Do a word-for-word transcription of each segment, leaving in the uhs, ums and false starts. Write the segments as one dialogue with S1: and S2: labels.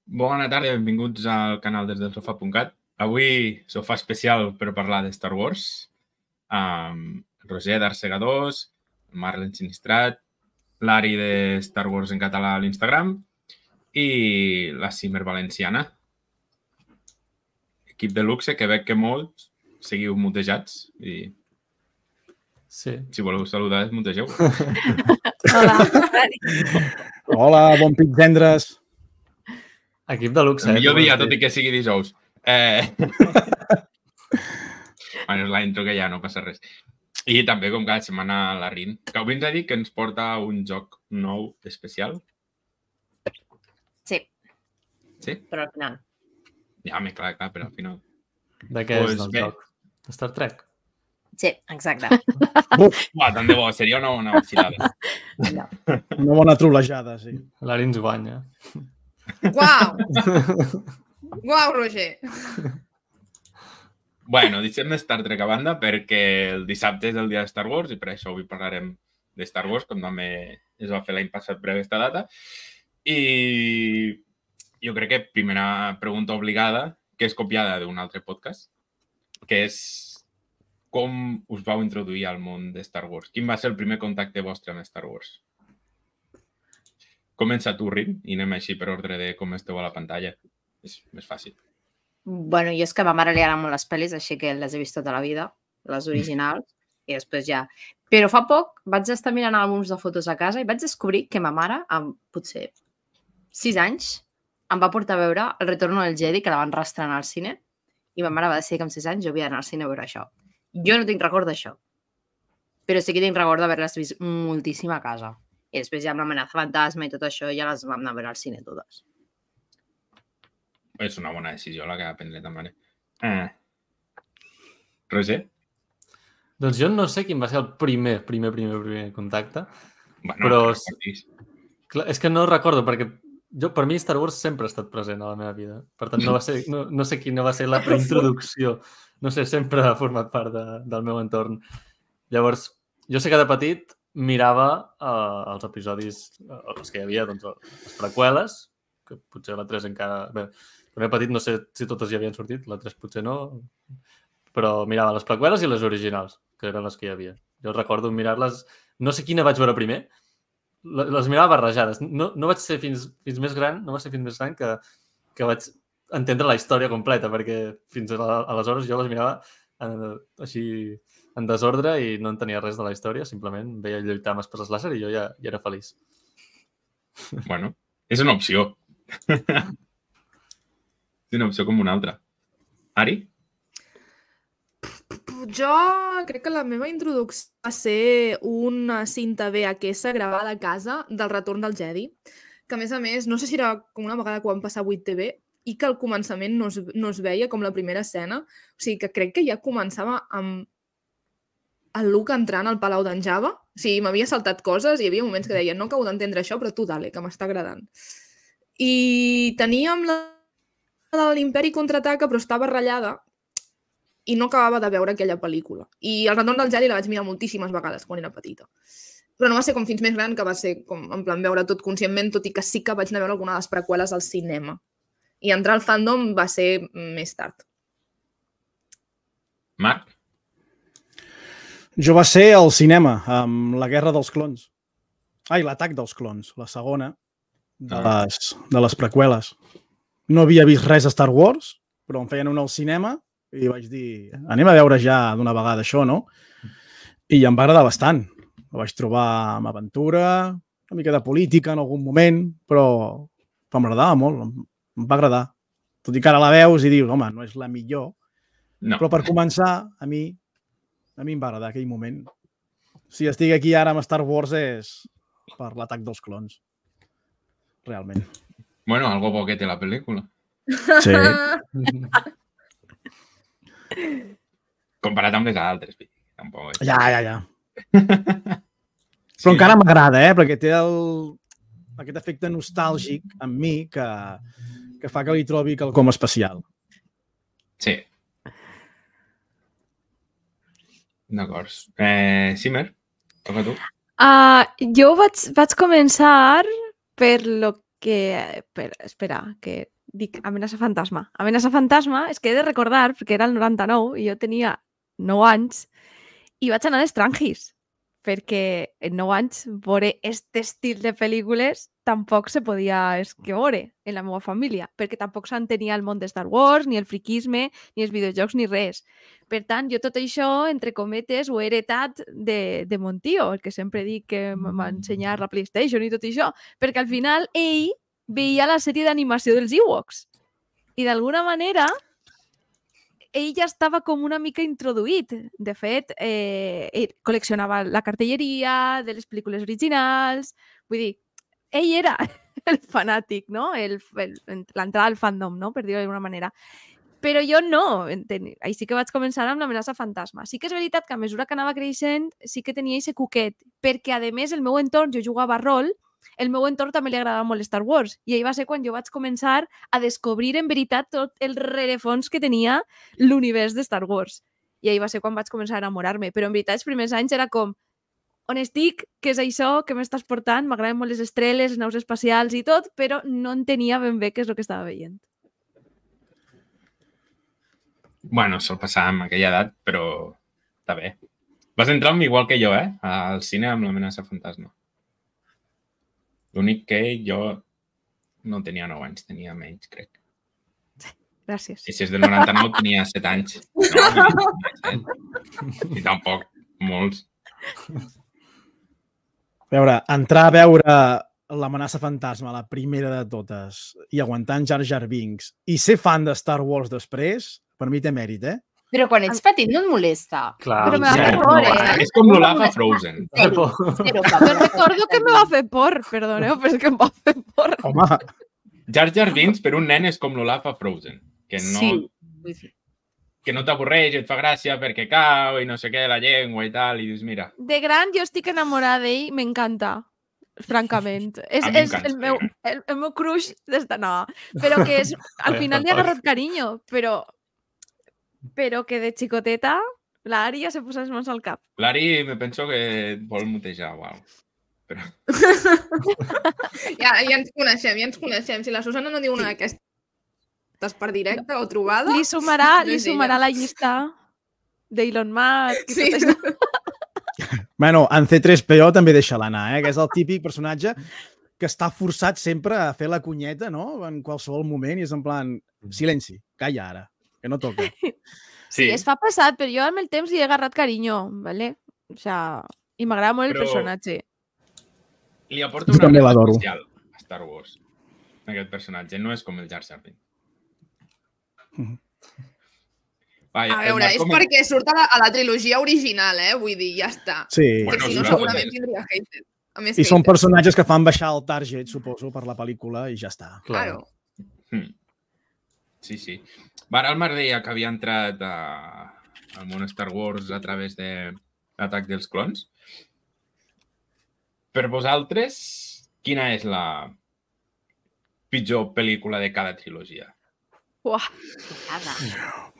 S1: Bona tarda i benvinguts al canal des del sofà punt cat. Avui sofà especial per parlar de Star Wars amb Roger d'Arsegadors, Marlen Sinistrat, l'Ari de Star Wars en català a l'Instagram i la Simer Valenciana. Equip de luxe que veig que molts seguiu mutejats i
S2: sí.
S1: Si voleu saludar, desmutegeu.
S3: Hola.
S4: Hola, bon pitzendres.
S2: Equip de luxe.
S1: El millor
S2: eh,
S1: dia, tot i que sigui dijous. Eh... bueno, és la intro que ja no passa res. I també, com cada setmana, la Rin, que avui ens ha dit que ens porta un joc nou especial.
S3: Sí.
S1: Sí?
S3: Però al final.
S1: Ja, més clar, clar, però al final.
S2: De què
S1: Pues
S2: és el
S1: bé.
S2: joc? De Star Trek?
S3: Sí, exacte.
S1: Uah, tant de bo, seria una bona vacilada.
S3: No.
S4: Una bona trolejada, sí.
S2: L'Ari ens guanya.
S5: Uau! Uau, Roger!
S1: Bueno, deixem Star Trek a banda perquè el dissabte és el dia de Star Wars i per això avui parlarem de Star Wars, com també es va fer l'any passat per aquesta data. I jo crec que primera pregunta obligada, que és copiada d'un altre podcast, que és com us vau introduir al món de Star Wars? Quin va ser el primer contacte vostre amb Star Wars? Comença tu, Rin, i anem així per ordre de com esteu a la pantalla. És més fàcil.
S3: Bueno, jo és que a ma mare li agraden molt les pel·lis, així que les he vist tota la vida, les originals, i després ja... Però fa poc vaig estar mirant àlbums de fotos a casa i vaig descobrir que ma mare, amb potser sis anys, em va portar a veure El retorno del Jedi, que la van reestrenar al cine, i ma mare va decidir que amb sis anys jo havia d'anar al cine a veure això. Jo no tinc record d'això, però sí que tinc record d'haver-les vist moltíssim a casa. I després ja amb l'amenaça fantasma i tot això ja les vam anar a veure al cine totes.
S1: És una bona decisió la que va prendre ta mare. Eh. Roger?
S2: Doncs jo no sé quin va ser el primer, primer, primer, primer contacte.
S1: Bueno,
S2: Però
S1: no
S2: és-
S1: recordis.
S2: Clar, és que no recordo, perquè jo, per mi Star Wars sempre ha estat present a la meva vida. Per tant, no, va ser, no, no sé quina va ser la introducció. No sé, sempre ha format part de, del meu entorn. Llavors, jo sé que de petit mirava uh, els episodis, uh, els que hi havia, doncs, les preqüeles, que potser la tres encara... Bé, també petit no sé si totes ja havien sortit, la tres potser no, però mirava les preqüeles i les originals, que eren les que hi havia. Jo recordo mirar-les... No sé quina vaig veure primer, le- les mirava barrejades. No, no vaig ser fins, fins més gran, no va ser fins més gran que, que vaig entendre la història completa, perquè fins a la- aleshores jo les mirava eh, així en desordre i no entenia res de la història, simplement veia lluitar amb esposes làser i jo ja, ja era feliç.
S1: Bueno, és una opció. És una opció com una altra. Ari?
S5: Jo crec que la meva introducció va ser una cinta V H S gravada a casa del Retorn del Jedi, que a més a més, no sé si era com una vegada que van passar a vuit T V i que al començament no es, no es veia com la primera escena. O sigui, que crec que ja començava amb el Luke entrant al Palau d'en Java. O sigui, m'havia saltat coses i hi havia moments que deia no acabo d'entendre això, però tu dale, que m'està agradant. I teníem la de l'Imperi Contraataca, però estava ratllada i no acabava de veure aquella pel·lícula. I El Retorn del Jedi la vaig mirar moltíssimes vegades quan era petita. Però no va ser com fins més gran, que va ser com en plan veure tot conscientment, tot i que sí que vaig anar a veure alguna de les preqüeles al cinema. I entrar al fandom va ser més tard.
S1: Marc?
S4: Jo va ser al cinema, amb la Guerra dels Clons. Ai, l'Atac dels Clons, la segona de
S1: Ah.
S4: les, de les preqüeles. No havia vist res a Star Wars, però em feien una al cinema i vaig dir, anem a veure ja d'una vegada això, no? I em va agradar bastant. La vaig trobar amb aventura, una mica de política en algun moment, però, però m'agradava molt, em, em va agradar. Tot i que ara la veus i dius, home, no és la millor,
S1: No.
S4: però per començar, a mi, a mi em va agradar aquell moment. Si estic aquí ara amb Star Wars és per l'Atac dels Clons. Realment.
S1: Bueno, algo bo que té la pel·lícula.
S4: Sí.
S1: Comparat amb les altres. Tampoc és...
S4: Ja, ja, ja. Però encara m'agrada, eh? Perquè té el... aquest efecte nostàlgic en mi que, que fa que li trobi quelcom especial.
S1: Sí. D'acord. Eh, Simer, toca tu.
S6: Uh, jo vaig, vaig començar per lo que... Per, espera, que
S5: dic, Amenaça fantasma. Amenaça fantasma és que he de recordar, perquè era el noranta-nou i jo tenia nou anys i vaig anar a l'Estrangis, perquè en nou anys veure aquest estil de pel·lícules tampoc se podia veure en la meva família, perquè tampoc s'entenia el món de Star Wars, ni el friquisme, ni els videojocs, ni res. Per tant, jo tot això, entre cometes, ho he heretat de, de mon tio, el que sempre dic que m'ha ensenyat la PlayStation i tot això, perquè al final ell veia la sèrie d'animació dels Ewoks. I d'alguna manera ell ja estava com una mica introduït. De fet, eh, ell col·leccionava la cartelleria de les pel·lícules originals. Vull dir, ell era el fanàtic, no? L'entrada al fandom, no? Per dir-ho d'alguna manera. Però jo no. Ahí sí que vaig començar amb l'Amenaça fantasma. Sí que és veritat que a mesura que anava creixent sí que tenia aquest cuquet, perquè a més el meu entorn, jo jugava a rol, el meu entorn també li agradava molt Star Wars i ahir va ser quan jo vaig començar a descobrir en veritat tot el rerefons que tenia l'univers de Star Wars. I ahir va ser quan vaig començar a enamorar-me. Però en veritat els primers anys era com on estic, què és això, què m'estàs portant, m'agraden molt les estrelles, les naus espacials i tot, però no entenia ben bé què és el que estava veient.
S1: Bueno, sol passar amb aquella edat, però està bé. Vas entrar igual que jo, eh? Al cine amb l'Amenaça fantasma. L'únic que jo no tenia nou anys, tenia menys, crec.
S5: Gràcies.
S1: I si és del noranta-nou, tenia set anys. No, I tampoc molts.
S4: A veure, entrar a veure l'Amenaça fantasma, la primera de totes, i aguantar en Jar Jar Binks, i ser fan de Star Wars després, per mi té mèrit, eh?
S3: Però quan ets petit no et molesta.
S2: Clar.
S5: Però me va
S1: Sí,
S5: fer por, eh?
S1: És com l'Olaf a Frozen.
S3: Zero, zero,
S5: Jo recordo que me va fer por, perdoneu, però és que em va fer por.
S4: Home,
S1: Jar Jar Binks per un nen és com l'Olaf a Frozen, que no,
S3: Sí.
S1: que no t'avorreix, et fa gràcia perquè cau i no sé què, la llengua i tal, i dius, mira...
S5: De gran jo estic enamorada d'ell, m'encanta, francament. És,
S1: A mi
S5: és
S1: m'encanta.
S5: el, meu, el, el meu crush d'esta... No, però que és, al final li ha agarrat carinyo, però, però que de xicoteta la Ària se posa les mans al cap.
S1: L'Ari me penso que et vol mutejar, uau. Però...
S5: Ja, ja ens coneixem, ja ens coneixem. Si la Susana no diu una d'aquestes per directe o trobada... Li sumarà,
S6: no
S5: li
S6: és
S5: sumarà
S6: ella.
S5: la llista d'Elon Musk i
S6: Sí.
S5: tot això.
S4: bueno, en C tres P O també deixa-la anar, eh? Que és el típic personatge que està forçat sempre a fer la cunyeta, no? En qualsevol moment i és en plan, silenci, calla ara, que no toca.
S5: Sí, es fa passat, però jo amb el temps li he agarrat carinyo, ¿vale? O sea, i m'agrada molt el
S1: Però-
S5: personatge.
S1: Li aporta
S4: Jo
S1: una
S4: també
S1: reta
S4: l'adoro.
S1: especial a Star Wars. Aquest personatge no és com el Jar Jar Binks.
S4: Mhm.
S1: Vaja,
S6: A
S1: el
S6: veure,
S1: Marc
S6: és
S1: com-
S6: perquè surt a la, a la trilogia original, eh? Vull dir, ja està.
S4: Sí,
S1: Bueno,
S6: que si
S1: és
S6: no,
S1: una
S6: segurament
S1: cosa.
S6: tindria hater. A més,
S4: i són
S6: hater.
S4: personatges que fan baixar el target, suposo, per la pel·lícula i ja està.
S6: Claro.
S1: Hmm. Sí, sí. Va, ara el Marc deia que havia entrat a, al món Star Wars a través de l'atac dels clons. Per vosaltres, quina és la pitjor pel·lícula de cada trilogia?
S5: Uah,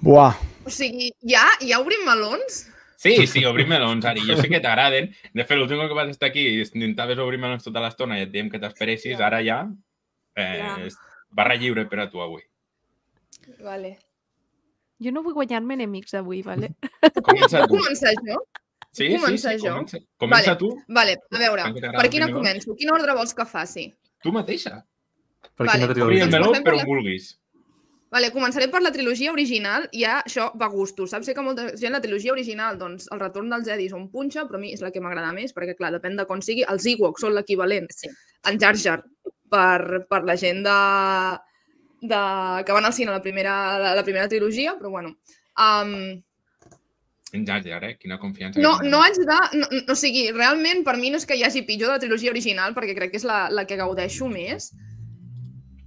S4: Buah,
S6: O sigui, ja, ja obrim melons?
S1: Sí, sí, obrim melons, Ari. Jo sé que t'agraden. De fet, l'últim que vas estar aquí intentaves obrir melons tota l'estona i et diem que t'esperessis. Ara ja eh,
S6: Clar.
S1: és barra lliure per a tu avui.
S6: Vale.
S5: jo no vull guanyar-me enemics avui, ¿vale?
S1: Comença
S6: Puc
S1: tu.
S6: començar jo?
S1: Sí,
S6: puc
S1: sí,
S6: començar
S1: sí,
S6: jo?
S1: comença, comença
S6: Vale.
S1: tu.
S6: Vale, a veure,
S1: Tant que t'agrada
S6: per
S1: el
S6: quina
S1: primer,
S6: començo? Quin ordre vols que faci?
S1: Tu mateixa.
S2: Per
S6: Vale.
S2: quina
S1: Obri
S2: trilogia?
S1: el meló
S6: Comencem per
S1: per
S6: la-
S1: on vulguis.
S6: Vale, començaré per la trilogia original, ja això va a gustos. Saps? Sé que molta gent la trilogia original, doncs el retorn dels Jedi són punxa, però a mi és la que m'agrada més, perquè clar, depèn de com sigui. Els Ewoks són l'equivalent
S3: Sí.
S6: en Jar Jar per, per la gent de, de, que van al cine a la primera, la, la primera trilogia, però bueno. Um,
S1: En Jar Jar, eh? Quina confiança.
S6: no,
S1: que tens.
S6: no haig de... No, no, o sigui, realment per mi no és que hi hagi pitjor de la trilogia original, perquè crec que és la, la que gaudeixo més,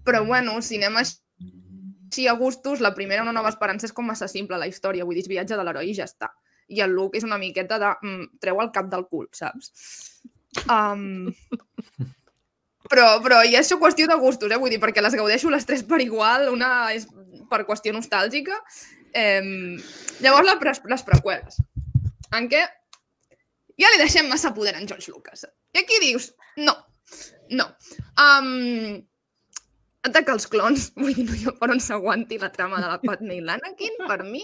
S6: però bueno, si anem així a gustos, la primera, Una nova esperança, és com massa simple la història, vull dir, és viatge de l'heroi i ja està. I el Luke és una miqueta de... Mm, treu el cap del cul, saps? Um, però, però ja és qüestió de gustos, eh? Vull dir, perquè les gaudeixo les tres per igual, una és per qüestió nostàlgica. Eh, llavors, la pre les preqüeles, en què ja li deixem massa poder en George Lucas. I aquí dius, no, no. Um, Ataca els clons. Vull dir, no hi ha per on s'aguanti la trama de la Padme i l'Anakin, per mi.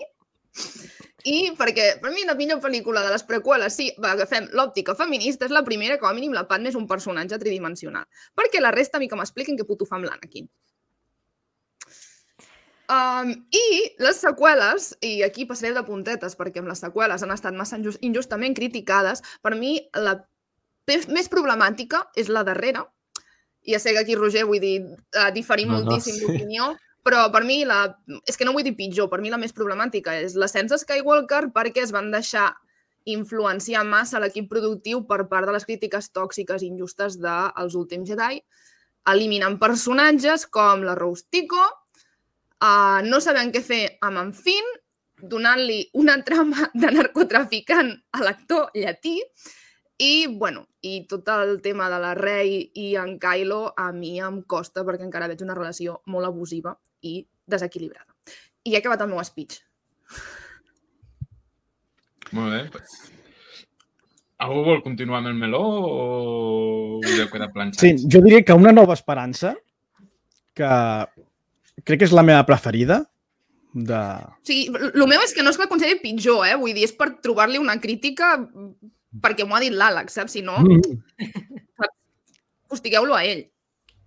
S6: I perquè, per mi, la millor pel·lícula de les preqüeles, sí, va, agafem l'òptica feminista, és la primera, com a mínim, la Padme és un personatge tridimensional. Perquè la resta, a mi que m'expliquin què puto fa amb l'Anakin. Um, I les seqüeles, i aquí passaré de puntetes, perquè amb les seqüeles han estat massa injust, injustament criticades, per mi la més problemàtica és la darrera. Ja sé que aquí, Roger, vull dir, uh, diferim
S2: No, no,
S6: moltíssim
S2: sí.
S6: d'opinió, però per mi, la... és que no vull dir pitjor, per mi la més problemàtica és l'ascens de Skywalker perquè es van deixar influenciar massa l'equip productiu per part de les crítiques tòxiques i injustes dels últims Jedi, eliminant personatges com la Rose Tico, uh, no sabent què fer amb en Finn, donant-li una trama de narcotraficant a l'actor llatí, i, bueno, i tot el tema de la Rey i en Kylo a mi em costa perquè encara veig una relació molt abusiva i desequilibrada. I he acabat el meu speech.
S1: Molt bé. Pues... Algú vol continuar amb el meló o us heu quedat planxats?
S4: Sí, jo diria que Una nova esperança, que crec que és la meva preferida, de...
S6: O sigui, el meu és que no és que la consideri pitjor, eh? Vull dir, és per trobar-li una crítica perquè m'ho ha dit l'Àlex, saps? Si no,
S4: Mm.
S6: hostigueu-lo a ell.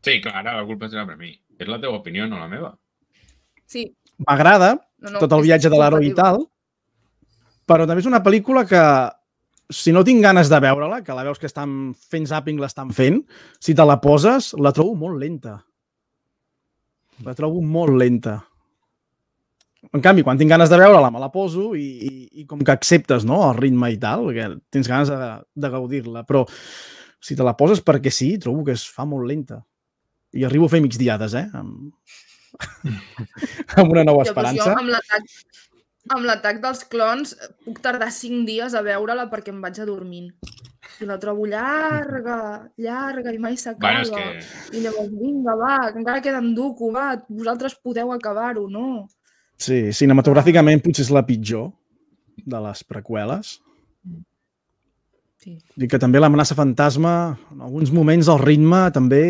S1: Sí, clar, ara la culpa serà per mi. És la teva opinió, no la meva.
S6: Sí.
S4: M'agrada
S6: No, no,
S4: tot el
S6: és
S4: viatge de l'heroi i
S6: compatible.
S4: tal, però també és una pel·lícula que, si no tinc ganes de veure-la, que la veus que estan fent zapping, l'estan fent, si te la poses, la trobo molt lenta. La trobo molt lenta. En canvi, quan tinc ganes de veure-la, me la poso i, i, i com que acceptes, no?, el ritme i tal, que tens ganes de, de gaudir-la. Però si te la poses perquè sí, trobo que es fa molt lenta. I arribo a fer migdiades, eh? Amb, amb Una nova
S6: Jo, doncs,
S4: esperança.
S6: jo amb l'atac amb l'atac dels clons puc tardar cinc dies a veure-la perquè em vaig a dormint. I la trobo llarga, llarga, i mai s'acaba.
S1: Bueno, és que...
S6: I llavors, vinga, va, que encara queda en duco, va, vosaltres podeu acabar-ho, no?
S4: Sí, cinematogràficament potser és la pitjor de les preqüeles.
S6: Sí.
S4: I que també l'amenaça fantasma, en alguns moments el ritme també...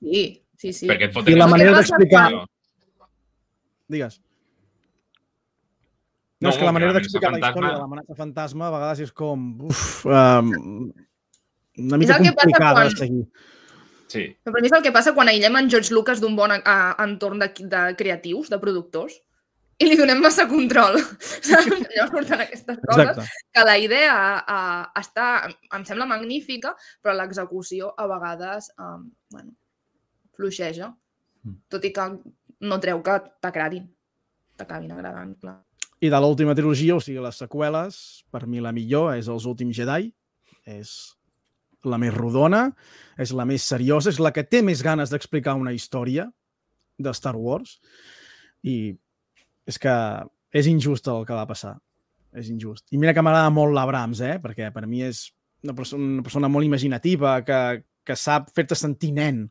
S6: Sí, sí, sí.
S1: Perquè et
S4: I
S1: foten...
S4: la
S6: el que
S4: manera
S6: passa
S4: d'explicar...
S1: quan-
S4: Digues.
S1: No,
S4: No, és que la
S1: que
S4: manera
S1: l'amenaça
S4: d'explicar la
S1: fantasma-
S4: història de l'amenaça fantasma a vegades és com... Uf, um, una mica
S6: el que passa
S4: complicada
S6: quan-
S4: de seguir.
S1: Sí.
S6: Però per mi és el que passa quan aïllem en George Lucas d'un bon a, a, entorn de, de creatius, de productors, i li donem massa control. Saps? Llavors surten aquestes coses
S4: Exacte.
S6: que la idea a, està, em sembla magnífica, però l'execució a vegades um, bueno, fluixeja. Tot i que no treu que t'agradin. T'acabin agradant, clar.
S4: I de l'última trilogia, o sigui, les seqüeles, per mi la millor és Els últims Jedi. És la més rodona, és la més seriosa, és la que té més ganes d'explicar una història de Star Wars. I és que és injust el que va passar. És injust. I mira que m'agrada molt l'Abrams, eh? Perquè per mi és una persona, una persona molt imaginativa, que, que sap fer-te sentir nen,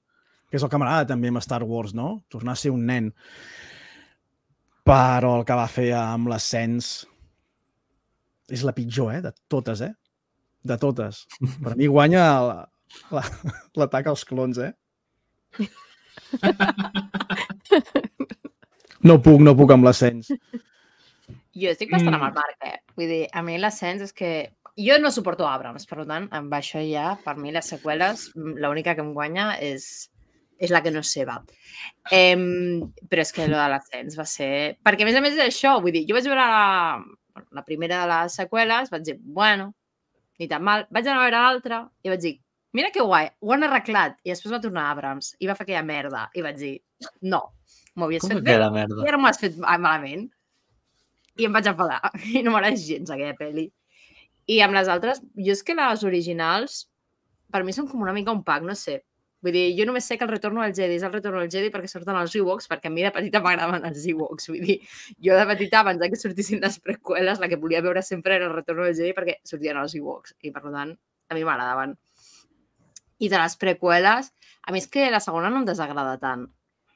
S4: que és el que m'agrada també amb Star Wars, no? Tornar a ser un nen. Però el que va fer amb l'ascens és la pitjor, eh? De totes, eh? De totes. Per mi guanya l'atac als clons, eh? No puc, no puc amb l'ascens.
S3: Jo estic bastant amb
S1: Mm.
S3: el Marc, eh? Vull dir, a mi l'ascens és que... Jo no suporto Abrams, per tant, amb això ja, per mi les seqüeles, l'única que em guanya és, és la que no és seva. Eh, però és que allò de l'ascens va ser... Perquè, a més a més, és això, vull dir, jo vaig veure la, la primera de les seqüeles, vaig dir, bueno, ni tan mal. Vaig anar a veure l'altra i vaig dir, mira que guai, ho han arreglat. I després va tornar Abrams i va fer aquella merda. I vaig dir, no, m'ho havies
S2: Com
S3: fet
S2: que
S3: bé
S2: era merda?
S3: i ara m'ho has fet malament. I em vaig enfadar. I no m'agrada gens aquella pel·li. I amb les altres, jo és que les originals, per mi són com una mica un pack, no sé. Vull dir, jo només sé que el Retorno del Jedi és el Retorno del Jedi perquè surten els Ewoks, perquè a mi de petita m'agradaven els Ewoks. Vull dir, jo de petita, abans que sortissin les preqüeles, la que volia veure sempre era el Retorno del Jedi perquè sortien els Ewoks. I, per tant, a mi m'agradaven. I de les preqüeles, a mi és que la segona no em desagrada tant.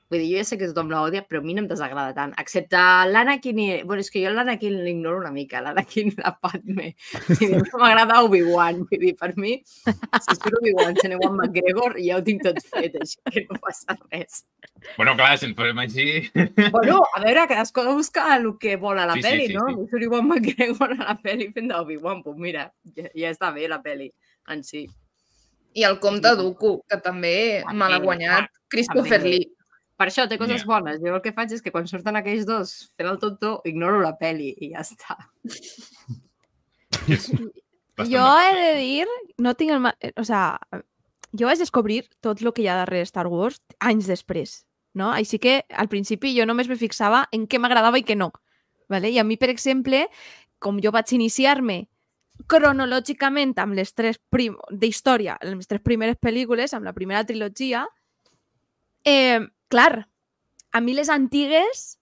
S3: Vull dir, jo ja sé que tothom l'odia, però a mi no em desagrada tant. Excepte l'Anakin i... Bueno, és que jo l'Anakin l'ignoro una mica, l'Anakin i la Padme. I a mi m'agrada Obi-Wan. Vull dir, per mi, si surt Obi-Wan sent Ewan McGregor, ja ho tinc tot fet, així que no passa res.
S1: Bueno, clar, si ens posem així...
S3: Bueno, a veure, cadascú ha de buscar el que vol a la
S1: Sí, sí,
S3: pel·li,
S1: sí,
S3: no?
S1: sí.
S3: Si surt Ewan McGregor a la pel·li fent d'Obi-Wan, doncs mira, ja, ja està bé la pel·li en si.
S6: I el Comte Dooku, que també me l'ha guanyat Christopher
S3: també.
S6: Lee.
S3: Per això té coses
S1: Ja.
S3: bones. Jo el que faig és que quan surten aquells dos fent el tonto, ignoro la peli i ja està.
S1: És bastant
S5: Jo
S1: bé.
S5: he de dir, no tinc el... ma- eh, O sea, jo vaig descobrir tot el que hi ha darrere Star Wars anys després, no? Així que al principi jo només me fixava en què m'agradava i què no. Vale? I a mi, per exemple, com jo vaig iniciar-me cronològicament amb les tres prim... d'història, les tres primeres pel·lícules, amb la primera trilogia, eh, clar, a mi les antigues,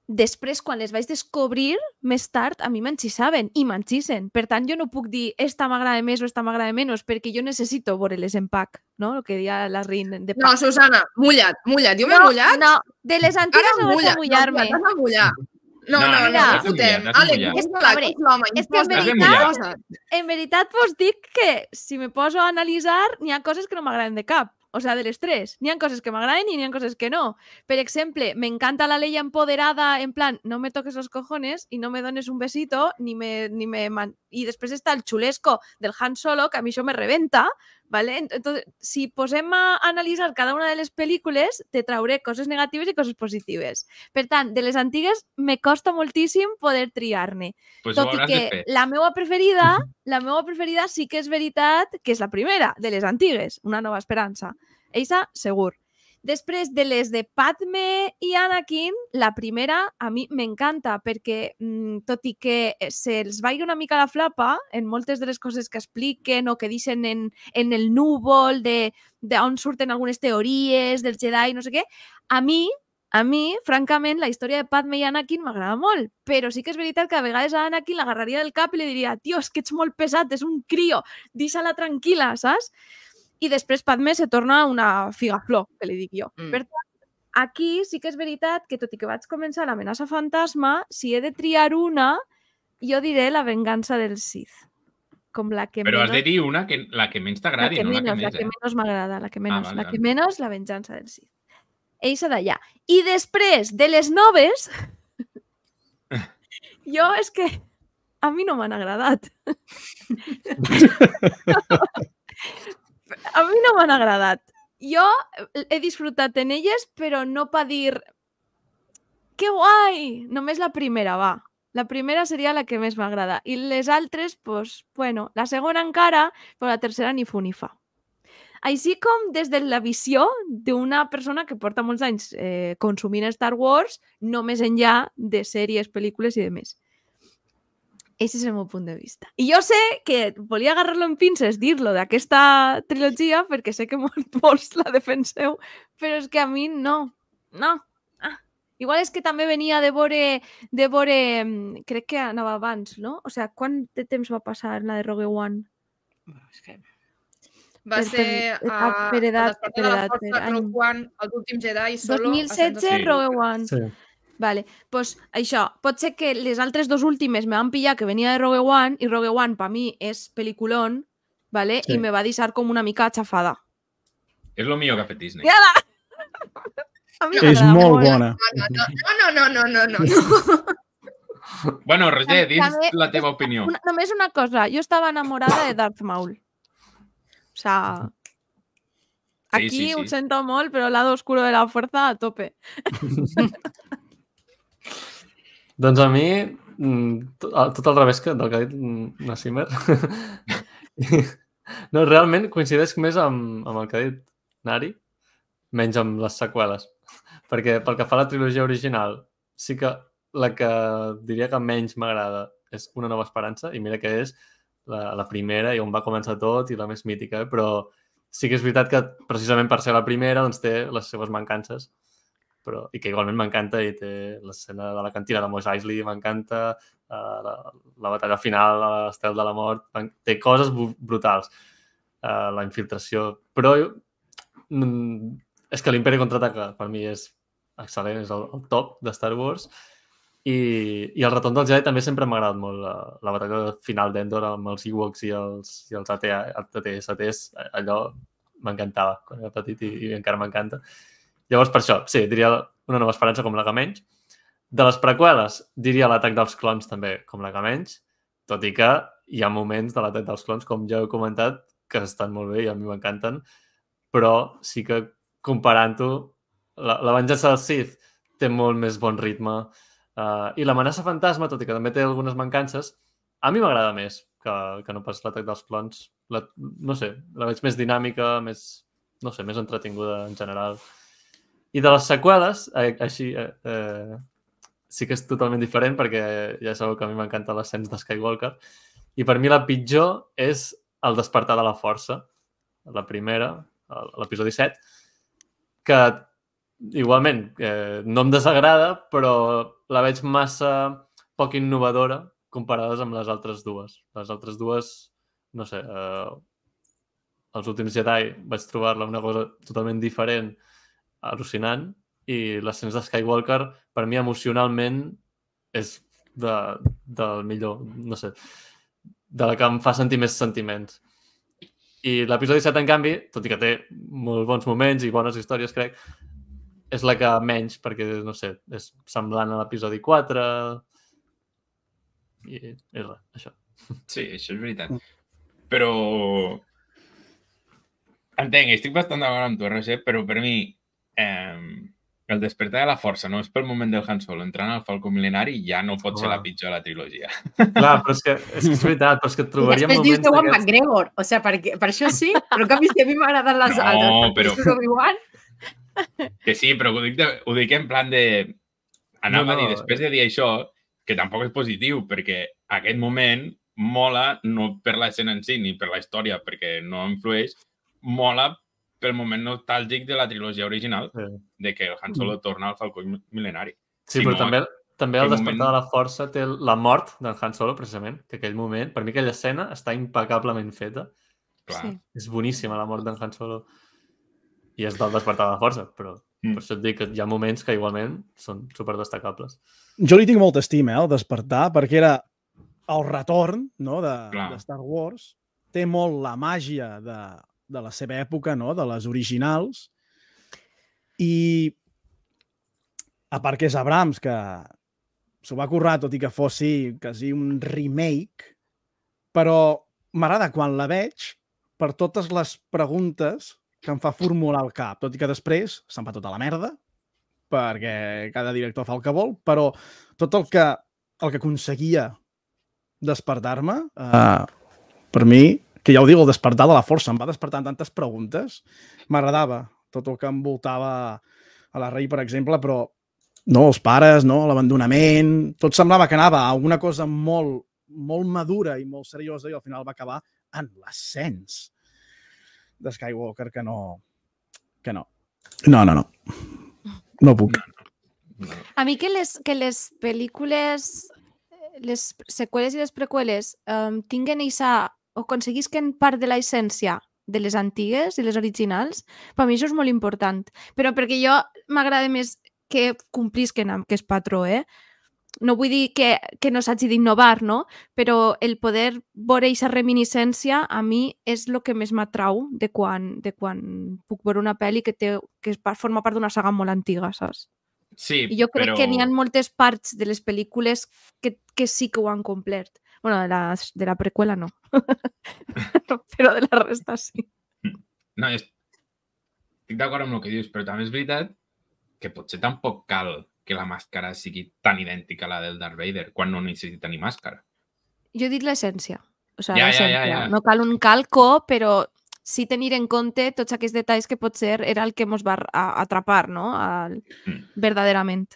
S5: després, quan les vaig descobrir, més tard, a mi m'enxisaven i m'enxisen. Per tant, jo no puc dir esta m'agrada més o esta m'agrada menys, perquè jo necessito veure-les en pack, no? El que deia la Rin de
S6: No,
S5: pack.
S6: Susana, mullat, mullat. Jo m'he
S5: no,
S6: mullat?
S5: no, de les antigues
S6: Ara
S5: no vaig a
S6: mullat.
S5: mullar-me.
S6: No, t'has de mullar. No,
S1: No,
S6: no,
S1: no,
S6: no,
S5: no,
S6: no,
S1: t'has de
S6: fotem.
S1: mullar, t'has de
S6: Àlex,
S1: mullar.
S6: és
S5: És que,
S6: la,
S5: a veure,
S6: és l'home,
S5: és que en
S6: imposta,
S5: veritat-
S6: coses.
S5: En veritat, vos dic que si me poso a analitzar, n'hi ha coses que no m'agraden de cap. O sea, de les tres. N'hi ha coses que m'agraden i n'hi ha coses que no. Per exemple, m'encanta la Leia empoderada, en plan, no me toques los cojones i no me dones un besito, ni me... Ni me man... I després està el xulesco del Han Solo, que a mi això me rebenta, ¿vale? Entonces, si posem a analitzar cada una de les pel·lícules, te trauré coses negatives i coses positives. Per tant, de les antigues me costa moltíssim poder triar-ne.
S1: Pues ho
S5: Tot i
S1: hauràs
S5: que
S1: de fer.
S5: la meva preferida, la meva preferida sí que és veritat que és la primera, de les antigues, Una nova esperança. Eixa, segur. Després de les de Padme i Anakin, la primera a mi m'encanta perquè, mm, tot i que se'ls vagi una mica la flapa en moltes de les coses que expliquen o que deixen en, en el núvol de, de on surten algunes teories dels Jedi, no sé què, a mi A mi, francament, la història de Padme i Anakin m'agrada molt, però sí que és veritat que a vegades a Anakin l'agarraria del cap i li diria tio, és que ets molt pesat, és un crio, deixa-la tranquil·la, saps? I després Padme se torna una figaflor, que li dic jo.
S3: Mm.
S5: Per tant, aquí sí que és veritat que, tot i que vaig començar l'amenaça fantasma, si he de triar una, jo diré la vengança del Sith. Com la que
S1: Però has
S5: menys...
S1: de dir una que la que menys
S5: La
S1: t'agradi,
S5: que
S1: no
S5: menys,
S1: la que
S5: la
S1: més,
S5: que
S1: eh?
S5: menys m'agrada, la que menys,
S1: vale,
S5: la
S1: vale.
S5: que menys, la venjança del Sith. Eixa d'allà. I després de les noves, jo és que a mi no m'han agradat. A mi no m'han agradat. Jo he disfrutat en elles, però no pa dir que guai! Només la primera, va. La primera seria la que més m'agrada. I les altres, pues, bueno, la segona encara, però la tercera ni fu ni fa. Així com des de la visió d'una persona que porta molts anys eh, consumint Star Wars, no més enllà de sèries, pel·lícules i de més. Ese és el meu punt de vista. I jo sé que volia agarrar-lo en pinces, dir-lo d'aquesta trilogia, perquè sé que molts, molts la defenseu, però és que a mi no. No. Ah. Igual és que també venia de veure, de veure... Crec que anava abans, no? O sigui, quant de temps va passar la de Rogue One?
S3: És que...
S6: Va
S5: Per-
S6: ser
S5: per-
S6: a,
S5: ah, per edat,
S6: a
S5: per
S6: de la
S5: edat,
S6: Força,
S5: per any.
S6: Rogue One, els últims Jedi, Solo...
S5: dos mil setze,
S1: Sí.
S5: Rogue One.
S2: Sí.
S5: Vale, doncs això, pot ser que les altres dos últimes me van pillar que venia de Rogue One i Rogue One per mi és peliculón, vale?
S2: Sí.
S5: I me va deixar com una mica xafada.
S1: És el millor que ha fet Disney.
S5: Ja la... A mi
S4: És
S5: m'agrada
S4: molt bona.
S6: No, no, no, no, no, no, no.
S1: Bueno, Roger, dis
S5: També-
S1: la teva opinió.
S5: Una, només una cosa, jo estava enamorada de Darth Maul. O sea,
S1: Sí,
S5: aquí
S1: sí, sí.
S5: ho sento molt, però el lado oscuro de la fuerza a tope.
S2: Doncs a mi, mm, tot, tot al revés que del que ha dit mm, Nassimmer. No, realment coincideix més amb, amb el que ha dit Nari, menys amb les seqüeles. Perquè pel que fa a la trilogia original, sí que la que diria que menys m'agrada és Una nova esperança, i mira que és la, la primera i on va començar tot i la més mítica, eh? Però sí que és veritat que precisament per ser la primera doncs té les seves mancances, però, i que igualment m'encanta, i té l'escena de la cantina de Mos Eisley, m'encanta, uh, la, la batalla final a l'Estel de la Mort, té coses brutals, uh, la infiltració, però mm, és que l'Imperi Contraataca per mi és excel·lent, és el, el top de Star Wars. I, i el Retorn del Jedi també sempre m'ha agradat molt la, la batalla final d'Endor amb els Ewoks i els, i els A T S Ts, allò m'encantava quan era petit i, i encara m'encanta. Llavors, per això, sí, diria Una nova esperança com la que menys. De les preqüeles, diria l'Atac dels clons també com la que menys, tot i que hi ha moments de l'Atac dels clons, com ja he comentat, que estan molt bé i a mi m'encanten, però sí que comparant-ho, la, la venjança del Sith té molt més bon ritme, uh, i l'amenaça fantasma, tot i que també té algunes mancances, a mi m'agrada més que, que no pas l'Atac dels clons. La, no sé, la veig més dinàmica, més, no sé, més entretinguda en general. I de les seqüeles, eh, així, eh, eh, sí que és totalment diferent, perquè ja sabeu que a mi m'encanta l'ascens de Skywalker, i per mi la pitjor és El despertar de la força, la primera, l'episodi set, que igualment eh, no em desagrada, però la veig massa poc innovadora comparades amb les altres dues. Les altres dues, no sé, eh, Els últims Jedi vaig trobar-la una cosa totalment diferent, al·lucinant, i l'ascens de Skywalker, per mi emocionalment, és de, del millor, no sé, de la que em fa sentir més sentiments. I l'episodi set, en canvi, tot i que té molt bons moments i bones històries, crec, és la que menys, perquè, no sé, és semblant a l'episodi quatre, i és res, això.
S1: Sí, això és veritat. Però entenc, estic bastant d'acord amb tu, Roger, però per mi eh, el despertar de la força no és pel moment del Han Solo entrant al Falcó Mil·lenari, ja no pot ser la pitjor de la trilogia.
S2: Clar, però és que és, que és veritat, però és que et trobaria
S3: moments
S2: moments...
S3: Després dius Ewan McGregor, o sigui, per, per això sí, però en canvi si a mi m'agraden les
S1: No,
S3: altres,
S1: però-
S3: però... Obi-Wan,
S1: Que sí, però ho dic, de, ho dic en plan de... Anava
S2: No, no,
S1: a dir, després de dir això, que tampoc és positiu, perquè aquest moment mola no per l'escena en si ni per la història, perquè no influeix, mola pel moment nostàlgic de la trilogia original,
S2: Sí.
S1: de que el Han Solo torna al Falcó Mil·lenari.
S2: Sí,
S1: Si
S2: però
S1: no,
S2: també, també el
S1: aquell
S2: despertar
S1: moment-
S2: de la força té la mort d'en Han Solo, precisament, que aquell moment, per mi aquella escena està impecablement feta.
S1: Clar.
S3: Sí.
S2: És boníssima la mort d'en Han Solo. I és del despertar de la força, però
S1: Mm.
S2: per això et dic que hi ha moments que igualment són superdestacables.
S4: Jo li tinc molta estima, eh, al despertar, perquè era el retorn, no, de,
S1: Clar.
S4: de Star Wars. Té molt la màgia de, de la seva època, no, de les originals. I a part que és Abrams, que s'ho va currar, tot i que fossi quasi un remake, però m'agrada quan la veig per totes les preguntes que em fa formular al cap, tot i que després se'n va tota la merda, perquè cada director fa el que vol, però tot el que, el que aconseguia despertar-me, eh, per mi, que ja ho dic, el despertar de la força, em va despertar tantes preguntes, m'agradava tot el que envoltava a la Rey, per exemple, però no, els pares, no, l'abandonament, tot semblava que anava a una cosa molt, molt madura i molt seriosa i al final va acabar en l'ascens de Skywalker, que no... que no. No, no, no. No puc.
S5: A mi que les, que les pel·lícules, les seqüeles i les preqüeles um, tinguen eixa, o aconseguisquen part de l'essència de les antigues i les originals, per mi això és molt important. Però perquè jo m'agrada més que complisquen amb aquest patró, eh? No vull dir que, que no s'hagi d'innovar, no? Però el poder veure aquesta reminiscència a mi és el que més m'atrau de quan, de quan puc veure una pel·li que, té, que forma part d'una saga molt antiga, saps?
S1: Sí,
S5: I jo crec
S1: però...
S5: que n'hi ha moltes parts de les pel·lícules que, que sí que ho han complert. Bueno, de la, de la preqüela no. Però de la resta sí.
S1: No, és... estic d'acord amb el que dius, però també és veritat que potser tampoc cal que la màscara sigui tan idèntica a la del Darth Vader quan no necessita ni màscara.
S5: Jo he dit l'essència. O sigui,
S1: Ja, ja,
S5: l'essència.
S1: ja, ja.
S5: No cal un calco, però sí tenir en compte tots aquests detalls que potser era el que ens va a- atrapar, no? Al,
S1: Mm.
S5: verdaderament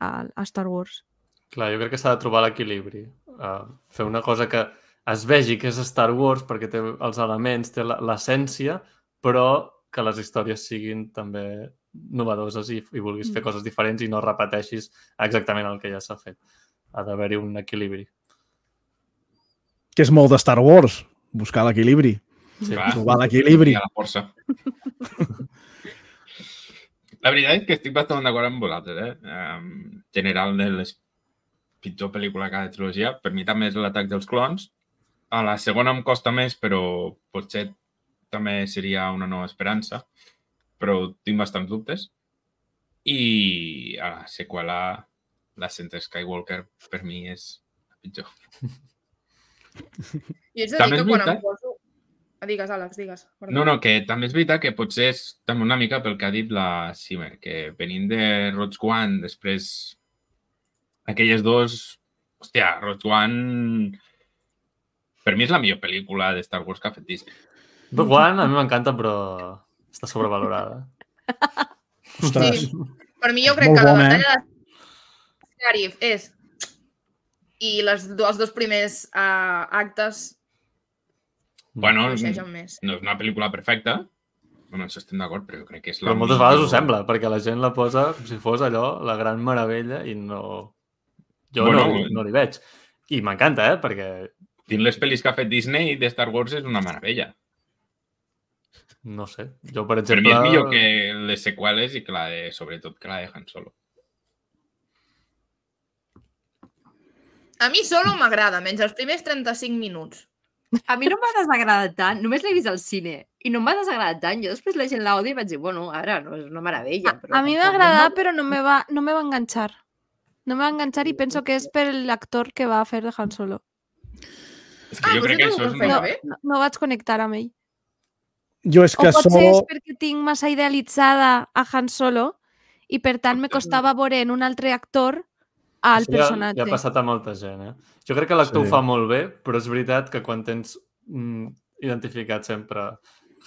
S5: a, a Star Wars.
S2: Clar, jo crec que s'ha de trobar l'equilibri. Uh, fer una cosa que es vegi que és Star Wars perquè té els elements, té la- l'essència, però que les històries siguin també novedoses i, i vulguis fer
S5: Mm.
S2: coses diferents i no repeteixis exactament el que ja s'ha fet. Ha d'haver-hi un equilibri.
S4: Que és molt de Star Wars, buscar l'equilibri.
S2: Sí.
S1: Clar.
S4: Trobar l'equilibri.
S1: I a la força. La veritat és que estic bastant d'acord amb vosaltres, eh? En general, de les pitjor pel·lícula de cada trilogia, per mi també és l'atac dels clons. A la segona em costa més, però potser també seria una nova esperança, però tinc bastants dubtes. I a la seqüela, l'ascent de Skywalker, per mi és la pitjor.
S6: I ets de dir
S1: També
S6: que
S1: és
S6: quan em
S1: veritat.
S6: poso... Ah, digues, Àlex, digues. Perdó.
S1: No, no, que també és veritat que potser és també una mica pel que ha dit la Simmer, que venint de Rogue One, després aquelles dos... Hòstia, Rogue One... Per mi és la millor pel·lícula de Star Wars que ha fet Disney.
S2: Rogue One a mi m'encanta, però està sobrevalorada.
S4: Ostres,
S6: Sí. Per mi jo crec
S4: Molt
S6: que la
S4: bona,
S6: batalla de Scarif és... I les, els dos primers uh, actes
S1: Bueno,
S6: coincideixen més.
S1: no és una pel·lícula perfecta, bueno, això estem d'acord, però jo crec que és la
S2: Però moltes
S1: millor...
S2: vegades ho sembla, perquè la gent la posa com si fos allò, la gran meravella, i no... Jo
S1: Bueno,
S2: no, no li veig. I m'encanta, eh? Perquè,
S1: Dins les pel·lis que ha fet Disney de Star Wars és una meravella.
S2: no sé, jo, per
S1: Per
S2: exemple...
S1: mi és millor que les seqüeles i que la de, sobretot, que la de Han Solo.
S6: A mi Solo m'agrada, menys els primers trenta-cinc minuts.
S3: A mi no m'ha desagradat tant, només l'he vist al cine i no m'ha desagradat tant. Jo després llegint l'àudio vaig dir, bueno, ara no és una meravella.
S7: A,
S3: Però
S7: a mi
S3: tampoc
S7: m'agrada,
S3: no
S7: però no me va, no me va enganxar. No me va enganxar i penso que és per l'actor que va fer de Han Solo.
S1: És que
S6: Ah,
S1: jo
S6: però
S1: crec que
S6: sí que
S1: això
S6: ho
S1: és...
S6: feia
S7: No,
S6: bé.
S7: no, no vaig connectar amb ell.
S4: jo és
S7: O
S4: que
S7: potser
S4: solo...
S7: és perquè tinc massa idealitzada a Han Solo i per tant me costava veure en un altre actor al
S2: Això ja,
S7: personatge.
S2: ja ha passat a molta gent, eh? Jo crec que l'actor
S4: Sí.
S2: ho fa molt bé, però és veritat que quan tens mm, identificat sempre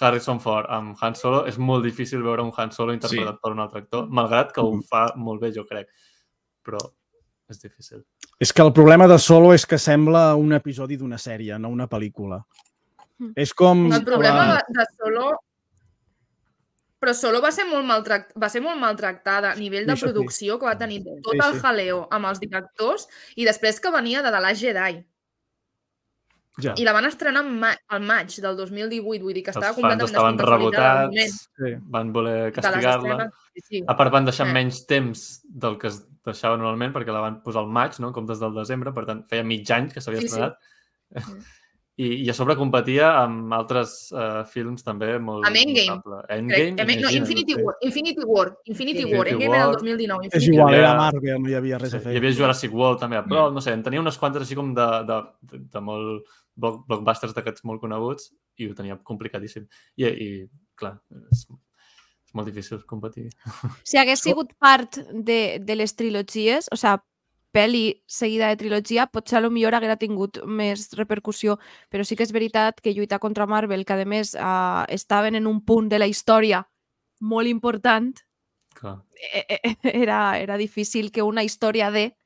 S2: Harrison Ford amb Han Solo, és molt difícil veure un Han Solo interpretat
S1: Sí.
S2: per un altre actor, malgrat que ho fa molt bé, jo crec. Però és difícil.
S4: És que el problema de Solo és que sembla un episodi d'una sèrie, no una pel·lícula.
S7: Mm.
S4: És com...
S6: El problema
S4: la-
S6: de, de Solo... Però Solo va ser molt, maltract... va ser molt maltractada a nivell de
S4: Sí, això sí.
S6: producció, que va tenir tot
S4: Sí,
S6: el
S4: sí.
S6: jaleo amb els directors i després que venia de The Last Jedi.
S4: Ja.
S6: I la van estrenar en ma al maig del dos mil divuit, vull dir que estava
S2: Els fans
S6: completament
S2: estaven
S6: descontextualitzada al moment
S2: rebotats,
S4: Sí.
S2: van voler
S6: de les
S2: castigar-la.
S6: escenes. Sí, sí.
S2: A part, van deixar
S6: Eh.
S2: menys temps del que es deixava normalment, perquè la van posar al maig, no? En comptes del desembre, per tant, feia mig any que s'havia
S6: Sí, sí.
S2: estrenat.
S6: Mm.
S2: I, I a sobre competia amb altres uh, films també molt
S6: Amb Endgame.
S2: notable.
S6: Crec,
S2: Endgame,
S6: no,
S2: imagina't,
S6: Infinity
S2: sí.
S6: War. Infinity War. Infinity
S2: Infinity
S6: War. Endgame era el
S2: War.
S6: dos mil dinou.
S4: És
S6: Infinity
S4: igual,
S2: Hi havia-
S4: era Marvel, no hi havia res
S2: Sí,
S4: a fer.
S2: hi havia Jurassic World també a prop,
S1: Mm.
S2: no sé, en tenia unes quantes així com de, de, de, de molt block- blockbusters d'aquests molt coneguts i ho tenia complicadíssim. I, i clar, és, és molt difícil competir.
S7: Si hagués sigut part de, de les trilogies, o sigui, pel·li seguida de trilogia, potser a lo millor haguera tingut més repercussió, però sí que és veritat que lluitar contra Marvel, que a més eh, estaven en un punt de la història molt important,
S2: Clar.
S7: eh, eh, era, era difícil que una història de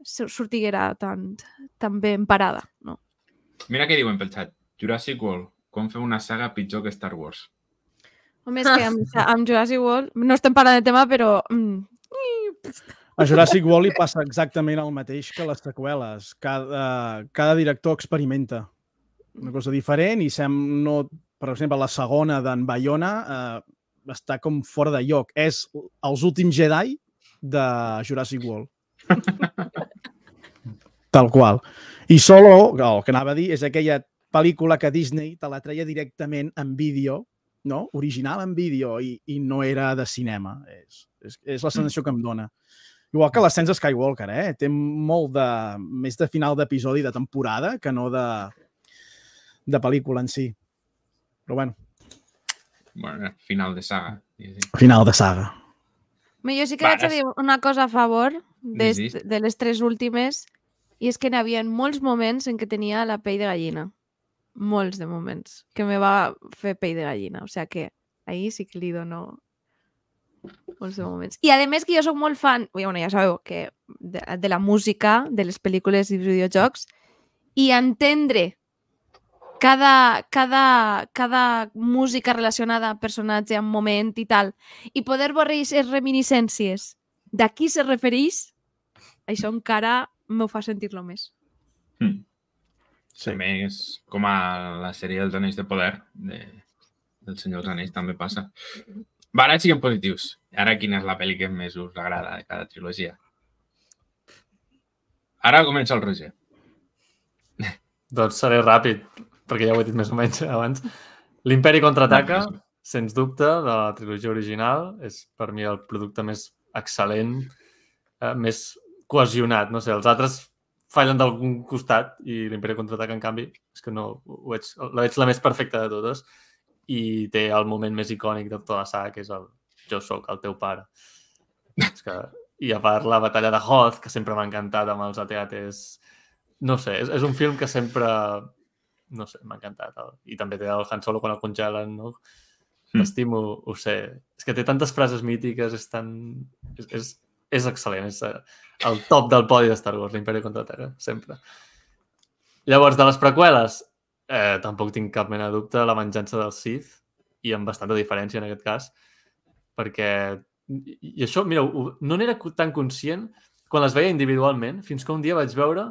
S7: sur- sortiguera tan, tan ben parada. No?
S1: Mira què diuen pel xat. Jurassic World, com fer una saga pitjor que Star Wars.
S7: Home, és que amb, amb Jurassic World, no estem parlant de tema, però... Mm,
S4: A Jurassic World li passa exactament el mateix que les seqüeles. Cada, cada director experimenta una cosa diferent i sem, no, per exemple, la segona d'en Bayona eh, està com fora de lloc. És els últims Jedi de Jurassic World. Tal qual. I Solo, el que anava a dir, és aquella pel·lícula que Disney te la treia directament en vídeo, no? Original en vídeo, i, i no era de cinema. És, és, és la sensació que em dona. Igual que l'ascens de Skywalker, eh? Té molt de... més de final d'episodi de temporada que no de, de pel·lícula en si. Però bueno,
S1: Bueno, final de saga. diguéssim.
S4: final de saga.
S7: Home, jo sí que
S1: Va,
S7: vaig a
S1: és-
S7: dir una cosa a favor de,
S1: Dis, dis.
S7: de les tres últimes, i és que n'hi havia molts moments en què tenia la pell de gallina. Molts de moments que me va fer pell de gallina. O sigui que ahí sí que li dono molts de moments. I a més que jo sóc molt fan, bueno, ja sabeu, que de, de la música, de les pel·lícules i videojocs, i entendre cada, cada, cada música relacionada amb personatge, amb moment i tal, i poder veure aquestes reminiscències de qui se refereix, això encara m'ho fa sentir-lo més.
S1: Mm.
S4: Sí.
S1: També és com a la sèrie dels Anells de Poder de, del Senyor dels Anells també passa. Va, ara siguem positius. Ara quina és la pel·li que més us agrada de cada trilogia? Ara comença el Roger.
S2: Doncs seré ràpid, perquè ja ho he dit més o menys abans. L'Imperi contraataca, sens dubte, de la trilogia original. És per mi el producte més excel·lent, eh, més cohesionat. No sé, els altres fallen d'algun costat i l'Imperi contraataca, en canvi, és que no, ho veig, la veig la més perfecta de totes i té el moment més icònic de tota la saga, que és el jo sóc el teu pare. És que, I a part la batalla de Hoth, que sempre m'ha encantat amb els A T A Ts. No sé, és, és un film que sempre... No sé, m'ha encantat. I també té el Han Solo quan el congelen, no? T'estimo, ho sé. És que té tantes frases mítiques, és tan... És, és, és excel·lent, és el top del podi de Star Wars, l'Imperi contraataca, sempre. Llavors, de les preqüeles, eh, tampoc tinc cap mena de dubte, la venjança del Sith, i amb bastanta diferència en aquest cas, perquè... I això, mira, no n'era tan conscient quan les veia individualment, fins que un dia vaig veure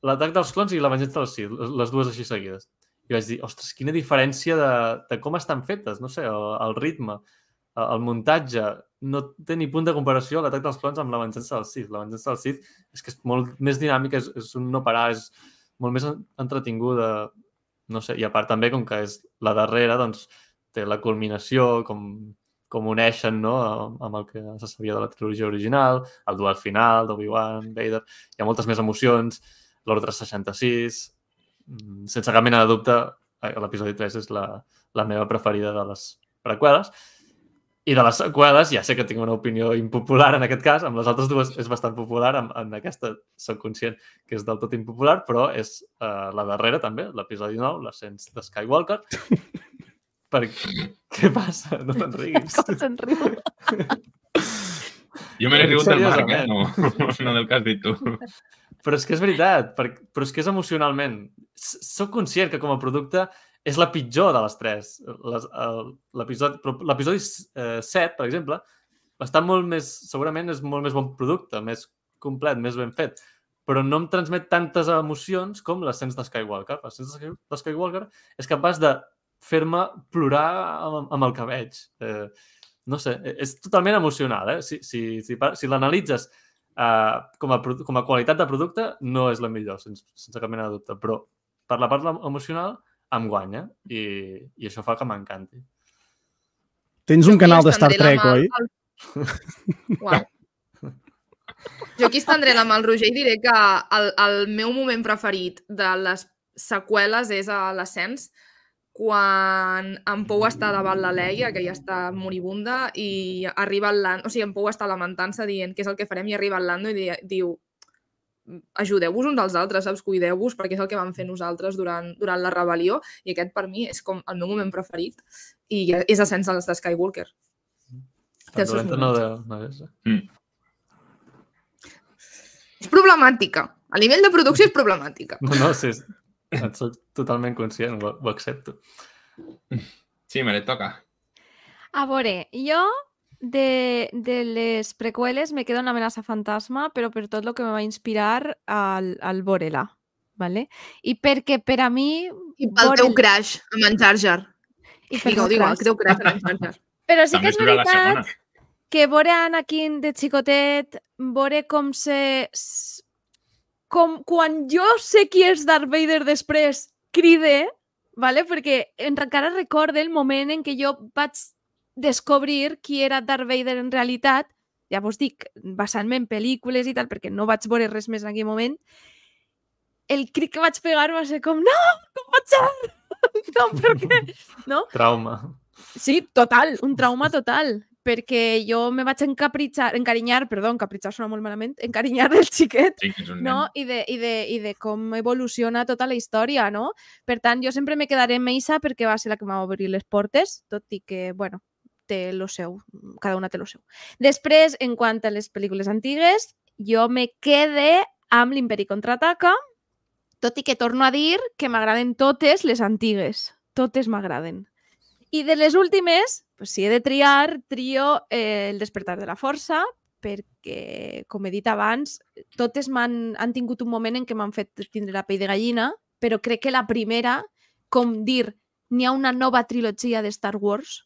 S2: l'Atac dels Clons i la venjança del Sith, les dues així seguides. I vaig dir, ostres, quina diferència de, de com estan fetes, no sé, el, el ritme, el muntatge, no té ni punt de comparació l'Atac dels Clons amb la venjança del Sith. La venjança del Sith és que és molt més dinàmica, és, és un no parar, és molt més entretinguda, no sé, i a part també, com que és la darrera, doncs té la culminació, com, com uneixen, no?, amb el que se sabia de la trilogia original, el duel final d'Obi-Wan, Vader, hi ha moltes més emocions, l'Ordre seixanta-sis, sense cap mena de dubte, l'episodi tres és la, la meva preferida de les preqüeles. I de les seqüeles, ja sé que tinc una opinió impopular en aquest cas, amb les altres dues és bastant popular, en, en aquesta soc conscient que és del tot impopular, però és uh, la darrera també, l'episodi nou, l'ascens de Skywalker. Per... Què passa? No te'n riguis.
S7: Com se'n riu?
S1: Jo me n'he rigut del Marc, eh? No, no del que has dit tu.
S2: Però és que és veritat, però és que és emocionalment. Soc conscient que com a producte és la pitjor de les tres. L'episodi set, per exemple, està molt més, segurament és molt més bon producte, més complet, més ben fet, però no em transmet tantes emocions com l'ascens de Skywalker. L'ascens de Skywalker és capaç de fer-me plorar amb, amb el que veig. Eh, no sé, és totalment emocional, eh? Si, si, si, si l'analitzes Uh, com, a, com a qualitat de producte no és la millor, sense, sense cap mena de dubte, però per la part emocional em guanya i, i això fa que m'encanti.
S4: Tens un canal de Star Trek, oi?
S6: El... Uau. Jo aquí estendré la mà al Roger i diré que el, el meu moment preferit de les seqüeles és a l'ascens, quan en Pou està davant la Leia, que ja està moribunda, i arriba el Lando, o sigui, en Pou està lamentant-se dient què és el que farem, i arriba el Lando i diu ajudeu-vos uns als altres, saps? Cuideu-vos, perquè és el que vam fer nosaltres durant, durant la rebel·lió, i aquest per mi és com el meu moment preferit, i és ascens de Skywalker.
S2: Tan dolenta no de... no és. Mm.
S6: És problemàtica. A nivell de producció és problemàtica.
S2: No, no, sí, en soc totalment conscient, ho, ho accepto.
S1: Sí, me le toca.
S7: A veure, jo de, de les preqüeles me quedo una amenaça fantasma, però per tot el que me va inspirar al, al veure-la. ¿Vale? I perquè per a mi...
S6: I pel teu crush amb en Jar Jar.
S7: I per
S6: digue, digue, el teu crush amb en Jar Jar.
S7: Però sí que és veritat que veure Anakin de xicotet, veure com se... Com quan jo sé qui és Darth Vader després, cride, ¿vale? Perquè encara recorde el moment en què jo vaig descobrir qui era Darth Vader en realitat, ja vos dic, basant-me en pel·lícules i tal, perquè no vaig veure res més en aquell moment, el crit que vaig pegar va ser com, no, com pot ser? No, per què? No?
S2: Trauma.
S7: Sí, total, un trauma total. Perquè jo me vaig encapritxar, encarinyar, perdó, encapritxar sona molt malament, encarinyar del xiquet,
S1: sí, és un
S7: no? I de, i, de, i de com evoluciona tota la història, no? Per tant, jo sempre me quedaré amb Meisa perquè va ser la que m'ha obrir les portes, tot i que, bueno, té lo seu, cada una té lo seu. Després, en quant a les pel·lícules antigues, jo me quede amb l'Imperi contraataca, tot i que torno a dir que m'agraden totes les antigues. Totes m'agraden. I de les últimes, pues, si he de triar, trio eh, El despertar de la força, perquè, com he dit abans, totes m'han han tingut un moment en què m'han fet tindre la pell de gallina, però crec que la primera, com dir, n'hi ha una nova trilogia de Star Wars,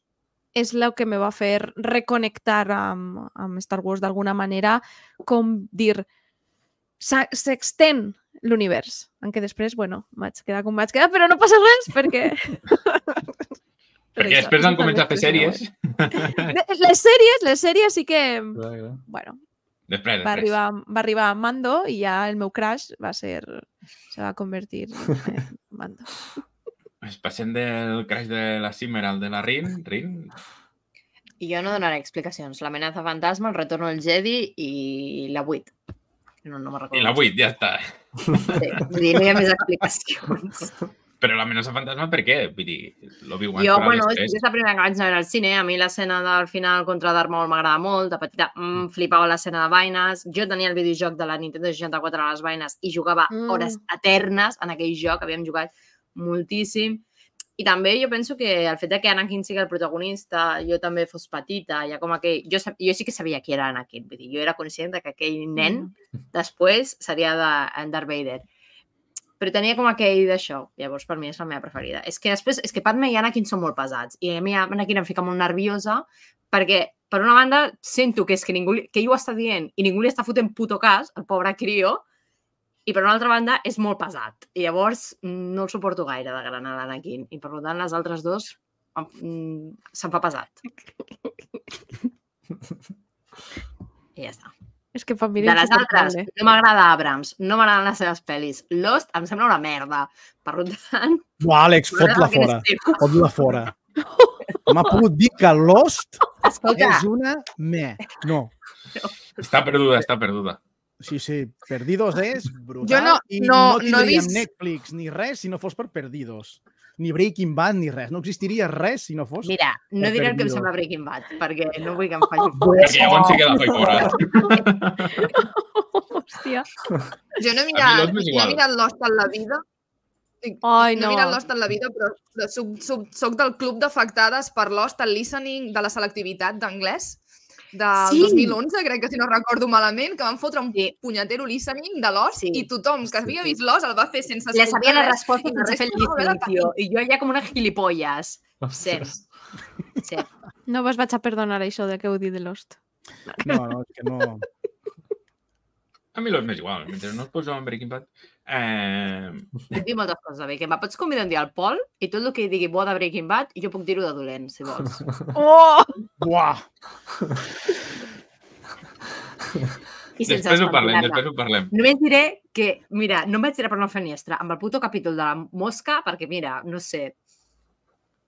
S7: és el que me va fer reconectar amb, amb Star Wars d'alguna manera, com dir, s'extén l'univers, en què després, bueno, vaig quedar com vaig quedar, però no passa res, perquè...
S1: Perquè després han començat a fer sèries.
S7: Les sèries, les sèries sí que... Bueno,
S1: després,
S7: va arribar, va arribar Mando i ja el meu crush va ser... se va convertir en Mando.
S1: Es passem del crash de la Simmer al de la Rin. Rin.
S3: Jo no donaré explicacions. L'amenaça fantasma, el retorno del Jedi i la vuit. No, no me'n recordo.
S1: I la vuit, ja està.
S3: Sí, vull dir, no hi ha més explicacions.
S1: Però l'amenaça fantasma per què? Vull dir, l'Obi-Wan
S3: Jo,
S1: farà
S3: bueno,
S1: després.
S3: és la primera que vaig anar al cine. A mi l'escena del final contra Darth Maul m'agrada molt. De petita mm, flipava l'escena de Vaines. Jo tenia el videojoc de la Nintendo seixanta-quatre a les Vaines i jugava
S7: Mm.
S3: hores eternes en aquell joc. Havíem jugat moltíssim. I també jo penso que el fet de que Anakin sigui el protagonista, jo també fos petita, ja com aquell... Jo, sab... jo sí que sabia qui era Anakin. Vull dir, jo era conscient de que aquell nen després seria de Darth Vader. Però tenia com aquell d'això. Llavors, per mi és la meva preferida. És que després, és que Padme i Anakin són molt pesats. I a mi Anakin em fica molt nerviosa perquè, per una banda, sento que és que ningú, li- que ell ho està dient i ningú li està fotent puto cas, el pobre crió, i per una altra banda és molt pesat. I llavors no el suporto gaire de gran a l'Anakin. I per tant, les altres dos em- se'm fa pesat. I ja està.
S7: És que per mi
S3: De
S7: era
S3: les altres,
S7: insuportable.
S3: no m'agrada Abrams, no m'agraden les seves pel·lis. Lost em sembla una merda. Per tant,
S4: Buah, Àlex, fot-la
S3: m'agrada que
S4: fora.
S3: eres teva.
S4: Fot-la fora. M'ha pogut dir que Lost
S3: Escolta,
S4: és una me. No.
S1: Està perduda, està perduda.
S4: Sí, sí, Perdidos és brutal.
S6: Jo no-
S4: I
S6: no-
S4: no
S6: no he
S4: tindríem
S6: vist-
S4: Netflix ni res si no fos per Perdidos. Ni Breaking Bad ni res. No existiria res si no fos...
S3: mira, no
S4: Per
S3: diré el que em
S4: Perdido.
S3: sembla Breaking Bad, perquè no vull que em faci
S1: Perquè llavors sí que la faig fora.
S7: Hòstia.
S6: Jo no he
S1: A mi
S6: mirat,
S1: Lost m'és
S6: no he
S1: igual.
S6: mirat Lost en la vida.
S7: Ai,
S6: No
S7: no.
S6: he mirat Lost en la vida, però soc, soc, soc del club d'afectades per Lost, el listening de la selectivitat d'anglès del
S3: Sí.
S6: dos mil onze, crec que si no recordo malament, que van fotre un
S3: Sí.
S6: punyetero listening de Lost
S3: Sí.
S6: i tothom que havia vist Lost el va fer sense
S3: Ja sabia la
S6: res,
S3: resposta
S6: i la
S3: sense fer el
S6: resta no era
S3: listening, tio. I jo ja com una gilipolles. Sí.
S2: Ostres.
S3: Sí.
S7: No vos vaig a perdonar això de que heu dit de Lost.
S4: No, no, és que no...
S1: A mi Lost m'és igual. Mentre no es posa en Breaking Bad... Eh...
S3: Puc dir moltes coses de Breaking Bad. Pots convidar un dia al Pol i tot el que digui bo de Breaking Bad i jo puc dir-ho de dolent, si vols.
S7: Oh!
S4: Buah!
S3: I sense
S1: Després ho parlem,
S3: despentinar-la.
S1: després ho parlem.
S3: Només diré que, mira, no em vaig tirar per una finestra amb el puto capítol de la mosca perquè, mira, no sé,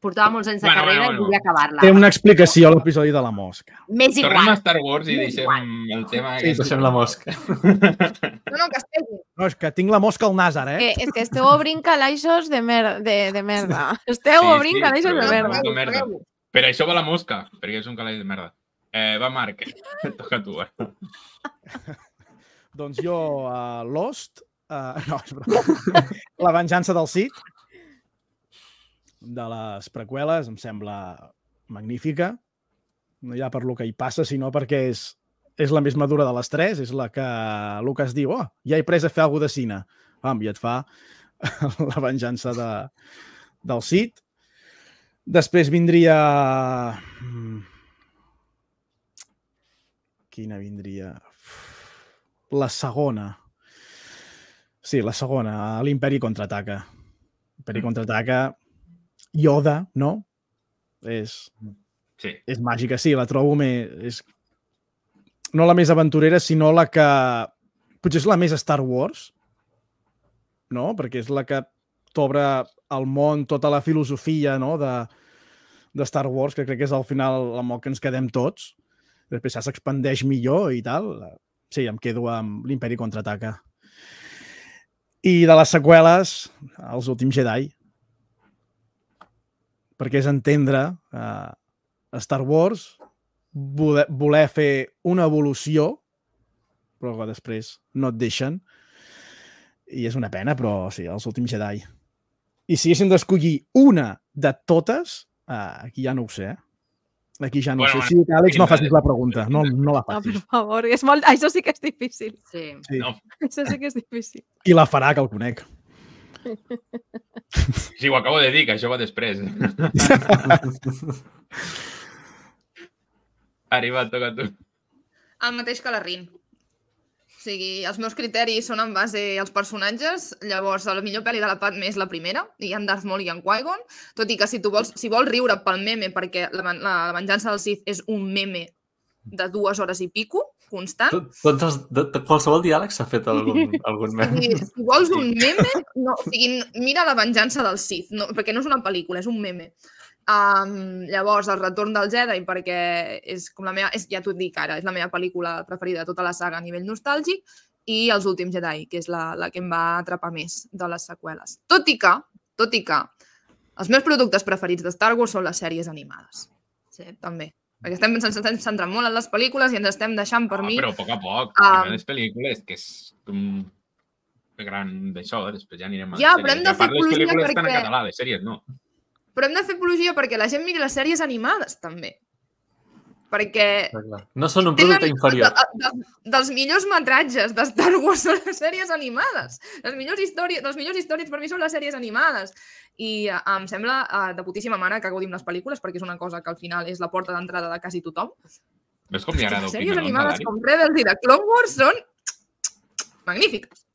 S3: portava molts anys de
S1: Bueno,
S3: carrera
S1: bueno,
S3: i volia acabar-la.
S4: Té una explicació a l'episodi de la mosca.
S3: M'és
S1: Tornem a
S3: igual.
S1: Star Wars i
S3: M'és
S1: deixem el tema...
S4: Sí,
S1: aquest.
S2: Deixem la mosca.
S6: No, no, que estigui.
S4: No, és que tinc la mosca al nas, ara, eh?
S7: Que, és que esteu obrint calaixos de, mer de, de merda. Esteu
S1: Sí,
S7: obrint
S1: sí,
S7: calaixos
S1: però
S7: de
S1: no,
S7: merda.
S1: no, merda. Per això va la mosca, perquè és un calaix de merda. Eh, va, Marc, toca a tu. Eh?
S4: Doncs jo, uh, Lost... Uh, no, és broma. La venjança del Sith, de les preqüeles, em sembla magnífica. No ja per lo que hi passa, sinó perquè és, és la més madura de les tres, és la que Lucas diu, oh, ja he pres a fer alguna de cine. Pam, i et fa la venjança de, del Sith. Després vindria... mm, Quina vindria? La segona. Sí, la segona, l'Imperi contraataca. L'Imperi contraataca, Yoda, no? És,
S1: Sí.
S4: és màgica, sí, la trobo més... És... No la més aventurera, sinó la que... Potser és la més Star Wars, no? Perquè és la que t'obre el món, tota la filosofia, no? de, de Star Wars, que crec que és al final amb el que ens quedem tots. Després ja s'expandeix millor i tal. Sí, em quedo amb l'Imperi contraataca. I de les seqüeles, Els últims Jedi. Perquè és entendre eh, Star Wars, voler, voler fer una evolució, però que després no et deixen. I és una pena, però sí, Els últims Jedi. I si haguéssim d'escollir una de totes, eh, aquí ja no ho sé, eh? Aquí ja no
S1: Bueno,
S4: ho sé. Sí, Àlex, no
S1: quina-
S4: facis la pregunta. No, no la
S7: No, per
S4: facis.
S7: favor, és molt... això sí que és difícil.
S3: Sí.
S4: Sí.
S1: No,
S7: Això sí que és difícil.
S4: I la farà, que el conec.
S1: sí, ho acabo de dir, que això va després. Arriba, toca tu.
S6: El mateix que la Rin. O sigui, els meus criteris són en base als personatges, llavors la millor pel·li de la Padmé és la primera, i en Darth Maul i en Qui-Gon, tot i que si tu vols, si vols riure pel meme, perquè la, la, la venjança del Sith és un meme de dues hores i pico, constant.
S2: Tot, tots els, de, de qualsevol diàleg s'ha fet algun, algun meme.
S6: Si, si vols un meme, no, o sigui, mira la venjança del Sith, no, perquè no és una pel·lícula, és un meme. Um, llavors, El retorn del Jedi, perquè és com la meva, és, ja t'ho dic ara, és la meva pel·lícula preferida de tota la saga a nivell nostàlgic, i Els últims Jedi, que és la, la que em va atrapar més de les seqüeles. Tot i que, tot i que, els meus productes preferits de Star Wars són les sèries animades.
S3: Sí.
S6: També. Perquè estem, ens estem centrant molt en les pel·lícules i ens estem deixant per
S1: Ah,
S6: mi...
S1: però a poc a poc.
S6: Um,
S1: Um, les pel·lícules, que és un gran d'això, després ja anirem a
S6: Ja,
S1: les
S6: però hem
S1: sèries.
S6: de
S1: I a part,
S6: fer
S1: les
S6: apologia
S1: pel·lícules estan en
S6: perquè-
S1: català, les sèries no.
S6: Però hem de fer apologia perquè la gent miri les sèries animades, també. Perquè
S2: No són un producte inferior.
S6: De, de, dels millors metratges de Star Wars són les sèries animades. Les millors històries, les millors històries per mi són les sèries animades. I uh, em sembla uh, de putíssima mare que gaudim les pel·lícules, perquè és una cosa que al final és la porta d'entrada de quasi tothom.
S1: Ves com li agrada
S6: Les sèries
S1: opinar, no,
S6: animades
S1: Dani?
S6: com Rebels i de Clone Wars són magnífiques.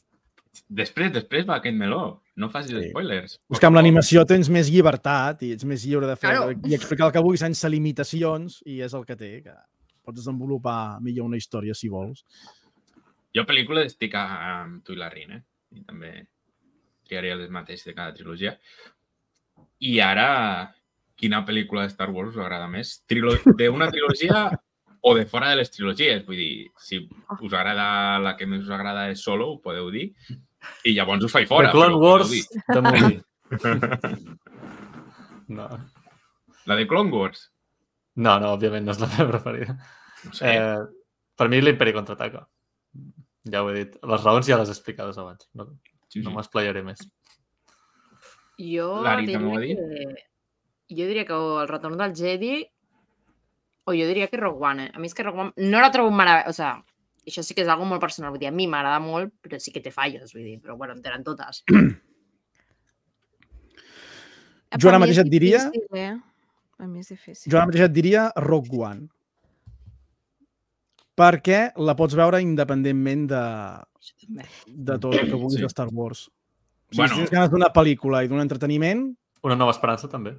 S1: Després, després va aquest meló. No facis
S4: Sí.
S1: spoilers.
S4: És que amb l'animació tens més llibertat i ets més lliure de fer
S6: Claro.
S4: i explicar el que vulguis sense limitacions i és el que té, que pots desenvolupar millor una història si vols.
S1: Jo pel·lícules estic amb tu i la Rin, eh? I també triaria les mateixes de cada trilogia. I ara, quina pel·lícula de Star Wars us agrada més? Trilo d'una trilogia o de fora de les trilogies? Vull dir, si us agrada la que més us agrada és Solo, ho podeu dir. I llavors us faig fora.
S2: The Clone
S1: però ho podeu
S2: Wars
S1: dir.
S2: de movie. No.
S1: La de Clone Wars?
S2: no, no, òbviament no és la meva preferida.
S1: No sé.
S2: Eh, per mi l'Imperi contraataca. Ja ho he dit. Les raons ja les he explicades abans. No,
S1: Sí,
S2: no
S1: sí.
S2: m'esplayaré més.
S3: Jo
S1: Lari, també ho ha
S3: diria que... Jo diria que o El retorn del Jedi o jo diria que Rogue One. Eh? A mi és que Rogue One no la trobo meravella. O sea, això sí que és algo molt personal. Vull dir, a mi m'agrada molt, però sí que té fallos. Vull dir, però bueno, en tenen totes.
S4: Jo ara
S7: Per mi
S4: mateix
S7: és
S4: et diria-
S7: difícil, eh? A mi és difícil.
S4: Jo ara mateix et diria Rogue One. Perquè la pots veure independentment de,
S3: Això també.
S4: de tot el que vulguis
S1: Sí.
S4: de Star Wars. O sigui,
S1: Bueno.
S4: si tens ganes d'una pel·lícula i d'un entreteniment,
S2: Una nova esperança, també.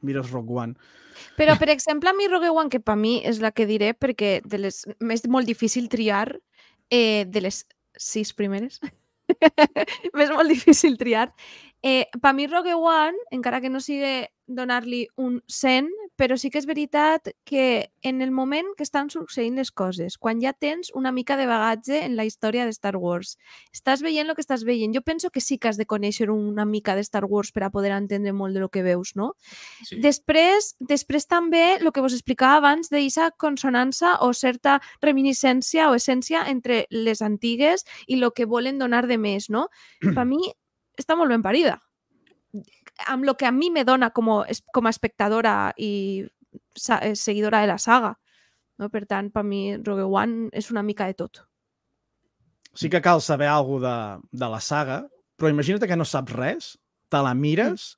S4: mires Rogue One.
S7: Però, per exemple, a mi Rogue One, que per mi és la que diré, perquè de les... és molt difícil triar eh, de les sis primeres. M'és molt difícil triar. Eh, per mi Rogue One, encara que no sigui donar-li un cent, però sí que és veritat que en el moment que estan succeint les coses, quan ja tens una mica de bagatge en la història de Star Wars, estàs veient el que estàs veient. Jo penso que sí que has de conèixer una mica de Star Wars per a poder entendre molt de lo que veus, no?
S1: Sí.
S7: Després, després també, el que vos explicava abans, d'eixa consonança o certa reminiscència o essència entre les antigues i el que volen donar de més, no? Per mi està molt ben parida. Amb el que a mi me dona com a, com a espectadora i sa seguidora de la saga. No? Per tant, per mi Rogue One és una mica de tot.
S4: Sí que cal saber alguna de, de la saga, però imagina't que no saps res, te la mires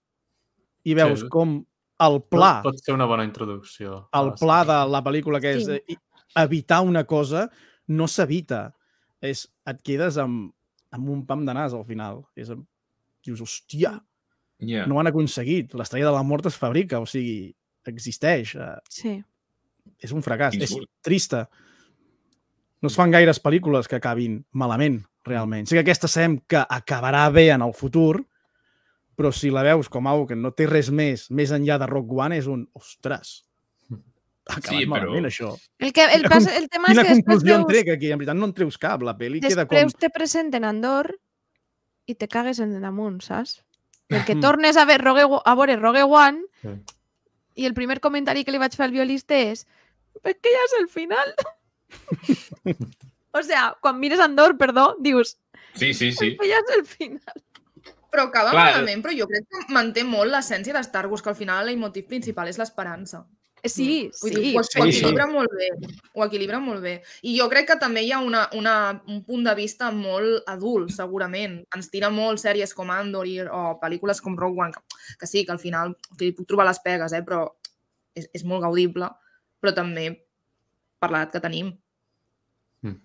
S4: i veus
S2: Sí.
S4: com el pla,
S2: Pot ser una bona introducció. a
S4: el
S2: la
S4: pla
S2: sèrie.
S4: de la pel·lícula que és
S7: Sí.
S4: eh, evitar una cosa, no s'evita. És, et quedes amb, amb un pam de nas al final. És, amb- dius, hòstia,
S1: Yeah.
S4: no ho han aconseguit. L'estrella de la mort es fabrica, o sigui, existeix. eh,
S7: Sí.
S4: És un fracàs. És
S1: Insult.
S4: trista. No es fan gaires pel·lícules que acabin malament, realment. Sí que aquesta sabem que acabarà bé en el futur, però si la veus com algo que no té res més, més enllà de Rogue One, és un, ostres, ha acabat
S1: Sí, però-
S4: malament, això.
S7: El, que, el,
S4: Quina
S7: pas,
S4: con-
S7: el tema és
S4: Quina
S7: que després
S4: conclusió en
S7: veus,
S4: trec aquí? En veritat no en treus cap. La pel·li queda com...
S7: després te presenten Andor i te cagues en damunt, saps? Perquè
S4: Mm.
S7: tornes a, ver Rogue, a veure Rogue One
S2: Sí.
S7: i el primer comentari que li vaig fer al violista és és que ja és el final. O sea, quan mires Andor, perdó, dius
S1: Sí, sí, sí.
S7: que ja és el final.
S6: Però acaba
S1: Clar,
S6: malament, però jo crec que manté molt l'essència de Star Wars, que al final el leitmotiv principal és l'esperança.
S7: Sí,
S6: Vull
S7: sí.
S6: dir, ho,
S4: sí,
S6: ho
S4: sí.
S6: equilibra molt bé. Ho equilibra molt bé. I jo crec que també hi ha una, una, un punt de vista molt adult, segurament. Ens tira molt sèries com Andor i, o pel·lícules com Rogue One, que, que sí, que al final que li puc trobar les pegues, eh, però és, és molt gaudible, però també per l'edat que tenim.
S2: Mm.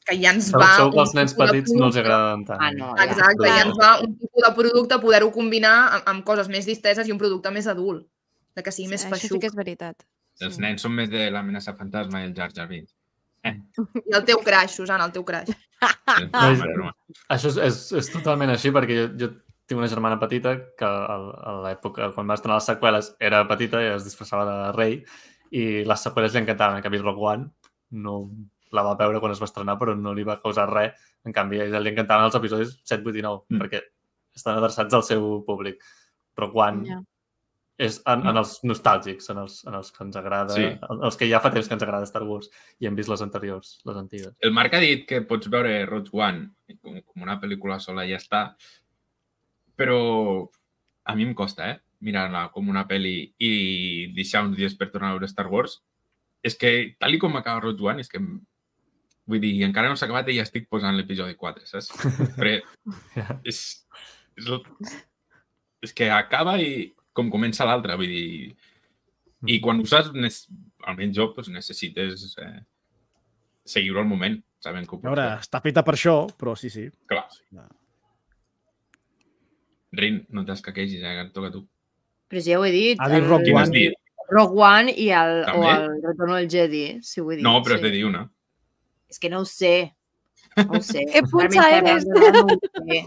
S6: Que ja ens
S2: Segur
S6: va...
S2: segur que
S6: un
S2: als nens
S6: tipus de
S2: petits no els
S6: producte-
S2: agraden tant.
S3: Ah, no, ja.
S6: Exacte,
S2: Clar.
S6: ja ens va un tipus de producte poder-ho combinar amb, amb coses més disteses i un producte més adult, de que sigui més
S7: Això sí
S6: feixuc.
S7: que és veritat.
S1: Els
S7: Sí.
S1: nens són més de l'amenaça fantasma i el Jar Jar Binks.
S6: I el teu crash, Susana, el teu crash.
S1: És broma, és broma.
S2: Això és, és, és totalment així, perquè jo, jo tinc una germana petita que a, a l'època, quan va estrenar les seqüeles, era petita i es disfressava de rei, i les seqüeles li encantaven. En canvi, Rogue One no la va veure quan es va estrenar, però no li va causar res. En canvi, a ella li encantaven els episodis set, vuit i nou,
S1: Mm.
S2: perquè estan adreçats al seu públic. Rogue One
S7: Ja.
S2: és en, en els nostàlgics, en els, en els que ens agrada,
S1: Sí.
S2: els que ja fa temps que ens agrada Star Wars i hem vist les anteriors, les antigues.
S1: El Marc ha dit que pots veure Rogue One com, com una pel·lícula sola i ja està, però a mi em costa, eh? Mirar-la com una pel·li i deixar uns dies per tornar a veure Star Wars. És que, tal i com acaba Rogue One, és que... Vull dir, encara no s'ha acabat i ja estic posant l'episodi quatre, saps? Però
S2: Ja.
S1: és, és, el- és que acaba i com comença l'altre, vull dir... I quan ho saps, nes- almenys jo, doncs necessites eh, seguir-ho al moment, sabent que ho
S4: A
S1: pots
S4: veure,
S1: fer.
S4: està feta per això, però sí, sí.
S1: Clar. Rin, no t'escaquegis, eh, que et toca a tu.
S3: Però sí, ja ho he dit.
S4: Ha dit
S3: el-
S4: Rogue
S1: Quin has
S4: One.
S1: dit?
S3: Rogue One i el, o
S1: També?
S3: el Retorno del Jedi, si ho he dit.
S1: No, però has
S3: sí.
S1: de dir una.
S3: És que no ho sé. No ho sé.
S7: Que punxa
S3: Realment,
S7: eres?
S3: no ho sé.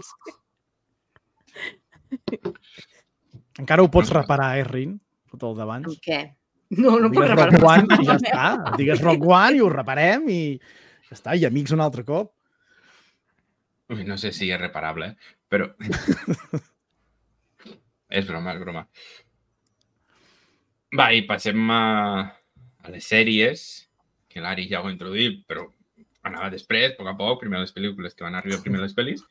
S4: Encara ho pots reparar, eh, Rin? Tot el d'abans.
S3: Amb què? No, no puc
S4: Digues
S3: reparar.
S4: Rogue One i ja està. Digues Rogue One i ho reparem i ja està. I amics un altre cop.
S1: Ui, no sé si és reparable, eh? Però... és broma, és broma. Va, i passem a, a les sèries, que l'Ari ja ho ha introduït, però anava després, a poc a poc, primer les pel·lícules que van arribar primer les pel·lis.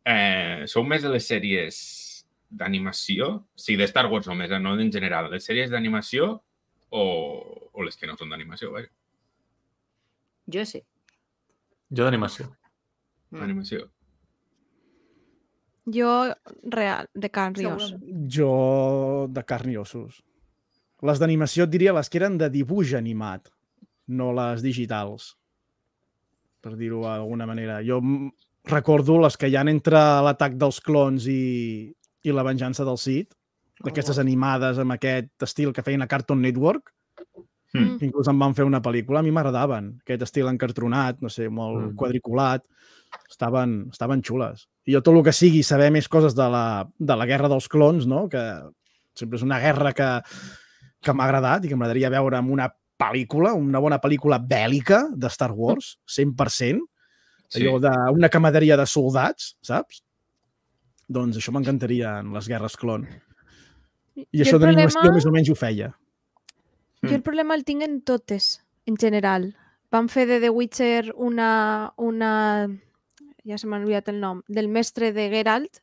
S1: Eh, sou més de les sèries d'animació? Sí, de Star Wars només, eh? No en general. Les sèries d'animació o, o les que no són d'animació, vaja.
S3: Jo sí.
S2: Jo d'animació.
S3: Mm.
S1: D'animació.
S7: Jo, real, de carn i os.
S6: Segurament.
S4: Jo de carn i ossos. Les d'animació et diria les que eren de dibuix animat, no les digitals, per dir-ho d'alguna manera. Jo m- recordo les que hi ha entre l'atac dels clons i, i la venjança del Sith, d'aquestes animades amb aquest estil que feien a Cartoon Network,
S1: Mm.
S4: que inclús en van fer una pel·lícula, a mi m'agradaven. Aquest estil encartronat, no sé, molt
S2: Mm.
S4: quadriculat, estaven, estaven xules. I jo tot el que sigui saber més coses de la, de la guerra dels clons, no? Que sempre és una guerra que, que m'ha agradat i que m'agradaria veure en una pel·lícula, una bona pel·lícula bèl·lica de Star Wars, cent per cent,
S1: Sí.
S4: allò d'una camaraderia de soldats, saps? Doncs això m'encantaria en les guerres clon. I
S7: Jo
S4: això
S7: el
S4: d'animació
S7: problema-
S4: més o menys ho feia.
S7: Jo el problema el tinc en totes, en general. Van fer de The Witcher una... una ja se m'ha oblidat el nom, del mestre de Geralt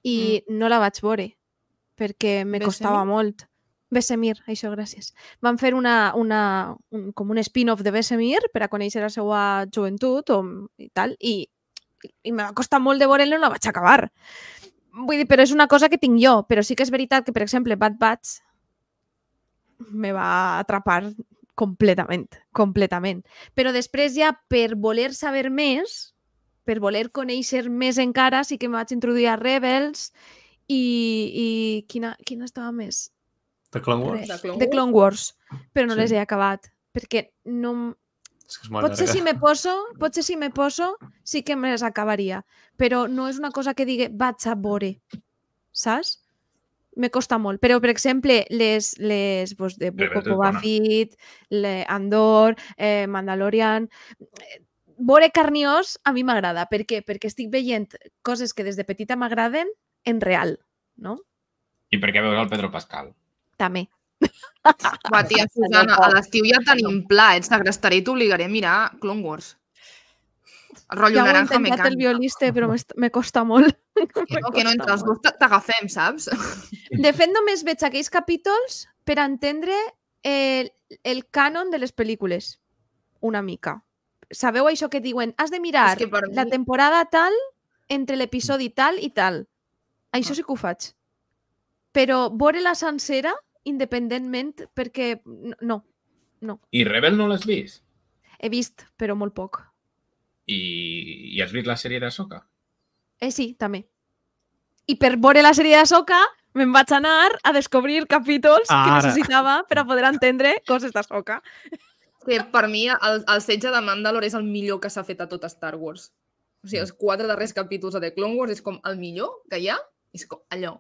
S7: i no la vaig veure perquè me
S6: Vesemir?
S7: costava molt. Vesemir, això, gràcies. Van fer una, una, un, com un spin-off de Vesemir per a conèixer la seva joventut o, i tal, i, i me va costar molt de veure-la i no la vaig acabar. Vull dir, però és una cosa que tinc jo, però sí que és veritat que, per exemple, Bad Batch me va atrapar completament, completament. Però després ja, per voler saber més, per voler conèixer més encara, sí que em vaig introduir a Rebels i, i quina, quina estava més?
S2: De Clone Wars.
S6: De Clone
S7: The Clone Wars, però no
S2: Sí.
S7: les he acabat, perquè no...
S2: És que és molt
S7: Potser
S2: llarga.
S7: si me poso, potser si me poso, sí que me les acabaria, però no és una cosa que digui vaig a veure, saps? Me costa molt. Però, per exemple, les, les pues, de Book
S1: Rebels
S7: of
S1: és
S7: Boba
S1: bona.
S7: Fett, le Andor, eh, Mandalorian... eh, Veure carniós a mi m'agrada. Per què? Perquè estic veient coses que des de petita m'agraden en real, no?
S1: I per què veus el Pedro Pascal?
S7: També.
S6: Va, tia, Susana, a l'estiu ja tenim pla, et segrestaré i t'obligaré a mirar Clone Wars. El rotllo
S7: Ja ho he
S6: naranja
S7: intentat el
S6: mecànica.
S7: violista, però m'est- me costa molt.
S6: Que no, que no, entre els dos t- t'agafem, saps?
S7: De fet, només veig aquells capítols per entendre el, el cànon de les pel·lícules. Una mica. Sabeu això que diuen? Has de mirar
S6: És que per
S7: la
S6: mi-
S7: temporada tal entre l'episodi tal i tal. Això sí que ho faig. Però veure la sencera, independentment, perquè... no- No. No.
S1: I Rebel no l'has vist?
S7: He vist, però molt poc.
S1: I, i has vist la sèrie d'Ahsoka?
S7: Eh, sí, també. I per veure la sèrie d'Ahsoka me'n vaig anar a descobrir capítols que
S4: Ara.
S7: necessitava per a poder entendre coses d'Ahsoka.
S6: Que per mi el, el setge de Mandalore és el millor que s'ha fet a tot Star Wars. O sigui, els quatre darrers capítols de The Clone Wars és com el millor que hi ha. És com allò.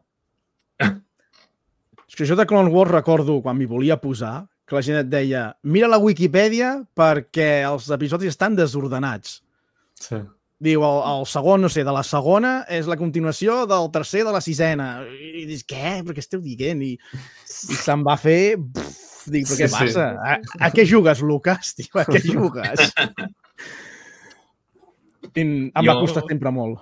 S4: És que jo de Clone Wars recordo, quan m'hi volia posar, que la gent et deia mira la Wikipedia perquè els episodis estan desordenats.
S2: Sí.
S4: Diu, el, el segon, no sé, de la segona és la continuació del tercer de la sisena. I dius, què? Però què esteu dient? I, i se'n va fer... Pff, dic, però què
S2: Sí, sí.
S4: passa? A, a què jugues, Lucas? Diu, a què jugues? I em va
S1: Jo-
S4: costar sempre molt.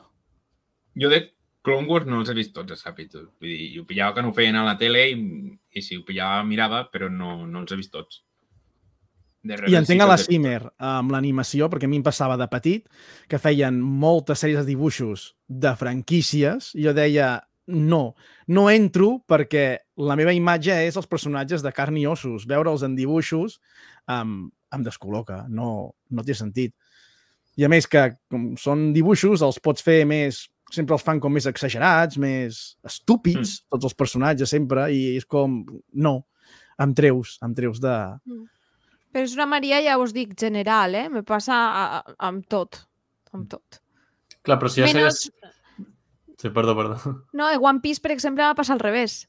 S1: Jo de Clone Wars no els he vist tots els capítols. Vull dir, ho pillava que no ho feien a la tele i, i si ho pillava mirava, però no, no els he vist tots. De Rebel
S4: I entenc
S1: sí
S4: a
S1: que
S4: la
S1: els he vist
S4: Cimer amb l'animació, perquè a mi em passava de petit, que feien moltes sèries de dibuixos de franquícies, i jo deia, no, no entro perquè la meva imatge és els personatges de carn i ossos. Veure'ls en dibuixos um, em descol·loca, no, no té sentit. I a més que, com són dibuixos, els pots fer més... Sempre els fan com més exagerats, més estúpids, mm. tots els personatges sempre, i és com... No, em treus, em treus de...
S7: Però és una Maria, ja us dic, general, eh? Me passa a, a, amb tot. Amb tot.
S2: Clar, però si ja
S7: Menys...
S2: segueix... Sí, perdó, perdó.
S7: No, a One Piece, per exemple, va passar al revés.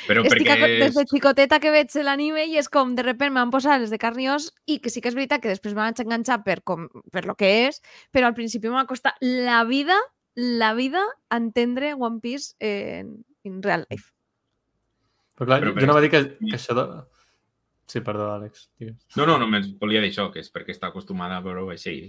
S1: Però
S7: Estic
S1: perquè
S7: a... des de
S1: és...
S7: xicoteta que veig l'anime i és com, de repente m'han posat les de carn i os i que sí que és veritat que després m'han enganxat per, com, per lo que és, però al principi m'ha costat la vida, la vida entendre One Piece en, en real life.
S2: Però clar,
S1: Però
S2: jo
S1: per
S2: no va dir que,
S1: això-
S2: que això de... Sí, perdó, Àlex. Digues.
S1: No, no, només volia dir això, que és perquè està acostumada a veure-ho així.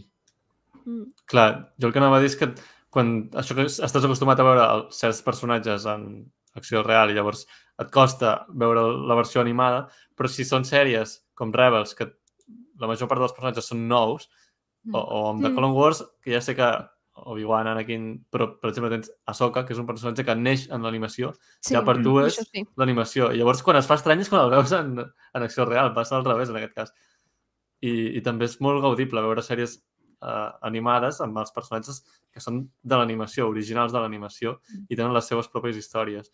S7: Mm.
S2: Clar, jo el que anava a dir és que quan això que estàs acostumat a veure el- certs personatges en acció real i llavors et costa veure la versió animada, però si són sèries com Rebels, que la major part dels personatges són nous, o, o amb The
S7: Mm.
S2: Clone Wars, que ja sé que Obi-Wan, Anakin, però per exemple tens Ahsoka, que és un personatge que neix en l'animació,
S7: Sí,
S2: ja per tu és
S7: això sí.
S2: l'animació. I llavors quan es fa estrany és quan el veus en, en acció real, passa al revés en aquest cas. I, i també és molt gaudible veure sèries eh, animades amb els personatges que són de l'animació, originals de l'animació, i tenen les seves pròpies històries.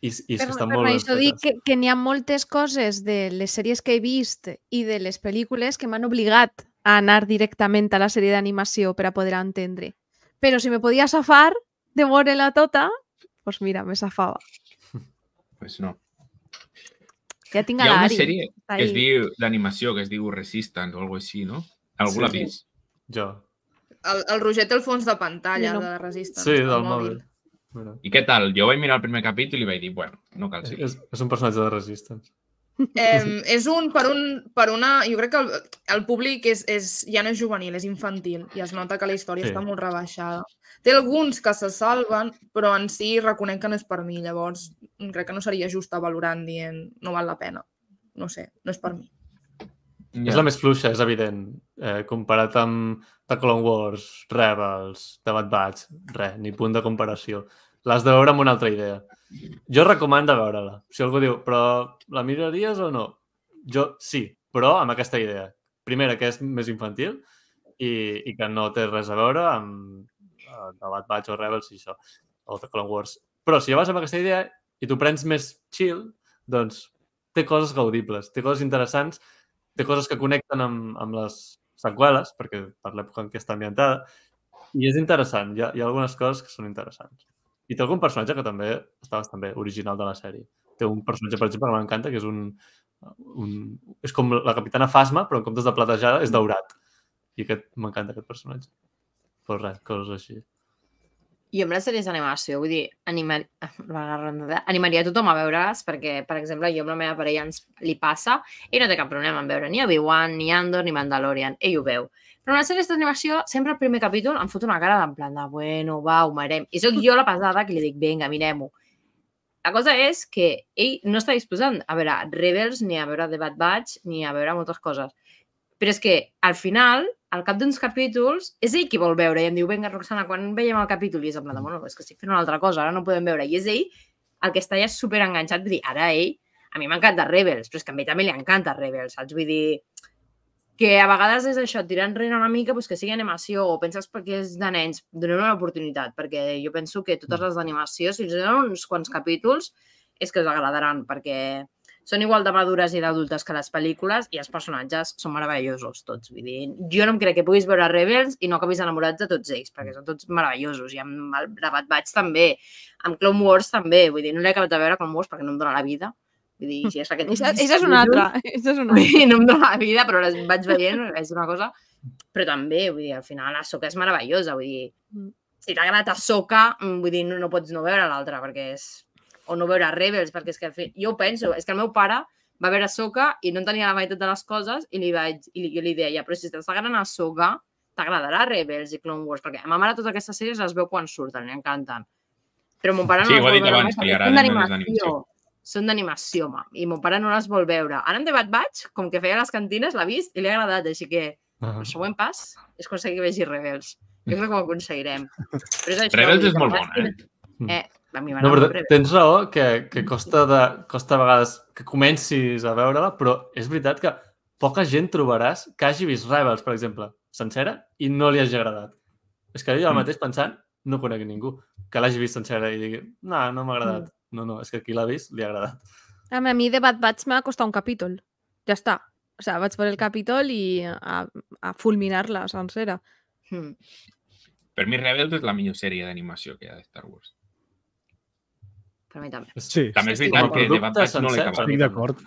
S2: I, i
S7: Per,
S2: que estan
S7: per
S2: molt ben
S7: això dic
S2: fetes.
S7: que, que n'hi ha moltes coses de les sèries que he vist i de les pel·lícules que m'han obligat a anar directament a la sèrie d'animació per a poder entendre. Però si me podia safar de veure-la tota, doncs mira, me safava.
S1: Pues no.
S7: Ja tinc
S1: Hi
S7: a
S1: ha una
S7: l'Ari.
S1: sèrie
S7: Està
S1: que es
S7: ahí.
S1: diu d'animació, que es diu Resistance o alguna així, no? Algú
S2: Sí.
S1: l'ha vist?
S2: Jo.
S6: El, el Roger té el fons de pantalla
S7: Jo no.
S6: de Resistance.
S2: Sí,
S6: al
S2: del mòbil. Mira.
S1: I què tal? Jo vaig mirar el primer capítol i vaig dir, bueno, no cal seguir.
S2: És, és un personatge de Resistance.
S6: Eh, és un, per, un, per una... Jo crec que el, el públic és, és, ja no és juvenil, és infantil, i es nota que la història
S2: Sí.
S6: sí. està molt rebaixada. Té alguns que se salven, però en si reconec que no és per mi, llavors crec que no seria just valorant dient no val la pena. No sé, no és per mi.
S2: Ja. És la més fluixa, és evident. Eh, comparat amb The Clone Wars, Rebels, The Bad Batch, res, ni punt de comparació. L'has de veure amb una altra idea. Jo recomano veure-la. Si algú diu, però la miraries o no? Jo sí, però amb aquesta idea. Primera, que és més infantil i, i que no té res a veure amb uh, The Bad Batch o Rebels i això, o The Clone Wars. Però si ja vas amb aquesta idea i t'ho prens més chill, doncs té coses gaudibles, té coses interessants, té coses que connecten amb, amb les seqüeles, perquè per l'època en què està ambientada, i és interessant, hi ha, hi ha algunes coses que són interessants. I té algun personatge que també està bastant bé, original de la sèrie. Té un personatge, per exemple, que m'encanta, que és un, un... És com la capitana Phasma, però en comptes de platejada és daurat. I aquest m'encanta, aquest personatge. Però res, coses així.
S3: Jo amb les sèries d'animació, vull dir, animar... animaria tothom a veure-les perquè, per exemple, jo amb la meva parella ens li passa i no té cap problema en veure ni Obi-Wan, ni Andor, ni Mandalorian. Ell ho veu. Però en les sèries d'animació, sempre al primer capítol em fot una cara d'en plan de, bueno, va, ho mirem. I sóc jo la pesada que li dic, vinga, mirem-ho. La cosa és que ell no està disposant a veure Rebels, ni a veure The Bad Batch, ni a veure moltes coses. Però és que, al final, al cap d'uns capítols, és ell qui vol veure i em diu, vinga, Roxana, quan veiem el capítol? I és en plan de, bueno, és que estic fent una altra cosa, ara no podem veure. I és ell el que està ja superenganxat, vull dir, ara ell A mi m'encanta Rebels, però és que a mi també li encanta Rebels, saps? Vull dir que a vegades és això, tirar enrere una mica, doncs que sigui animació, o penses perquè és de nens, donem una oportunitat, perquè jo penso que totes les d'animació, si us donen uns quants capítols, és que us agradaran, perquè són igual de madures i d'adultes que les pel·lícules i els personatges són meravellosos tots. Vull dir, jo no em crec que puguis veure Rebels i no acabis enamorats de tots ells, perquè són tots meravellosos. I amb el Bad Batch també, amb Clone Wars també. Vull dir, no l'he acabat de veure Clone Wars perquè no em dóna la vida. Vull dir, si és aquest...
S7: Això és una altra. Això és una altra.
S3: No em dóna la vida, però les vaig veient, és una cosa... Però també, vull dir, al final Ahsoka és meravellosa. Vull dir, si t'ha agradat Ahsoka, vull dir, no, no pots no veure l'altra, perquè és... o no veure Rebels, perquè és que al fi... jo ho penso, és que el meu pare va veure Ahsoka i no entenia la meitat de les coses i li vaig, i li, jo li deia, però si t'està agradant Ahsoka, t'agradarà Rebels i Clone Wars, perquè a ma mare totes aquestes sèries les veu quan surten, li encanten. Però mon pare no
S1: Sí,
S3: les
S1: ho ha
S3: vol
S1: dit
S3: veure
S1: abans,
S3: mai
S1: que li
S3: perquè
S1: agraden
S3: són
S1: més les
S3: d'animació.
S1: d'animació.
S3: Són d'animació, ma, i mon pare no les vol veure. Ara en The Bad Batch, com que feia les cantines, l'ha vist i li ha agradat, així que el següent pas és aconseguir que vegi Rebels. Jo crec que ho aconseguirem. Però és això,
S1: Rebels
S3: vull dir,
S1: és molt bona, eh?
S3: Eh, a mi
S2: No,
S3: m'agrada
S2: però
S3: molt Rebels.
S2: tens raó que, que costa, de, costa a vegades que comencis a veure-la, però és veritat que poca gent trobaràs que hagi vist Rebels, per exemple, sencera, i no li hagi agradat. És que jo el
S1: Mm.
S2: mateix pensant, no conec ningú que l'hagi vist sencera i digui, no, no m'ha agradat.
S3: Mm.
S2: No, no, és que qui l'ha vist li ha agradat.
S7: A mi de Bad Batch m'ha costat un capítol. Ja està. O sigui, vaig per el capítol i a, a fulminar-la sencera.
S3: Mm.
S1: Per mi Rebels és la millor sèrie d'animació que hi ha de Star Wars.
S3: Per mi també.
S4: Sí,
S1: També és
S2: Com a
S1: veritat que The Bad
S2: producte
S1: Batch no l'he
S2: sencer,
S1: acabat.
S2: per mi
S4: estic d'acord.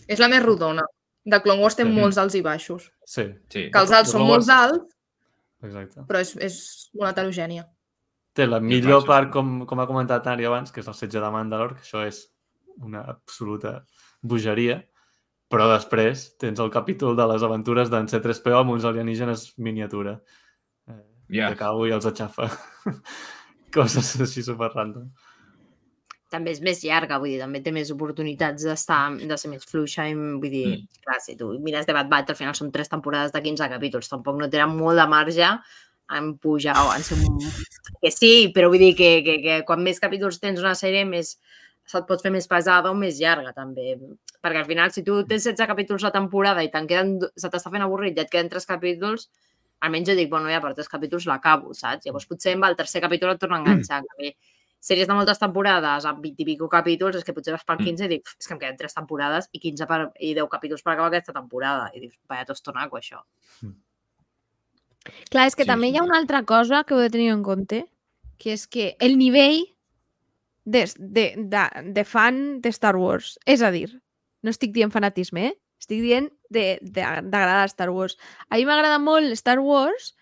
S6: És la més rodona. De Clone Wars té
S2: Sí.
S6: molts alts i baixos.
S2: Sí,
S1: Sí.
S6: Que els alts són molt alts,
S2: exacte.
S6: però és, és una heterogènia.
S2: Té la millor
S1: baixos.
S2: part, com, com ha comentat Ari abans, que és el setge de Mandalor, que això és una absoluta bogeria, però després tens el capítol de les aventures d'en C tres P O amb uns alienígenes miniatura. Eh,
S1: Ja.
S2: Que cau i els aixafa. Coses així super random.
S3: També és més llarga, vull dir, també té més oportunitats d'estar, de ser més fluixa i, vull dir,
S1: Mm.
S3: clar, si tu mires The Bad Batch, al final són tres temporades de quinze capítols, tampoc no tenen molt de marge en pujar o en ser un... Que sí, però vull dir que, que, que quan més capítols tens una sèrie, més se't pot fer més pesada o més llarga, també. Perquè al final, si tu tens setze capítols a temporada i te'n queden, se t'està fent avorrit i et queden tres capítols, almenys jo dic, bueno, ja per tres capítols l'acabo, saps? Llavors potser amb el tercer capítol et torna a enganxar. Mm. Sèries de moltes temporades amb vint i pico capítols, és que potser vas pel quinze i dic, és que em queden tres temporades i quinze per, i deu capítols per acabar aquesta temporada. I dius, vaya tostonaco, això.
S7: Clar, és que
S1: Sí,
S7: també
S1: sí.
S7: hi ha una altra cosa que heu de tenir en compte, que és que el nivell de, de, de, de fan de Star Wars, és a dir, no estic dient fanatisme, eh? Estic dient de- de- d'agradar Star Wars. A mi m'agrada molt Star Wars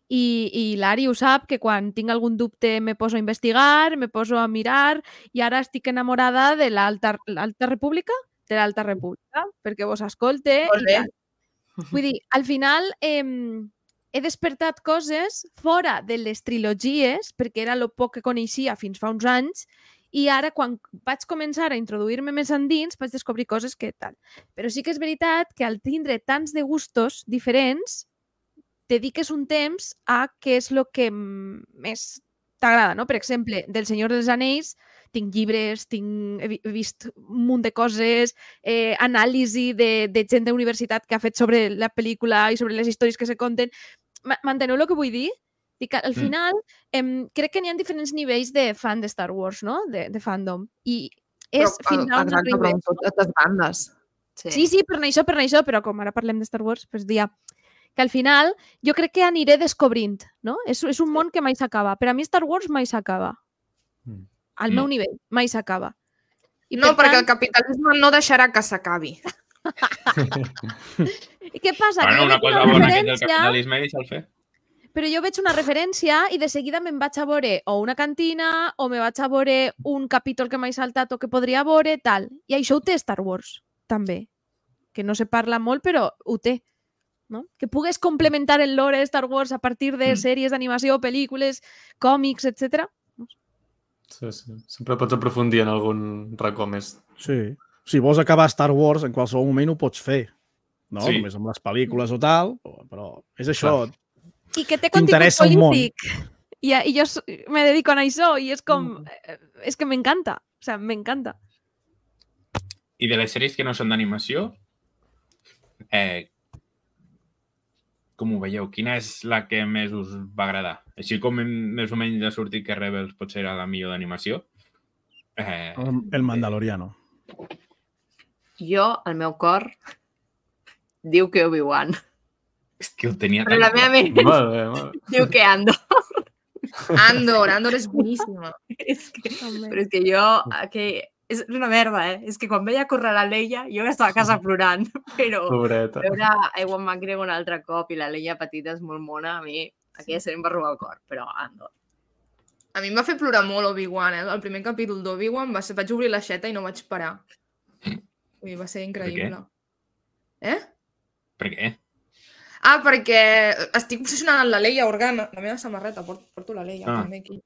S7: i, i l'Ari ho sap, que quan tinc algun dubte me poso a investigar, me poso a mirar i ara estic enamorada de l'Alta l'Alta República, de l'Alta República, perquè vos escolte
S6: Molt
S7: i
S6: bé.
S7: tal. Vull dir, al final eh, he despertat coses fora de les trilogies, perquè era el poc que coneixia fins fa uns anys, i ara, quan vaig començar a introduir-me més endins, vaig descobrir coses que tal. Però sí que és veritat que al tindre tants de gustos diferents, dediques un temps a què és el que més t'agrada, no? Per exemple, del Senyor dels Anells tinc llibres, tinc, he vist un munt de coses, eh, anàlisi de, de gent d'universitat que ha fet sobre la pel·lícula i sobre les històries que se conten. M'enteneu el que vull dir? Dic, al final, em, crec que n'hi ha diferents nivells de fan de Star Wars, no? De, de fandom. I és
S6: Però,
S7: fins a un
S6: exacte, però
S7: nivell.
S6: amb totes bandes.
S7: Sí, sí, per això, per això, però com ara parlem de Star Wars, doncs dia que al final jo crec que aniré descobrint, no? És, és un món que mai s'acaba. Per a mi Star Wars mai s'acaba.
S2: Mm.
S7: Al
S1: No.
S7: meu nivell, mai s'acaba. I
S6: No,
S7: per
S6: perquè el
S7: tant,
S6: capitalisme no deixarà que s'acabi.
S7: I què passa?
S1: Bueno,
S7: que jo
S1: una
S7: veig
S1: cosa
S7: una
S1: bona que és el
S7: referència,
S1: capitalisme i deixa'l fer.
S7: però jo veig una referència i de seguida me'n vaig a veure o una cantina o me vaig a veure un capítol que m'he saltat o que podria veure, tal. I això ho té Star Wars, també. Que no se parla molt, però ho té. No? Que pugues complementar el lore de Star Wars a partir de
S1: Mm.
S7: sèries d'animació, pel·lícules, còmics, etcètera.
S2: Sí, sí. Sempre pots aprofundir en algun racó més.
S4: Sí. Si vols acabar Star Wars, en qualsevol moment ho pots fer. No?
S1: Sí.
S4: Només amb les pel·lícules o tal, però és això.
S7: I que té contingut
S4: T'interessa un món.
S7: polític. I, i jo s- me dedico a això i és com... eh, És que m'encanta. O sea, m'encanta.
S1: I de les sèries que no són d'animació, eh, com ho veieu? Quina és la que més us va agradar? Així com més o menys ha sortit que Rebels potser era la millor d'animació. Eh,
S4: El, el Mandaloriano.
S3: Jo, el meu cor, diu que Obi-Wan.
S1: és que ho tenia
S3: Però
S1: tan
S3: la meva
S1: clar.
S3: ment
S2: Molt bé, molt bé.
S3: diu que Andor.
S6: Andor, Andor és boníssima.
S3: és que,
S7: També.
S3: però és que jo... Que, és una merda, eh? És que quan veia córrer la Leia, jo estava a casa plorant. Però
S2: Pobreta.
S3: veure a Ewan McGregor un altre cop i la Leia petita és molt mona, a mi aquella sèrie em va robar el cor, però Andor.
S6: A mi em va fer plorar molt Obi-Wan, eh? El primer capítol d'Obi-Wan va ser... vaig obrir l'aixeta i no vaig parar. Ui, va ser increïble. Eh?
S1: Per què?
S6: Ah, perquè estic obsessionada amb la Leia Organa. La meva samarreta, porto, porto la Leia
S1: Ah.
S6: també aquí.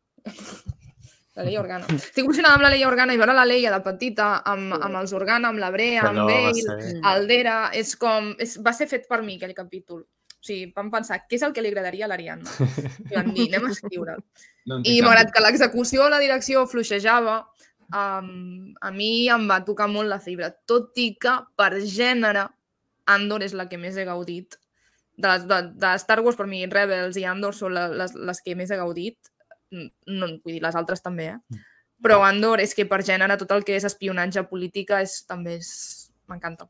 S6: La Leia Organa. Estic obsessionada amb la Leia Organa i veure la Leia de petita amb, amb els Organa, amb la Brea, amb
S2: Allò va
S6: Bale,
S2: ser...
S6: Aldera, és com... És, va ser fet per mi, aquell capítol. O sigui, vam pensar, què és el que li agradaria a l'Ariadna? I vam dir, anem a escriure.
S1: No en
S6: I
S1: tinc
S6: malgrat
S1: cap
S6: que l'execució o la direcció fluixejava, um, a mi em va tocar molt la fibra. Tot i que, per gènere, Andor és la que més he gaudit. De, les, de, de Star Wars, per mi, Rebels i Andor són la, les, les que més he gaudit. No, vull dir, les altres també, eh? Però Andor és que per gènere tot el que és espionatge política és, també és... m'encanta.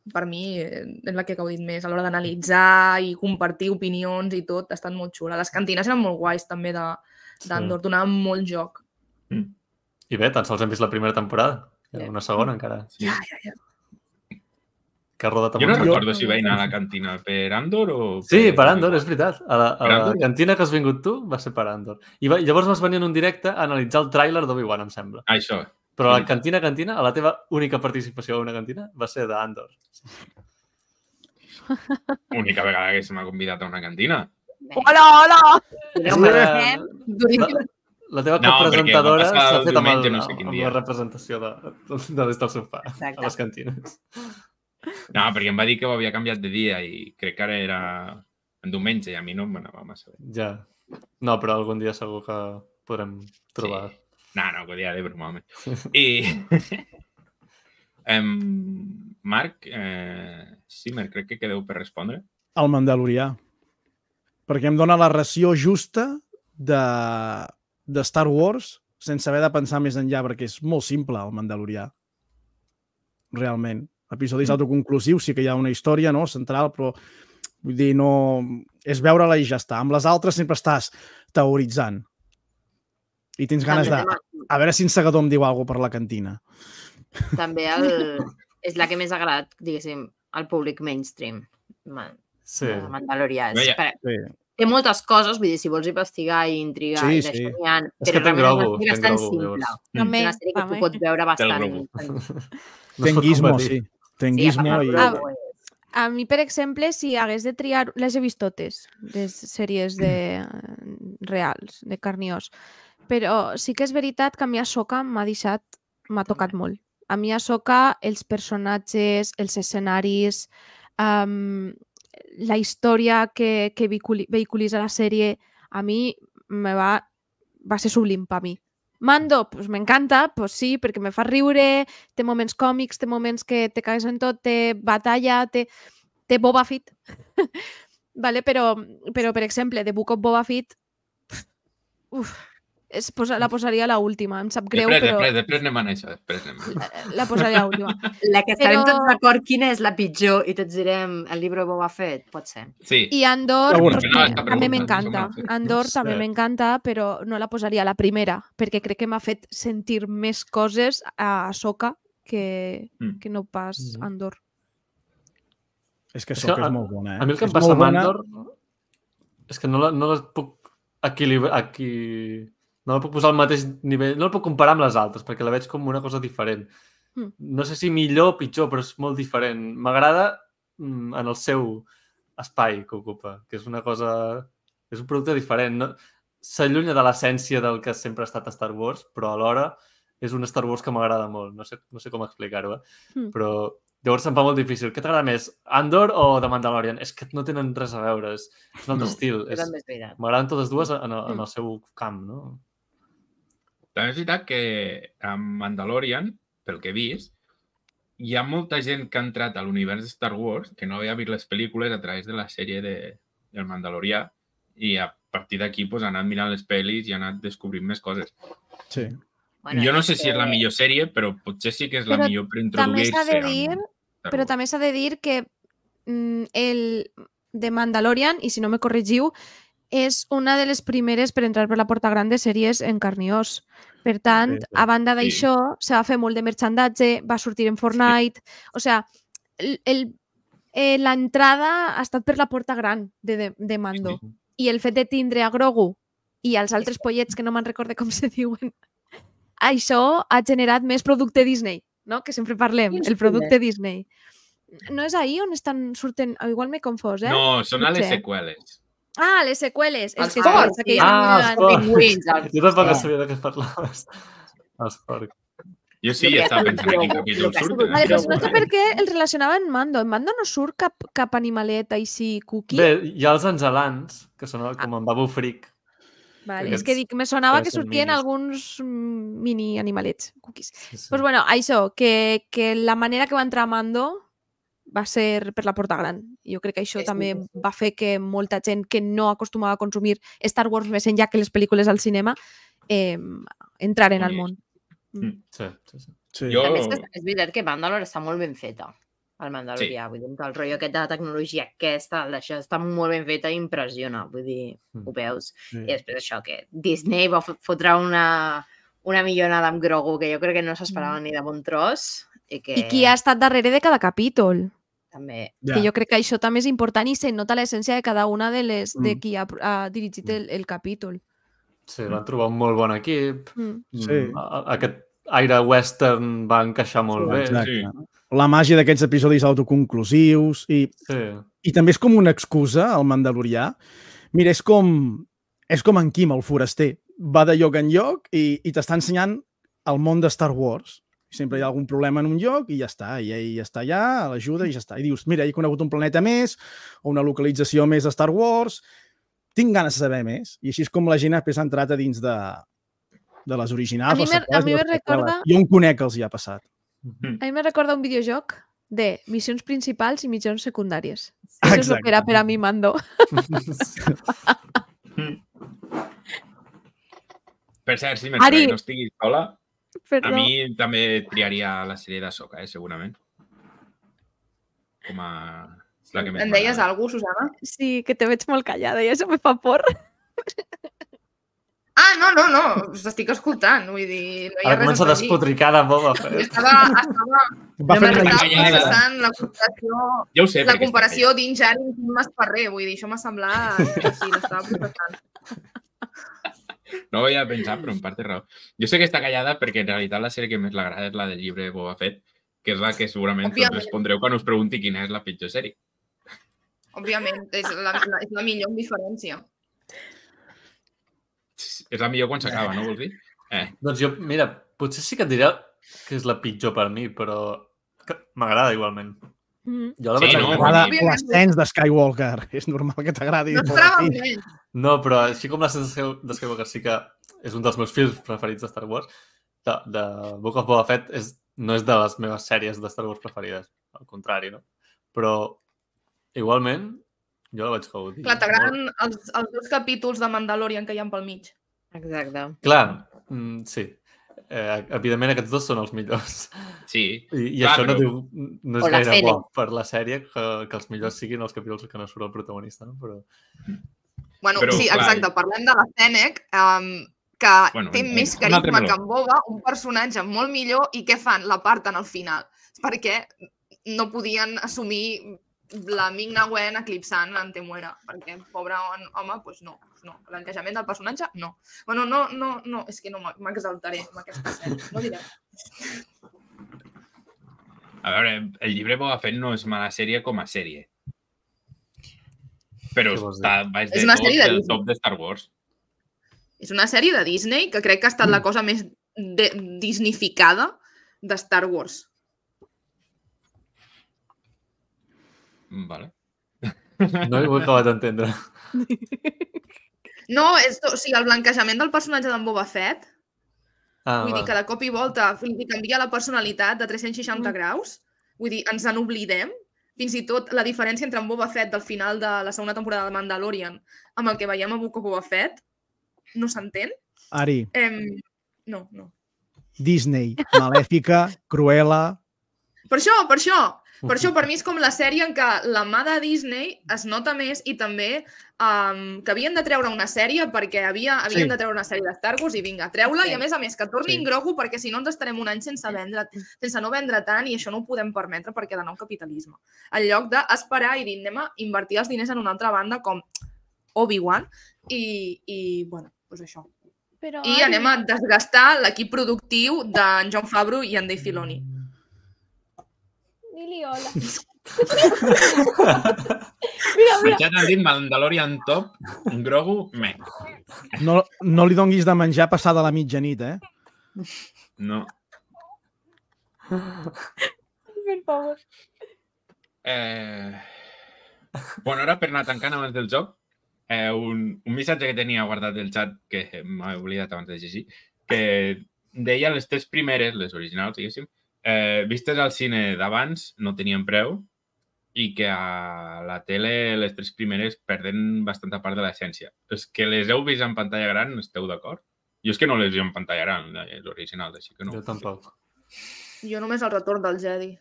S6: Per mi eh, és la que he gaudit més a l'hora d'analitzar i compartir opinions i tot, ha estat molt xula. Les cantines eren molt guais també de d'Andor, donaven molt joc.
S2: I bé, tan sols hem vist la primera temporada. Hi ha una segona encara.
S1: Sí.
S6: Ja, ja, ja.
S2: Que ha rodat
S1: Jo no
S2: amb un-
S1: recordo si vaig anar a la cantina per Andor o...
S2: Sí, per Andor, és veritat. A la, a
S1: Per
S2: la
S1: Andor?
S2: cantina que has vingut tu va ser per Andor. I va, llavors vas venir en un directe a analitzar el tràiler d'Obi-Wan, em sembla.
S1: Ah, això.
S2: Però a la
S1: Veritat.
S2: cantina, cantina, a la teva única participació a una cantina va ser d'Andor.
S1: Única vegada que se m'ha convidat a una cantina.
S7: Hola, hola!
S3: Podeu
S2: Era-
S3: fer
S2: La, la teva
S1: No,
S2: copresentadora
S1: perquè va passar
S2: s'ha
S1: el
S2: fet amb, el,
S1: diumenge, no sé quin
S2: amb
S1: dia.
S2: la representació de, de des del sofà
S3: Exacte.
S2: a les cantines.
S1: No, perquè em va dir que ho havia canviat de dia i crec que ara era en diumenge i a mi no m'anava massa bé.
S2: Ja. No, però algun dia segur que podrem trobar.
S1: Sí. No, no, que dia de broma, home. I... em... Marc, eh... Simmer, crec que quedeu per respondre.
S4: El Mandalorià. Perquè em dona la ració justa de, de Star Wars sense haver de pensar més enllà, perquè és molt simple el Mandalorià. Realment. Episodis mm. autoconclusius, sí que hi ha una història, no?, central, però vull dir, no... És veure-la i ja està. Amb les altres sempre estàs teoritzant. I tens ganes de... A veure si en Segador em diu alguna cosa per la cantina.
S3: També el... és la que més ha agradat, diguéssim, al públic mainstream. Man,
S2: Sí.
S3: el Mandalorià. És,
S1: Veia.
S3: per...
S4: Sí.
S3: Té moltes coses, vull dir, si vols investigar i intrigar,
S4: Sí,
S3: i d'això
S4: sí.
S3: n'hi ha,
S2: És
S3: però
S2: que ten
S3: realment
S2: grogo,
S3: és una sèrie
S2: ten
S3: bastant
S2: grogo,
S3: simple.
S2: llavors.
S3: És
S7: També,
S3: una sèrie que tu
S7: també.
S3: pots veure bastant.
S1: globo.
S3: en-
S2: No es pot
S4: Tenguismo,
S2: competir.
S4: sí. Tenguismo
S3: sí,
S4: i...
S7: Ah,
S3: globo,
S7: A mi, per exemple, si hagués de triar... Les he vist totes, les sèries de reals, de carn i os. Però sí que és veritat que a mi Ahsoka m'ha deixat... m'ha tocat molt. A mi Ahsoka, els personatges, els escenaris, um, la història que, que vehiculi, vehiculitza la sèrie, a mi me va, va ser sublim per mi. Mando, pues m'encanta, pues sí, perquè me fa riure, té moments còmics, té moments que te cagues en tot, té batalla, té, té Boba Fett. vale? però, però, per exemple, The Book of Boba Fett, uf, es posa, la posaria a l'última, em sap greu,
S1: Després,
S7: però
S1: després, després anem a això, després anem a...
S7: la, la posaria a l'última.
S3: La que estarem
S7: Però-
S3: tots d'acord quina és la pitjor i tots direm el llibre de Boba Fett, pot ser.
S1: Sí,
S7: I Andor,
S4: Segura.
S7: pues,
S1: No,
S7: me-
S1: està
S7: també
S1: preguntant,
S7: m'encanta.
S1: això m'ha fet.
S7: Andor
S4: No
S7: també
S4: sé.
S7: m'encanta, però no la posaria a la primera, perquè crec que m'ha fet sentir més coses a Ahsoka que,
S1: Mm.
S7: que no pas
S2: Mhm.
S7: Andor.
S4: És que
S2: És
S4: Ahsoka
S2: que
S4: és
S2: a-
S4: molt bona, eh?
S2: A mi el que
S4: És
S2: em passa
S4: molt
S2: amb
S4: bona.
S2: Andor és que no la, no les puc equilibrar, aquí... no la puc posar al mateix nivell, no la puc comparar amb les altres, perquè la veig com una cosa diferent.
S7: Mm.
S2: No sé si millor o pitjor, però és molt diferent. M'agrada mm, en el seu espai que ocupa, que és una cosa... és un producte diferent. No? S'allunya de l'essència del que sempre ha estat a Star Wars, però alhora és un Star Wars que m'agrada molt. No sé, no sé com explicar-ho, eh?
S7: Mm.
S2: Però llavors se'm fa molt difícil. Què t'agrada més, Andor o The Mandalorian? És que no tenen res a veure, és, és un altre
S1: No.
S2: estil.
S3: Però
S2: És,
S3: també és veritat.
S2: m'agraden totes dues en, el- en
S7: Mm.
S2: el seu camp, no?
S1: també és veritat que amb Mandalorian, pel que he vist, hi ha molta gent que ha entrat a l'univers de Star Wars que no havia vist les pel·lícules a través de la sèrie de, del Mandalorià i a partir d'aquí pues, ha anat mirant les pel·lis i ha anat descobrint més coses.
S4: Sí.
S3: Bueno,
S1: jo no
S3: és
S1: sé si és la
S3: que-
S1: millor sèrie, però potser sí que és la
S7: Però
S1: millor per
S7: també s'ha
S1: introduir-se
S7: de
S1: al
S7: dir-
S1: món Star
S7: Però
S1: Wars.
S7: també s'ha de dir que mm, el de Mandalorian, i si no me corregiu, és una de les primeres per entrar per la porta gran de sèries en carn i os. Per tant,
S4: Sí, sí.
S7: a banda
S1: Sí.
S7: d'això, se va fer molt de merchandatge, va sortir en Fortnite... O sea, el, el, eh, l'entrada ha estat per la porta gran de, de, de Mando.
S1: Sí.
S7: I el fet de tindre a Grogu i els altres pollets, que no me'n recorde com se diuen, això ha generat més producte Disney, no? Que sempre parlem,
S3: Quins
S7: el producte Disney. No és ahir on estan surten... Igual m'he confós, eh?
S1: No, són a les
S7: Potser.
S1: seqüeles.
S7: Ah, les seqüeles. És
S3: Els
S7: que
S3: porcs,
S7: és que
S3: sí.
S7: ja
S2: Ah,
S7: no
S2: els
S7: m'he
S2: porcs.
S3: pingüins, els-
S2: Jo tampoc
S3: Sí.
S2: sabia de què parlaves. Els porcs.
S1: Jo sí,
S3: Jo crec
S1: estava
S3: que
S1: pensant en quin
S3: Grogu-
S1: capítol
S3: el que ha
S1: surten.
S3: sigut
S7: Vale, doncs no sé
S3: Grogu.
S7: per què el relacionava en Mando. En Mando no surt cap, cap animalet així cookie.
S2: Bé, hi ha els angelans, que són com en Babu Frick.
S7: Vale,
S2: aquests
S7: és que dic, me sonava que
S2: parecen
S7: sortien
S2: minis.
S7: alguns mm, mini animalets, cookies.
S2: Sí, sí.
S7: Pues bueno, això, que, que la manera que va entrar Mando va ser per la porta gran. Jo crec que això
S3: Sí, sí,
S7: també
S3: sí, sí.
S7: va fer que molta gent que no acostumava a consumir Star Wars més enllà que les pel·lícules al cinema eh, entraren al món.
S2: Sí, sí, sí.
S4: Sí.
S1: Jo-
S3: A més, és, és veritat que Mandalore està molt ben feta, el Mandalorià. Sí. Vull dir, el rotllo aquest de la tecnologia aquesta, el d'això, està molt ben feta i impressiona. Vull dir,
S2: Mm.
S3: ho veus.
S4: Sí.
S3: I després això, que Disney va fot- fotre una, una millonada amb Grogu que jo crec que no s'esperava ni de bon tros. I, que
S7: I qui ha estat darrere de cada capítol.
S3: també...
S4: Ja.
S7: Que jo crec que això també és important i se nota l'essència de cada una de les de
S4: Mm.
S7: qui ha, ha dirigit el, el capítol.
S2: Sí, van trobar un molt bon equip.
S7: Mm.
S4: Sí.
S2: Mm, a- a- Aquest aire western va encaixar molt bé.
S4: Exacte.
S1: sí.
S4: La màgia d'aquests episodis autoconclusius i,
S2: Sí.
S4: i també és com una excusa, el Mandalorià. Mira, és com, és com en Kim, el foraster. Va de lloc en lloc i, i t'està ensenyant el món de Star Wars. Sempre hi ha algun problema en un lloc i ja està. I ell està allà, l'ajuda i ja està. I dius, mira, he conegut un planeta més o una localització més de Star Wars. Tinc ganes de saber més. I així és com la gent després ha entrat a dins de, de les originals.
S7: A mi
S4: les
S7: me-
S4: seqüeles
S7: a mi
S4: i les
S7: me recorda-
S4: preqüeles. Jo on conec els hi ha passat.
S7: A mi me recorda un videojoc de missions principals i missions secundàries. Això és el
S4: Exacte.
S7: que era per a mi Mando.
S1: Per cert, si
S7: Ari.
S1: mentre no estiguis sola,
S7: Perdó.
S1: a mi també triaria la sèrie d'Ahsoka, eh, segurament. Com a... És la que més
S6: Em deies
S1: m'agrada.
S6: alguna cosa, Susana?
S7: Sí, que te veig molt callada i això me fa por.
S6: Ah, no, no, no, us estic escoltant, vull dir, no hi ha
S2: Ara
S6: res
S2: comença a
S6: a afegir.
S2: despotricar de Boba Fett.
S6: Estava, estava,
S4: Va
S3: No
S4: fer
S3: me'n
S4: una
S3: recordo.
S6: estava
S1: callada.
S6: processant la comparació,
S1: Ja ho sé,
S6: la
S1: perquè està
S6: comparació d'Injar i Quim Masferrer, vull dir, això m'ha semblat que sí, l'estava processant.
S1: callat. No ho havia pensat, però en part té raó. Jo sé que està callada perquè en realitat la sèrie que més l'agrada és la del llibre de Boba Fett, que és la que segurament tots
S6: Òbviament.
S1: respondreu quan us pregunti quina és la pitjor sèrie.
S6: Òbviament, és la, la, és la millor amb diferència.
S1: És la millor quan s'acaba, no vols dir? Eh,
S2: Doncs jo, mira, potser sí que et diré que és la pitjor per mi, però que m'agrada igualment.
S7: Mm.
S2: Jo la
S1: Sí,
S2: vaig
S1: no?
S2: veure-
S4: M'agrada
S6: Òbviament.
S4: l'ascens de Skywalker. És normal que t'agradi.
S6: No esperava menys.
S2: No, però així com la sensació de Skywalker sí que és un dels meus films preferits de Star Wars, de, de Book of Boba Fett és, no és de les meves sèries de Star Wars preferides, al contrari, no? Però igualment jo la vaig gaudir.
S6: Clar,
S2: molt.
S6: t'agraden els, els dos capítols de Mandalorian que hi ha pel mig.
S3: Exacte.
S2: Clar, mm, sí. Eh, evidentment aquests dos són els millors.
S1: sí.
S2: I, i
S1: Clar,
S2: això no,
S1: però-
S2: diu, no és
S3: O la
S2: gaire
S3: Fennec.
S2: bo per la sèrie que, que els millors siguin els capítols que no surt el protagonista, no? Però...
S6: Bueno,
S1: Però,
S6: sí,
S1: clar,
S6: exacte, parlem de la Fennec, um, que
S1: Bueno,
S6: té
S1: un-
S6: més
S1: un altre
S6: carisma
S1: meló.
S6: que en Boba, un personatge molt millor, i què fan? La parten al final. Perquè no podien assumir la Ming-Na Wen eclipsant en Temuera, perquè, pobre home, doncs no, no. L'encaixament del personatge, no. Bueno, no, no, no, és que no m'exaltaré amb aquesta sèrie, no diré.
S1: A veure, el llibre Boba Fett no és mala sèrie com a sèrie. Però
S2: Què vols dir?
S1: està baix
S6: És
S1: de
S6: una
S1: tot
S6: sèrie de
S1: del
S6: Disney.
S1: top de Star Wars.
S6: És una sèrie de Disney que crec que ha estat la cosa més de disnificada de Star Wars.
S1: Mm, Vale.
S2: No ho he acabat d'entendre.
S6: No, és, o sigui, el blanquejament del personatge d'en Boba Fett,
S2: Ah,
S6: vull
S2: va.
S6: dir que de cop i volta li canvia la personalitat de tres-cents seixanta graus, Vull dir, ens en oblidem. Fins i tot la diferència entre en Boba Fett del final de la segona temporada de Mandalorian amb el que veiem a Book of Boba Fett no s'entén.
S4: Ari,
S6: Eh, no, no.
S4: Disney, Malèfica, Cruella...
S6: Per això, per això. Per això, per mi és com la sèrie en què la mà de Disney es nota més i també um, que havien de treure una sèrie perquè havia, havien
S4: Sí.
S6: de treure una sèrie de Star Wars i vinga, treu-la
S3: Sí.
S6: i a més a més que torni
S4: Sí.
S6: en Grogu perquè si no ens estarem un any sense vendre, sense no vendre tant i això no ho podem permetre perquè de nou capitalisme. En lloc d'esperar i dir anem a invertir els diners en una altra banda com Obi-Wan i, i bueno, doncs això.
S7: Però,
S6: I anem a desgastar l'equip productiu d'en Jon Favreau i en Dave Filoni.
S7: Dili hola. Mira,
S1: El
S7: mira.
S1: xat han dit Mandalorian top, Grogu, meh.
S4: No, no li donguis de menjar passada la mitjanit, eh?
S1: No.
S7: Per favor.
S1: Eh... Bueno, ara per anar tancant abans del joc, eh, un, un missatge que tenia guardat del xat, que m'he oblidat abans de llegir, que deia les tres primeres, les originals, diguéssim, eh, vistes al cine d'abans no tenien preu i que a la tele les tres primeres perden bastanta part de l'essència. Els que les heu vist en pantalla gran, esteu d'acord? Jo és que no les he vist en pantalla gran, les originals, així que no.
S2: Jo tampoc.
S6: Jo només el retorn del Jedi.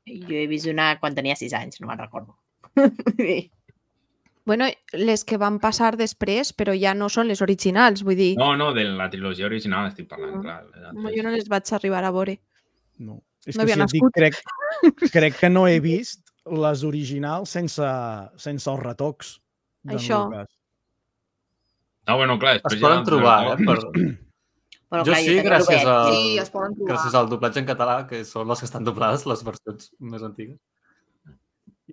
S3: Jo he vist una quan tenia sis anys, no me'n recordo.
S7: Bueno, les que van passar després, però ja no són les originals, vull dir,
S1: No, no, de la trilogia original estic parlant,
S7: No.
S1: clar. les
S7: no,
S1: altres.
S7: jo no les vaig arribar a veure.
S4: No. És
S7: No
S4: que
S7: havia
S4: si et dic,
S7: nascut.
S4: crec, crec que no he vist les originals sense, sense els retocs. d'en
S7: Això.
S4: Lucas.
S1: No, bueno, clar,
S2: Es
S1: després ja
S2: poden
S1: els
S2: trobar, eh?
S1: retorns.
S2: Per...
S3: Però,
S2: Jo
S3: clar,
S2: sí,
S3: tenia
S2: gràcies
S3: Robert.
S2: a...
S6: Sí, es poden trobar.
S2: Gràcies al doblatge en català, que són les que estan doblades, les versions més antigues.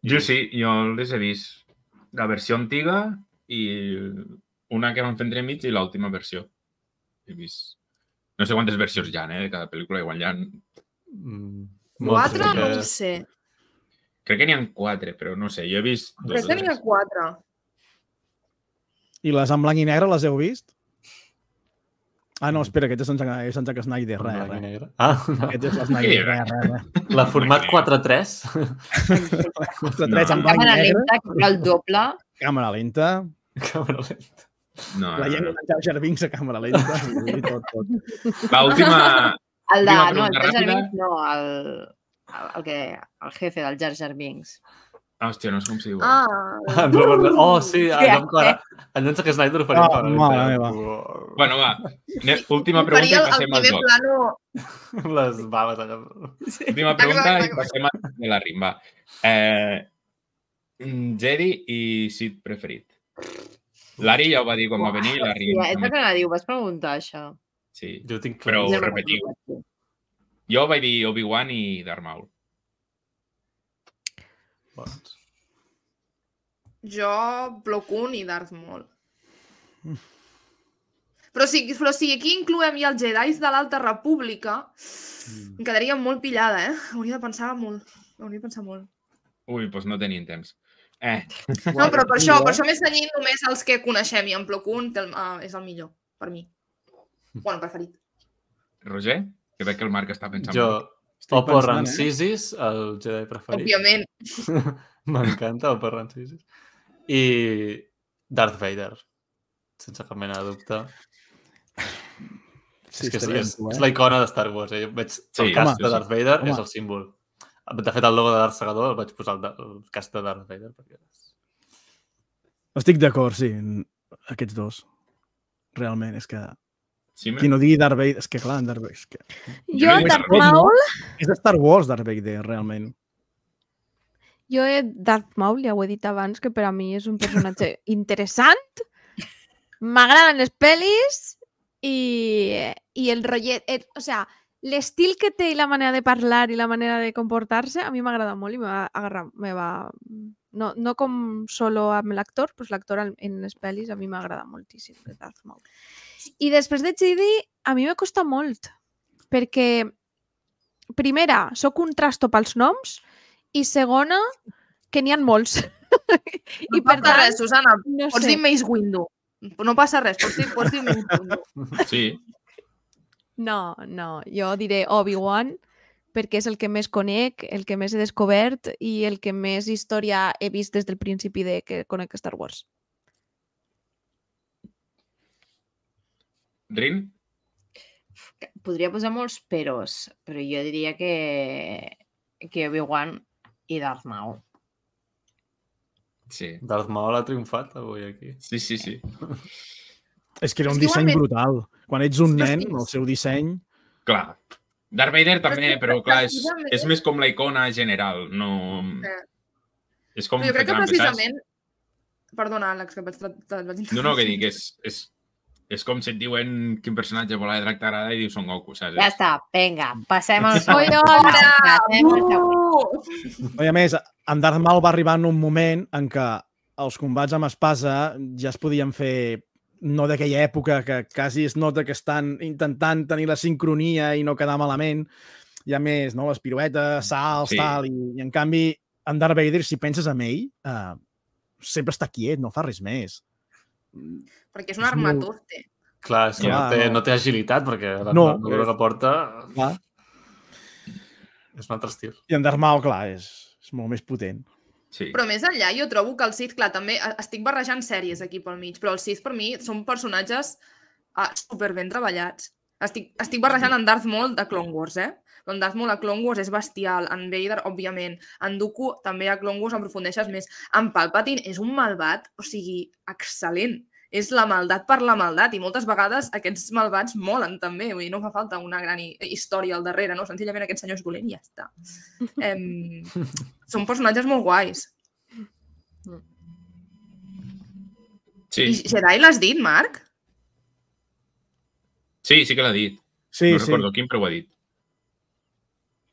S1: Jo sí, jo les he vist. La versió antiga i una que van fer entremig i l'última versió. He vist... No sé quantes versions hi ha, eh, de cada pel·lícula. Igual hi ha...
S2: Mm,
S6: Quatre,
S2: moltes,
S6: no
S2: que-
S6: ho sé.
S1: Crec que n'hi ha quatre, però no sé. Jo he vist dos
S6: Crec
S1: o
S6: que n'hi ha
S1: tres.
S6: quatre.
S4: I les en blanc i negre les heu vist? Ah, no, espera, aquest és en Zack, és en Zack Snyder,
S2: en
S4: res,
S2: blanc i
S4: res.
S2: negre. Ah, no.
S4: Aquest és la Snyder, res, res, res.
S2: La format quatre tres.
S4: quatre
S1: No.
S4: tres en blanc i
S3: Càmera
S4: negre,
S3: lenta, que era el doble.
S4: càmera lenta,
S2: Càmera lenta.
S1: No,
S4: la
S1: no,
S4: llengua
S1: no.
S4: d'en Jar Jar Binks a càmera lenta, i tot, tot.
S1: Va, última...
S3: El de,
S1: Última
S3: no, el
S1: pregunta
S3: Jar Jar
S1: ràpida.
S3: Binks, no, el, el, el, que, el jefe del Jar Jar Binks.
S1: Ah, hòstia, no sé com s'hi diu.
S6: Ah,
S2: Ah, en Robert... Oh, sí,
S3: Sí,
S2: allò amb
S3: eh?
S2: cara... En Zack Snyder ho faria
S4: Ah,
S2: amb càmera
S4: mare
S2: lenta.
S4: meva.
S1: Bueno, va. Ne- Última pregunta
S6: faria
S1: i
S6: el, el
S1: passem al
S6: primer
S1: joc.
S6: plano...
S2: Les baves allà.
S1: Última pregunta
S6: Exacte.
S1: i passem a de la rimba. Eh, mm, Jedi i Sith preferit. L'Ari ja ho va dir quan va venir. L'Ari...
S3: Sí, és el que anava a dir, ho vas preguntar, això.
S1: Sí.
S2: Jo ho tinc
S1: Però
S2: clar.
S1: ho repetiu. Jo vaig dir Obi-Wan i Darth Maul.
S2: Bons.
S6: Jo, Plo Koon i Darth Maul. Però si, però si aquí incloem ja els Jedis de l'Alta República, em quedaria molt pillada, eh? Hauria de pensar molt. Hauria de pensar molt.
S1: Ui, doncs no tenim temps. Eh,
S6: No, però per això, per això m'he cenyit només els que coneixem i en Plo Koon té el, uh, és el millor, per mi. Bueno, preferit.
S1: Roger? Que veig que el Marc està pensant
S2: Jo,
S1: molt.
S4: Estic
S2: Oppo
S4: pensant, eh?
S2: Rancisis, el Jedi preferit.
S6: Òbviament.
S2: M'encanta Oppo Rancisis. I Darth Vader, sense cap mena de dubte.
S4: Sí,
S2: és que és,
S4: estaria
S2: és,
S4: amb tu, eh?
S2: és la icona de Star Wars. Eh? Jo veig
S1: Sí,
S2: el cast
S1: home.
S2: de Darth Vader,
S4: Home.
S2: és el símbol. De fet, el logo de Darth Segador el vaig posar el, de, el cast de Darth Vader. Perquè... és-
S4: Estic d'acord, sí, en aquests dos. Realment, és que...
S1: Sí,
S4: Qui no digui Darth Vader... És que clar, en Darth Vader... És, que...
S7: Jo,
S1: no he
S7: Darth
S1: vist
S7: Maul,
S4: és de Star Wars, Darth Vader, realment.
S7: jo he Darth Maul, ja ho he dit abans, que per a mi és un personatge interessant, m'agraden les pel·lis i, i el rotllet, el, o sea, l'estil que té i la manera de parlar i la manera de comportar-se a mi m'agrada molt i me va agarrar, me va... No, no com solo amb l'actor, però l'actor en- en les pel·lis a mi m'agrada moltíssim, el Darth Maul. I després de Jedi, a mi me costa molt, perquè primera, sóc un trasto pels noms i segona, que n'hi ha molts.
S6: I
S7: I per
S6: passa
S7: tant,
S6: res, Susana,
S7: no
S6: pots
S7: sé.
S6: dir Mace Windu. No passa res, pots dir, pots dir Mace Windu.
S1: Sí.
S7: No, no, jo diré Obi-Wan perquè és el que més conec, el que més he descobert i el que més història he vist des del principi de que conec Star Wars.
S1: Rin?
S3: Podria posar molts peros, però jo diria que, que Obi-Wan i Darth Maul.
S1: Sí.
S2: Darth Maul ha triomfat avui aquí.
S1: Sí, sí, sí.
S4: És que era
S6: És
S4: un
S6: que
S4: disseny
S6: igualment-
S4: brutal. Quan ets un
S6: Hòstia,
S4: nen,
S6: sí.
S4: el seu disseny...
S1: Clar. Darth Vader també,
S6: que
S1: però clar, és,
S6: precisament-
S1: és més com la icona general, no...
S6: Eh.
S1: És com
S6: Però jo crec
S1: fer
S6: que
S1: trampa, saps?
S6: precisament... Perdona, Àlex, que et vaig, tra- te'l vaig
S1: No, no, que dic, és, és, és com si et diuen quin personatge vola de drac t'agrada i dius Son Goku, saps?
S3: Ja està, vinga, passem al
S7: Oi,
S3: següent.
S7: hola!
S3: Passem al següent.
S6: Uh!
S4: I a més, en Darth Maul va arribar en un moment en què els combats amb espasa ja es podien fer no d'aquella època que quasi es nota que estan intentant tenir la sincronia i no quedar malament. Hi ha més, no? Les piruetes, salts,
S1: Sí.
S4: tal, i, i en canvi en Darth Vader, si penses en ell, eh, sempre està quiet, no fa res més.
S6: Perquè és un
S4: És molt-
S6: armatoste.
S2: Clar, és que
S4: Clar,
S2: no, té,
S4: no.
S2: no té agilitat, perquè la
S4: No,
S2: armadura
S4: és-
S2: que porta
S4: Clar.
S2: és un altre estil.
S4: I en Darth Maul, clar, és, és molt més potent.
S1: Sí.
S6: Però més enllà, jo trobo que el Sith, clar, també eh, estic barrejant sèries aquí pel mig, però els Sith per mi són personatges uh, super ben treballats. Estic, estic barrejant en Darth Maul de Clone Wars, eh? En Darth Maul a Clone Wars és bestial, en Vader, òbviament, en Dooku també a Clone Wars aprofundeixes més. En Palpatine és un malvat, o sigui, excel·lent. És la maldat per la maldat i moltes vegades aquests malvats molen també, vull dir, no fa falta una gran hi- història al darrere, no? Senzillament aquest senyor és dolent i ja està. Em... Són personatges molt guais.
S1: Sí,
S6: I Jedi l'has dit, Marc?
S1: sí, sí que l'ha dit.
S4: Sí,
S1: no
S4: sí.
S1: recordo quin, però ho ha dit.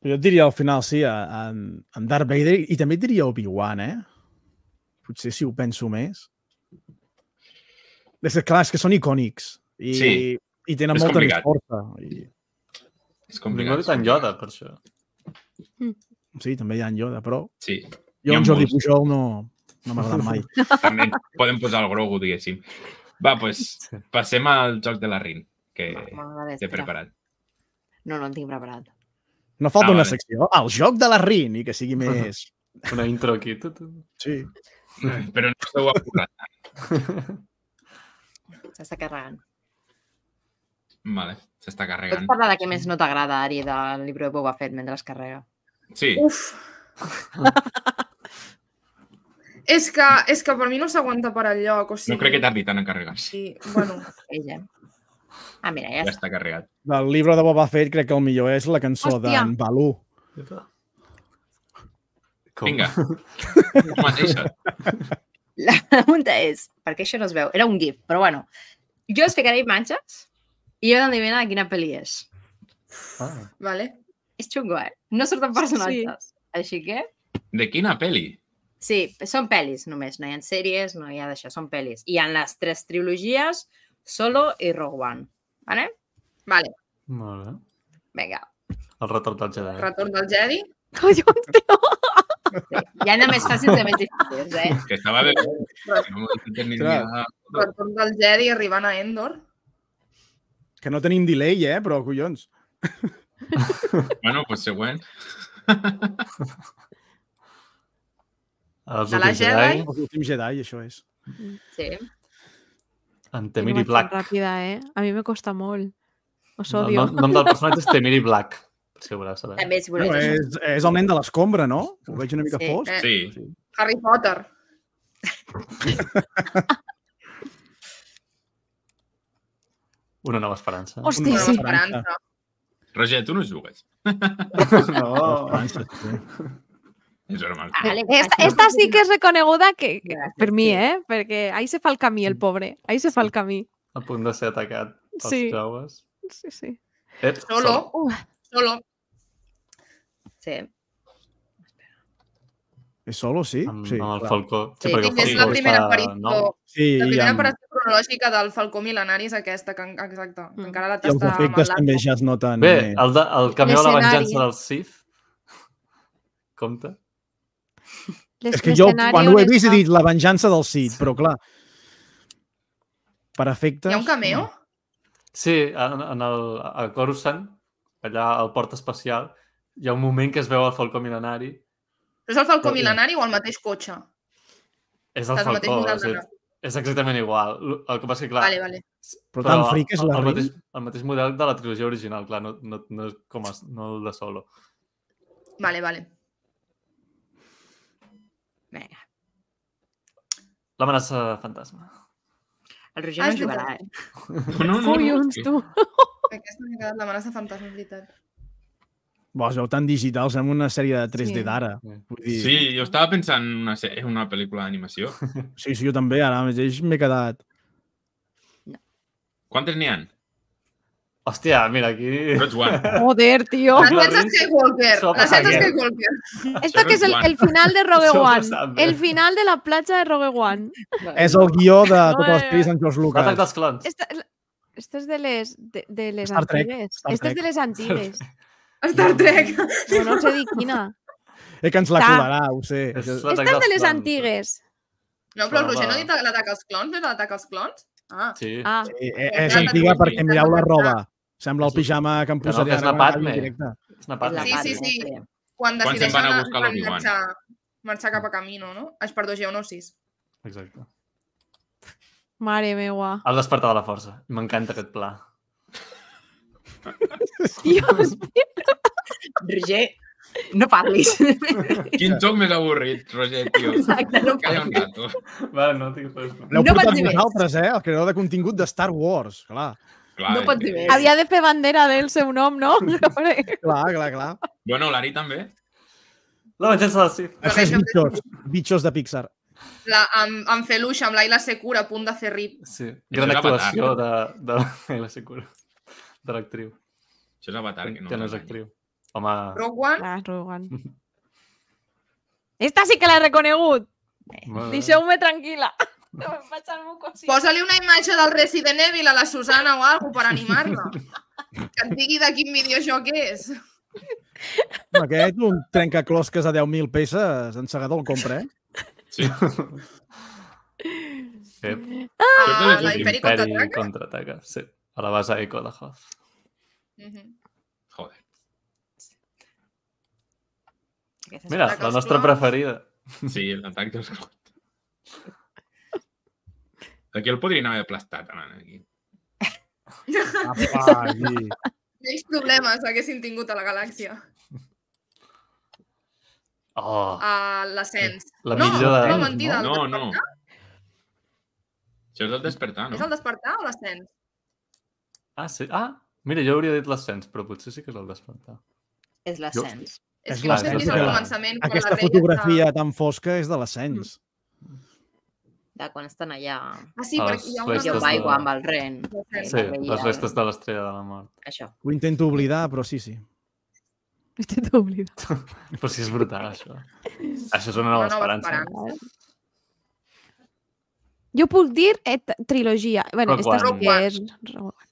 S4: Jo et diria al final, sí, a- en, en Darth Vader i també et diria Obi-Wan, eh? Potser si ho penso més. És que, clar, és que són icònics i,
S1: Sí.
S4: i tenen
S1: És
S4: molta
S1: complicat.
S4: més força. I,
S1: És
S2: Ningú ha
S1: complicat.
S2: dit en Yoda, per això.
S4: sí, també hi ha en Yoda, però
S1: Sí.
S4: jo
S1: Hi ha
S4: en Jordi
S1: molts.
S4: Pujol no, no m'ha agradat mai.
S1: També podem posar el Grogu, diguéssim. Va, doncs, passem al joc de la Rin, que
S3: M'agrada,
S1: t'he
S3: espera.
S1: preparat.
S3: No, no el tinc preparat.
S4: No falta
S1: Ah,
S4: una
S1: vale.
S4: secció. El joc de la Rin i que sigui més...
S2: Una intro aquí. Tu, tu.
S4: Sí.
S1: Però no esteu apurant.
S3: S'està carregant.
S1: Vale, s'està
S3: Pots
S1: carregant.
S3: parlar de què més no t'agrada, Ari, del llibre de Boba Fett mentre es carrega?
S1: Sí,
S6: Uf! és, que, és que per mi no s'aguanta per enlloc, o sigui...
S1: no crec que tardi tant en carregar-se.
S6: Sí, bueno,
S3: Ella. Ah, mira, ja
S1: Ja
S3: està.
S1: està carregat.
S4: Del llibre de Boba Fett crec que el millor és la cançó
S7: Hòstia.
S4: d'en Balú.
S2: Com?
S1: Vinga. La mateixa.
S3: La pregunta és, perquè això no es veu, era un gif, però bueno, jo us ficaré imatges i heu d'endevinar de quina pel·li és.
S2: Ah,
S6: vale.
S3: És xungo, eh? No surten personatges. Així que,
S1: De quina pel·li?
S3: sí, són pel·lis només, no hi ha sèries, no hi ha d'això, són pel·lis. Hi ha les tres trilogies, Solo i Rogue One. Vale?
S6: Vale.
S2: molt bé.
S3: Vinga.
S2: El retorn del Jedi.
S6: Retorn del Jedi.
S7: Collons, tio!
S3: Sí. Hi ha de més fàcils i més difícils, eh?
S1: Que estava bé. No m'ho he ni
S4: Clar.
S1: idea.
S6: Retorn del Jedi arribant a Endor.
S4: Que no tenim delay, eh? Però, collons.
S1: Bueno, doncs següent.
S2: Els
S6: De la
S2: últims
S6: Jedi.
S2: Jedi.
S4: Els últims Jedi, això és.
S3: Sí.
S2: En
S7: Jo
S2: Temiri
S7: vaig tan
S2: Black.
S7: ràpida, eh? A mi me costa molt. Us
S2: El
S7: odio.
S2: nom, nom del personatge és Temiri Black. Si ho voleu saber.
S3: També, si voleu.
S4: No, és, és el nen de l'escombra, no? Ho veig una mica
S3: Sí.
S4: fosc.
S6: Eh,
S1: Sí.
S6: Harry Potter.
S2: Una nova esperança.
S7: Hòstia,
S6: Una
S7: sí.
S6: esperança.
S1: Roger, tu no jugues.
S2: No.
S4: Esperança, sí.
S1: És normal.
S3: Vale,
S7: Esta, esta sí que és reconeguda que, que
S3: Gràcies,
S7: per mi,
S3: sí.
S7: eh? Perquè ahí se fa el camí, el pobre. Ahí se fa el camí.
S2: A punt de ser atacat pels
S7: Sí.
S2: joves.
S7: Sí, sí.
S2: Ep,
S6: Solo.
S7: Uh,
S6: Solo.
S3: Sí.
S4: És solo, sí?
S2: Amb,
S4: Sí,
S2: amb el
S4: clar.
S2: Falcó. Sí,
S3: Sí,
S2: perquè
S6: Sí,
S2: el
S6: que és
S2: Falcó
S6: la primera
S2: està
S6: aparició,
S2: nou.
S4: Sí,
S6: la
S4: i
S6: primera
S4: amb,
S6: aparició cronològica del Falcó mil·lenari és aquesta, que, en- exacte, que
S7: Mm.
S6: encara la
S4: i els
S6: tasta amb
S4: efectes
S6: el
S4: també
S6: Largo.
S4: ja es noten.
S2: Bé,
S4: més.
S2: el, de, el camió de la
S7: L'escenari.
S2: venjança del Sith. Compte?
S4: És que jo,
S7: l'escenari
S4: quan ho
S7: on
S4: he vist, he
S7: està-
S4: dit la venjança del Sith, però clar, per efectes...
S6: Hi ha un cameo?
S2: Sí, en, en el a Coruscant, allà al port espacial, hi ha un moment que es veu el Falcó Mil·lenari.
S6: Però és el Falcó Mil·lenari o el mateix cotxe?
S2: És el
S6: El mateix
S2: Falcó,
S6: model
S2: o sigui,
S6: de-
S2: és exactament igual. El que passa que, clar...
S6: Vale, vale.
S4: Però tan fric és la
S2: el,
S4: Rin.
S2: mateix, el mateix model de la trilogia original, clar, no, no, no és com a, no el de Solo.
S6: Vale, vale.
S3: Vinga.
S2: L'amenaça fantasma.
S3: El Roger
S6: Ah,
S3: no
S6: és
S3: jugarà,
S6: veritat.
S3: eh?
S1: No, no, no.
S7: Collons,
S1: sí.
S7: tu.
S6: Aquesta m'ha quedat l'amenaça fantasma, és veritat.
S4: Bo, es veu tan digital, sembla una sèrie de tres D
S7: Sí.
S4: d'ara.
S2: Sí.
S4: Vull dir,
S1: Sí, jo estava pensant en una, se- en una pel·lícula d'animació.
S4: sí, sí, jo també, ara mateix m'he quedat...
S1: Quantes n'hi ha?
S2: Hòstia, mira, aquí...
S1: Roig One.
S7: Joder, tío.
S6: L'ascens Skywalker.
S2: Sopa
S6: L'ascens
S2: Haguer.
S6: Skywalker.
S7: Esto que es el, el final de Rogue
S2: Eso
S7: One.
S2: pasa, hombre.
S7: El final de la platja de Rogue One.
S4: És el guió de totes les
S7: Ai,
S4: pel·lis d'en George
S2: L'atac
S4: Lucas.
S2: dels clons.
S7: Esta, esta es de les, de, de les
S4: Star Trek,
S7: antigues.
S4: Star
S7: Esta es
S4: Trek.
S7: de les antigues.
S6: Star Trek.
S7: No, no sé dir quina.
S4: Eh, que ens la
S7: Està.
S4: colarà, ho sé.
S2: És
S4: Que-
S2: l'atac
S7: Esta és
S2: dels
S7: de les
S2: clons.
S7: antigues.
S6: No, però el
S2: Però
S6: Roger no
S2: va.
S6: ha dit l'atac als clons, no és l'atac als clons? Ah,
S2: Sí.
S7: Ah,
S4: Sí, eh, és antiga perquè mireu la roba. Sembla el pijama que em
S2: Que no,
S4: posaré
S2: que és
S4: ara
S2: la
S4: quan acabi
S2: Padme.
S4: el directe.
S2: És una
S3: És
S2: part.
S3: la
S6: Sí, sí,
S3: Padme,
S6: sí.
S3: sí.
S6: quan
S1: Quan se'n
S6: decideixen
S1: van a
S6: anar-
S1: buscar
S6: van
S1: l'Obi-Wan?
S6: marxar, marxar cap a Camino, no? Ai, perdó, Geonosis.
S2: Exacte.
S7: mare meua.
S2: El despertar de la força. M'encanta aquest pla.
S7: Dios.
S3: Roger, no parlis.
S1: Quin joc més avorrit, Roger, tio.
S3: Exacte, no
S1: Calla un
S3: parlis.
S1: rato.
S2: Va, no tinc res.
S4: L'heu
S3: No
S4: portat
S3: pots dir més.
S4: vosaltres, eh? El creador de contingut de Star Wars. Clar,
S1: Clar,
S3: No pots dir
S1: eh,
S3: més.
S7: Havia de fer bandera del seu nom, no?
S4: clar, clar, clar.
S1: Bueno, l'Ari també.
S2: La venjança del Sith.
S4: Això és bitxos. Bitxos de Pixar.
S6: La, amb, amb Feluix, amb l'Aila Secura, a punt de fer rip.
S2: Sí. Gran
S1: és
S2: actuació de, de, de la Secura. De l'actriu.
S1: Això és Avatar, que no.
S2: Que no és actriu. Home...
S6: Rogue One,
S7: Ah, Rogue One. Esta sí que l'he reconegut.
S2: Bueno,
S7: Deixeu-me tranquil·la. No me'n faig algú cosí.
S6: posa-li una imatge del Resident Evil a la Susana o alguna per animar-la. Que et digui de quin videojoc és.
S4: Aquest, un trencaclosques a deu mil peces, en segador el compra, eh?
S1: Sí.
S2: Ep.
S6: Ah,
S1: és
S6: la
S1: un
S6: Imperi
S2: Imperi
S6: contraataca.
S2: contraataca. Sí. A la base Echo de Hoth.
S6: Mhm.
S1: Joder.
S3: Aquesta és
S2: Mira,
S6: Atac
S2: la
S6: als
S2: nostra
S6: clons.
S2: preferida.
S1: Sí, l'atac dels clons. Aquí el podrien haver aplastat, aquí.
S4: Apa, aquí.
S6: Menys problemes haguessin tingut a la galàxia.
S2: Oh,
S6: A l'ascens.
S2: la
S6: no,
S2: millor de...
S6: no, mentida.
S1: No,
S6: el
S1: no.
S6: despertar?
S1: Això és el despertar,
S6: És
S1: no?
S6: el despertar o l'ascens?
S2: Ah, sí? Ah, mira, jo hauria dit l'ascens, però potser sí que és el despertar.
S3: És l'ascens.
S6: És
S4: És
S6: que no sé
S2: l'ascens
S6: si és
S2: de
S6: al
S2: la-
S6: començament. quan
S4: Aquesta
S6: la Rey
S4: fotografia
S6: està-
S4: tan fosca és de l'ascens.
S3: De quan estan allà
S6: Ah, sí,
S2: A
S6: perquè
S2: les
S6: hi ha
S2: festes
S3: jo
S6: una...
S2: de-
S3: aigua amb el ren.
S6: Sí.
S2: Sí, les restes de l'estrella de la mort.
S3: Això.
S4: Ho intento oblidar, però sí, sí.
S7: T'he oblidat.
S2: Però sí, és brutal, això. Això és una nova
S6: Una nova
S2: esperança.
S6: esperança.
S7: Jo puc dir eh, t- trilogia. Bueno,
S2: Rogue
S7: esta sí
S2: One.
S7: que és Rogue One.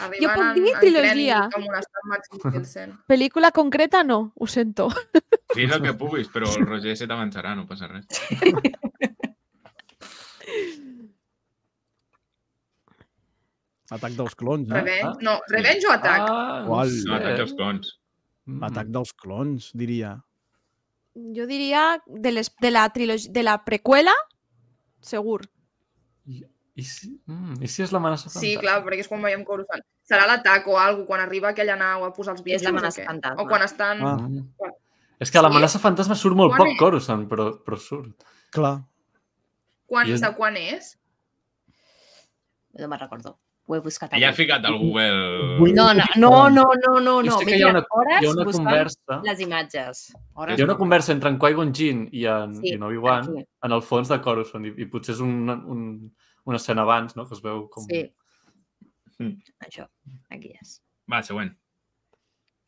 S6: Arribant
S7: puc
S6: en-
S7: dir
S6: en
S7: trilogia.
S6: Krennic amb un estat màxim Pilsen.
S7: Pel·lícula concreta no, ho sento.
S1: Dins el que puguis, però el Roger se t'avançarà, no passa res.
S4: Atac dels clons, no?
S6: Revenge? No, Revenge o Atac?
S2: Ah, no
S4: Qual?
S2: sé.
S1: No, atac dels clons.
S2: Mm.
S4: Atac dels clons, diria.
S7: Jo diria de, les, de, la trilogia, de la preqüela, segur.
S2: I, i, si, mm, I si és l'amenaça
S6: Sí,
S2: fantàstica?
S6: clar, perquè és quan veiem Coruscant. Serà l'atac o alguna quan arriba aquella nau a posar els
S3: És
S6: bitxos
S3: l'amenaça
S6: o què?
S3: fantasma.
S6: O quan estan...
S4: Ah.
S2: Mm. És que l'amenaça fantasma surt molt
S6: Quan
S2: poc
S6: és?
S2: Coruscant, però, però surt.
S4: Clar.
S6: Quan,
S2: I és-
S6: De quan és?
S3: No me'n recordo. Ho he buscat.
S1: Ella ha
S3: avui.
S1: ficat al Google...
S4: Vull-
S3: No, no, no, no, no, no,
S2: Jo
S3: no.
S2: sé
S3: M'he
S2: que hi ha
S3: tirat
S2: una,
S3: hores
S2: hi ha una
S3: buscant
S2: conversa...
S3: les imatges. Hores
S2: Hi ha una
S3: no.
S2: conversa entre en Qui-Gon Jinn i en,
S3: Sí,
S2: i en Obi-Wan
S3: aquí.
S2: en el fons de Coruscant i, i potser és un, un, una escena abans, no? Que es veu com...
S3: Sí.
S1: Mm.
S3: Això, aquí és.
S1: Va, següent.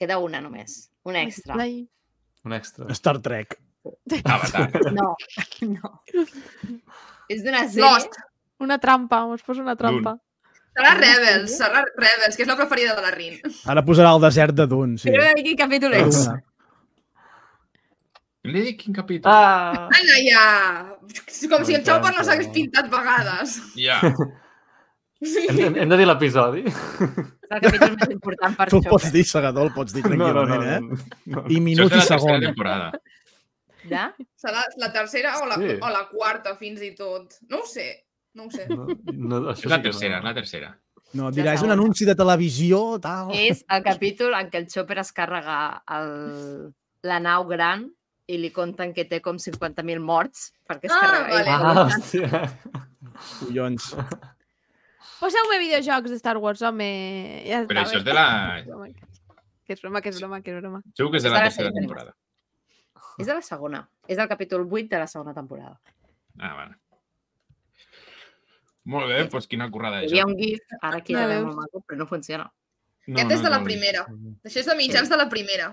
S3: Queda una només. Una extra.
S7: Ai.
S2: Un extra.
S4: Star Trek.
S1: Avatar.
S3: No, no. És d'una sèrie...
S6: Lost.
S7: Una trampa, us poso una trampa.
S6: Serà Rebels, serà Rebels, que és la preferida de la Rin.
S4: Ara posarà el desert de Dune, sí.
S3: Però quin capítol és?
S4: Una.
S1: Hem de dir quin capítol?
S2: Ah!
S6: Anna, ja! Com si el Chopper no
S2: M'encanta.
S6: s'hagués pintat vegades.
S1: Ja.
S2: Hem, hem, hem de dir l'episodi?
S3: És el capítol més important per
S4: Tu el
S3: Chopper.
S4: pots dir, Segador, el pots dir
S2: No, no, no.
S4: tranquil·lament, eh?
S2: no.
S4: I
S1: Això
S4: minut
S1: és de
S4: i
S1: la tercera
S4: segon.
S1: temporada.
S3: Ja?
S6: Serà la tercera o la,
S2: Sí.
S6: o la quarta, fins i tot. No ho sé, no ho sé.
S2: No, no, això
S1: És la
S2: sí que
S1: tercera,
S2: no.
S1: és la tercera.
S4: No, dirà, és un
S3: segona.
S4: anunci de televisió, tal...
S3: És el capítol en què el Chopper es carrega el, la nau gran i li conten que té com cinquanta mil morts perquè es
S6: Ah,
S3: carrega ell.
S6: vale.
S2: Ah, hòstia.
S4: Collons.
S7: Poseu-me videojocs de Star Wars, home. Ja
S1: Però
S7: està
S1: això és
S7: bé.
S1: de la...
S7: Que és broma, que és broma, que és broma.
S1: Segur que és de
S3: És
S1: la
S3: de la
S1: tercera
S3: sèrie
S1: temporada.
S3: És de la segona. És del capítol vuit de la segona temporada.
S1: Ah, vale. Molt bé, doncs quina currada
S3: Hi
S1: és.
S3: havia un gif, ara aquí
S7: No
S3: ja veig
S7: veus?
S3: molt maco, però no funciona.
S1: No,
S6: Aquest
S1: no
S6: és de la
S1: molt bé.
S6: primera. Això és de mitjans de la primera.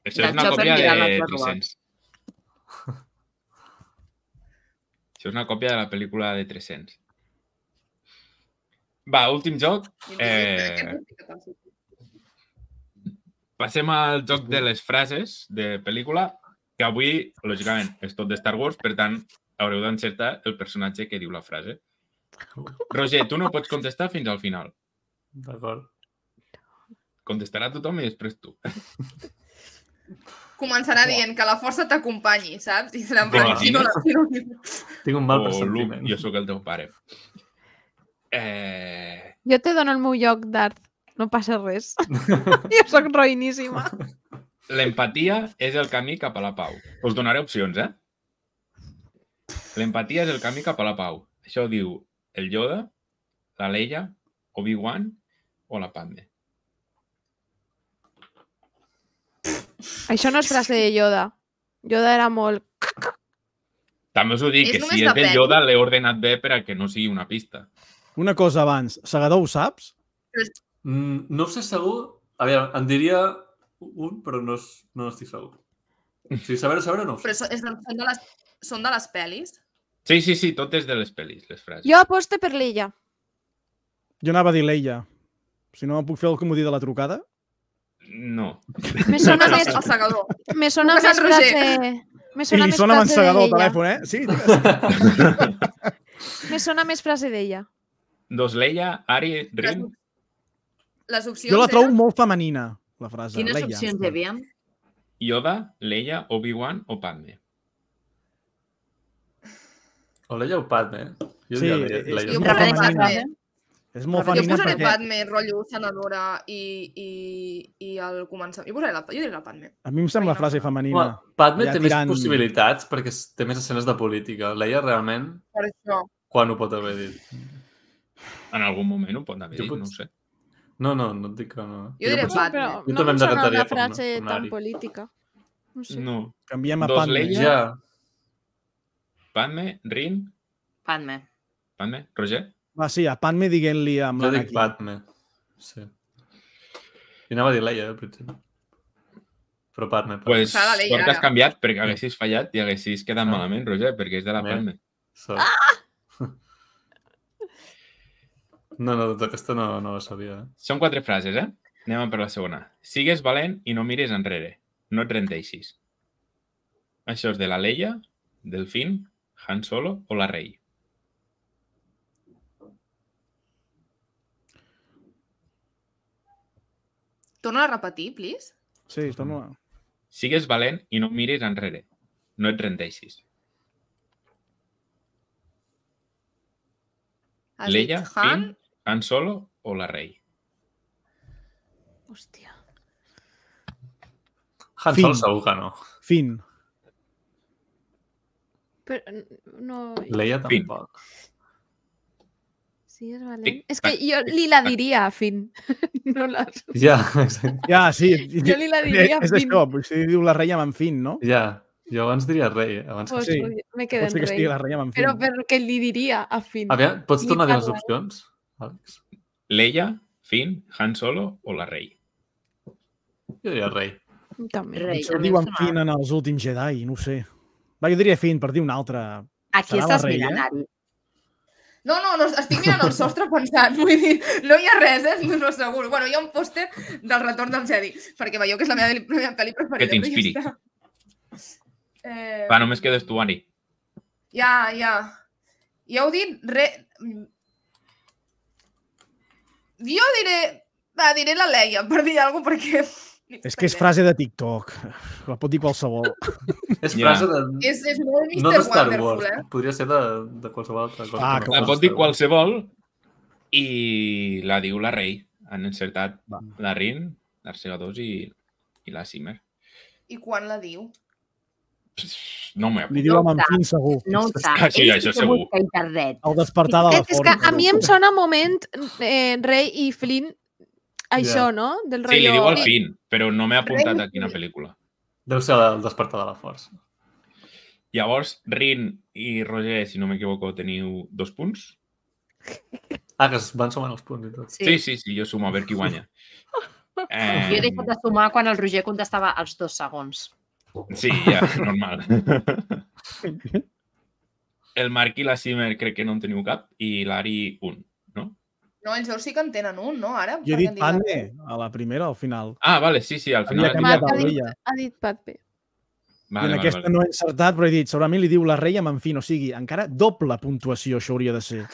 S1: Això
S3: Del
S1: és una
S3: Chopper
S1: còpia
S3: mirant
S1: de
S3: l'altre robot.
S1: tres-cents. Això és una còpia de la pel·lícula de tres-cents. Va, últim joc. Eh, passem al joc de les frases de pel·lícula, que avui, lògicament, és tot de Star Wars, per tant, haureu d'encertar el personatge que diu la frase. Roger, tu no pots contestar fins al final.
S2: D'acord.
S1: Contestarà tothom i després tu.
S6: Començarà dient que la força t'acompanyi, saps? I serà en
S1: Bueno,
S6: plan, si no la... Si no...
S2: Tinc un mal
S1: O Luke,
S2: pressentiment.
S1: jo sóc el teu pare. Eh...
S7: Jo te dono el meu lloc d'art. No passa res. Jo sóc roïníssima.
S1: L'empatia és el camí cap a la pau. Us donaré opcions, eh? L'empatia és el camí cap a la pau. Això ho diu el Yoda, la Leia, Obi-Wan o la Padme.
S7: Això no és frase de Yoda. Yoda era molt...
S1: També us ho dic,
S6: És
S1: que
S6: només
S1: si és
S6: la
S1: del
S6: peli?
S1: Yoda l'he ordenat bé per a que no sigui una pista.
S4: Una cosa abans. Segador, ho saps?
S2: Mm, no ho sé segur. A veure, em diria un, però no, es- no estic segur. Si saber, saber no ho sé.
S6: Però so- és de, són, de les, són de les pel·lis?
S1: Sí, sí, sí, tot és de les pel·lis, les frases.
S7: Jo aposto per l'Illa.
S4: Jo anava a dir l'Eia. Si no puc fer el comodí de la trucada?
S1: No.
S7: Me sona
S6: No,
S7: més,
S6: el segador.
S7: me sona
S6: Truques
S7: més
S6: al Roger.
S7: frase... Me
S4: I
S7: sona
S4: li
S7: més
S4: sona
S7: frase de
S4: mansegador al
S7: l'Illa.
S4: telèfon, eh? Sí, digues.
S7: Me sona més frase d'ella.
S1: Doncs Leia, Ari, Rin,
S6: Les opcions
S4: Jo la trobo
S6: eren...
S4: molt femenina, la frase.
S3: Quines
S4: Leia.
S3: opcions hi havia?
S1: Yoda, Leia, Obi-Wan o Padme.
S2: O Leia o Padme, eh? Jo
S4: Sí,
S2: diria Leia.
S4: és-
S2: Leia.
S6: Jo
S4: molt
S6: posaré
S4: femenina.
S6: Padme.
S4: És molt
S3: Jo
S6: Jo
S4: femenina
S6: posaré
S4: perquè
S6: Padme, rotllo senadora i, i, i el començament. Jo posaré la, jo diré la Padme.
S4: a mi em sembla frase femenina.
S2: Home, Padme
S4: Ja
S2: té
S4: tirant-
S2: més possibilitats perquè es- té més escenes de política. Leia realment,
S6: Per això.
S2: quan ho pot haver dit?
S1: En algun moment ho pot haver
S2: Jo
S1: dit,
S2: pot-
S1: no ho sé.
S2: No, no, no et dic que no.
S6: Jo diré
S2: potser-
S6: Padme.
S7: Però
S2: Jo
S7: no
S2: també
S7: em
S2: em
S7: sona
S2: decantaria
S7: una
S2: per
S7: frase
S2: una- per
S7: tan
S2: Ari.
S7: política. No sé.
S1: No.
S4: Canviem a
S1: Dos
S4: Padme.
S1: Leia.
S2: Ja,
S1: Padme, Rin,
S3: Padme.
S1: Padme, Roger.
S4: Va, sí, a Padme diguent-li amb
S2: jo dic
S4: l'Anakin.
S2: Padme. Sí. I anava a dir Leia, al principi. Però Padme. Padme.
S1: Pues
S6: Serà la Leia,
S1: sort que has
S6: ara.
S1: canviat perquè haguessis fallat i haguessis quedat
S2: Ah.
S1: malament, Roger, perquè és de la
S2: Bé.
S1: Padme.
S2: Sort. No, no, tota aquesta no, no la sabia. Eh?
S1: Són quatre frases, eh? Anem per la segona. Sigues valent i no mires enrere. No et rendeixis. Això és de la Leia, del Finn, Han Solo o la Rey.
S6: Torna a repetir, please.
S4: Sí, torna.
S1: Sigues valent i no mires enrere. No et rendeixis.
S6: Has
S1: Leia,
S6: dit Han,
S1: Finn, Han Solo o la Rey.
S7: Hòstia.
S2: Han
S4: Finn.
S2: Solo segur que no.
S4: Fin.
S7: Però no...
S2: Leia
S1: Finn.
S2: tampoc.
S7: Sí, és valent.
S1: Tic,
S7: És que
S1: tac,
S7: jo
S1: tic,
S7: li la
S1: tac.
S7: diria a Finn. No la...
S2: Ja, exacte.
S4: Ja, sí.
S7: Jo li la diria
S4: És
S7: Fin.
S4: això, potser diu la reia amb en Fin, no?
S2: Ja. Jo abans diria rei. eh, Abans que...
S7: Pues,
S4: Sí.
S7: me quedo
S4: Pot ser
S7: en
S4: que estigui la
S7: rei.
S4: reia amb en Fin.
S7: Però perquè li diria a Finn.
S2: Aviam, pots tornar a dir les
S7: Ni parla.
S2: opcions, Àlex?
S1: Leia, Finn, Han Solo o la Rey.
S2: Jo diria rei.
S7: També.
S3: Rei.
S4: Això
S3: a mi
S4: diu
S3: em
S4: en
S3: sona-
S4: Fin en els últims Jedi, no ho sé. Va, jo diria Fin, per dir un altre.
S3: Aquí
S4: Serà la
S3: estàs
S4: Rei,
S3: mirant,
S4: eh?
S3: Ari.
S6: No, no, no, estic mirant el sostre pensant, vull dir, no hi ha res, eh? No segur. Bueno, hi ha un pòster del Retorn del Jedi, perquè veieu que és la meva, la meva pel·li preferida.
S1: Que t'inspiri.
S6: però ja està. Eh,
S1: Va, només quedes tu, Ari.
S6: Ja, ja. Ja heu dit... Re... Jo diré Va, diré la Leia, per dir alguna cosa, perquè...
S4: És que és frase de TikTok. La pot dir qualsevol.
S2: És
S1: Ja.
S2: frase de...
S6: És, és molt
S2: No de
S6: mister
S2: Star
S6: Wonderful,
S2: Wars.
S6: eh?
S2: Podria ser de, de qualsevol altra cosa.
S4: Ah,
S2: que no
S1: La
S2: fos
S1: pot dir
S2: Star Wars.
S1: qualsevol i la diu la Rei. Han encertat
S4: Va.
S1: la Rin, l'Arcega dos i, i la Simmer.
S6: I quan la diu?
S1: No m'ho he
S4: Li
S1: apuntat.
S4: diu amb en Finn segur.
S3: No ho sap.
S1: Ah, sí,
S3: Ell
S1: això
S3: que
S1: segur.
S3: busca a internet.
S4: El despertar de la
S7: És, és que
S4: força.
S7: a mi em sona moment eh, Rey i Flynn això,
S2: Ja.
S7: no? Del
S1: Sí, li
S7: rotllo...
S1: diu al fin, però no m'he apuntat a quina pel·lícula.
S2: Deu ser el despertar de la força.
S1: Llavors, Rin i Roger, si no m'equivoco, teniu dos punts.
S2: Ah, que es van sumant els punts i tot.
S1: Sí, sí, sí, jo sumo a veure qui guanya.
S3: Jo he
S1: Eh,
S3: deixat de sumar quan el Roger contestava els dos segons.
S1: sí, ja, normal. El Marc i la Simmer crec que no en teniu cap i l'Ari un, no?
S6: No, ells dos sí que en tenen un, no? Ara?
S4: Jo he
S6: perquè
S4: dit
S6: han la
S4: Pande
S6: Rei.
S4: a la primera, al final.
S1: Ah, vale, sí, sí, al
S4: Havia
S1: final...
S4: canviat
S7: Marc ha
S4: el
S7: dit,
S4: Leia.
S7: ha dit Patpe.
S4: I
S1: Vale,
S4: en
S1: vale,
S4: aquesta
S1: vale.
S4: no he encertat, però he dit, segurament li diu la Rei amb en Finn, o sigui, encara doble puntuació això hauria de ser.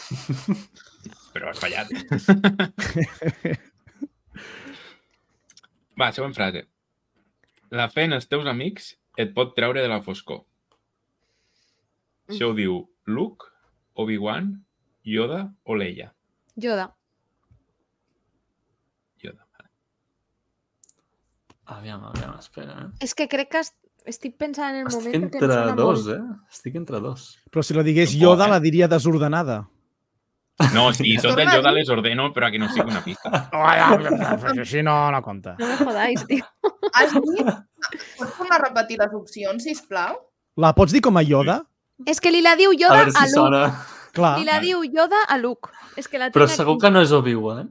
S1: Però has fallat. Va, següent frase. La fe en els teus amics et pot treure de la foscor. Això ho diu Luke, Obi-Wan, Yoda o Leia?
S7: Yoda.
S1: Yoda. Vale.
S2: Aviam, aviam, espera. Eh?
S7: És que crec que est- estic pensant en el
S2: Estic
S7: moment perquè em
S2: entre
S7: sona
S2: dos,
S7: molt.
S2: eh? Estic entre dos.
S4: Però si la digués
S1: No pot,
S4: Yoda,
S1: eh?
S4: la diria desordenada.
S1: No, si són del
S6: Torna a
S1: Yoda
S6: dir.
S1: les ordeno, però que no sigui una pista.
S4: Així no, no compta.
S7: No me jodáis, tio.
S6: Has dit... Pots tornar a repetir les opcions, sisplau?
S4: La pots dir com a Yoda?
S7: És que li la diu
S2: A
S7: Yoda
S2: veure
S7: a,
S2: si
S7: Luke.
S2: sona...
S4: Clar,
S7: Li la
S1: Vale.
S7: diu Yoda a Luke. És que la
S2: Però
S7: tinc
S2: segur
S7: aquí.
S2: que no és Obi-Wan.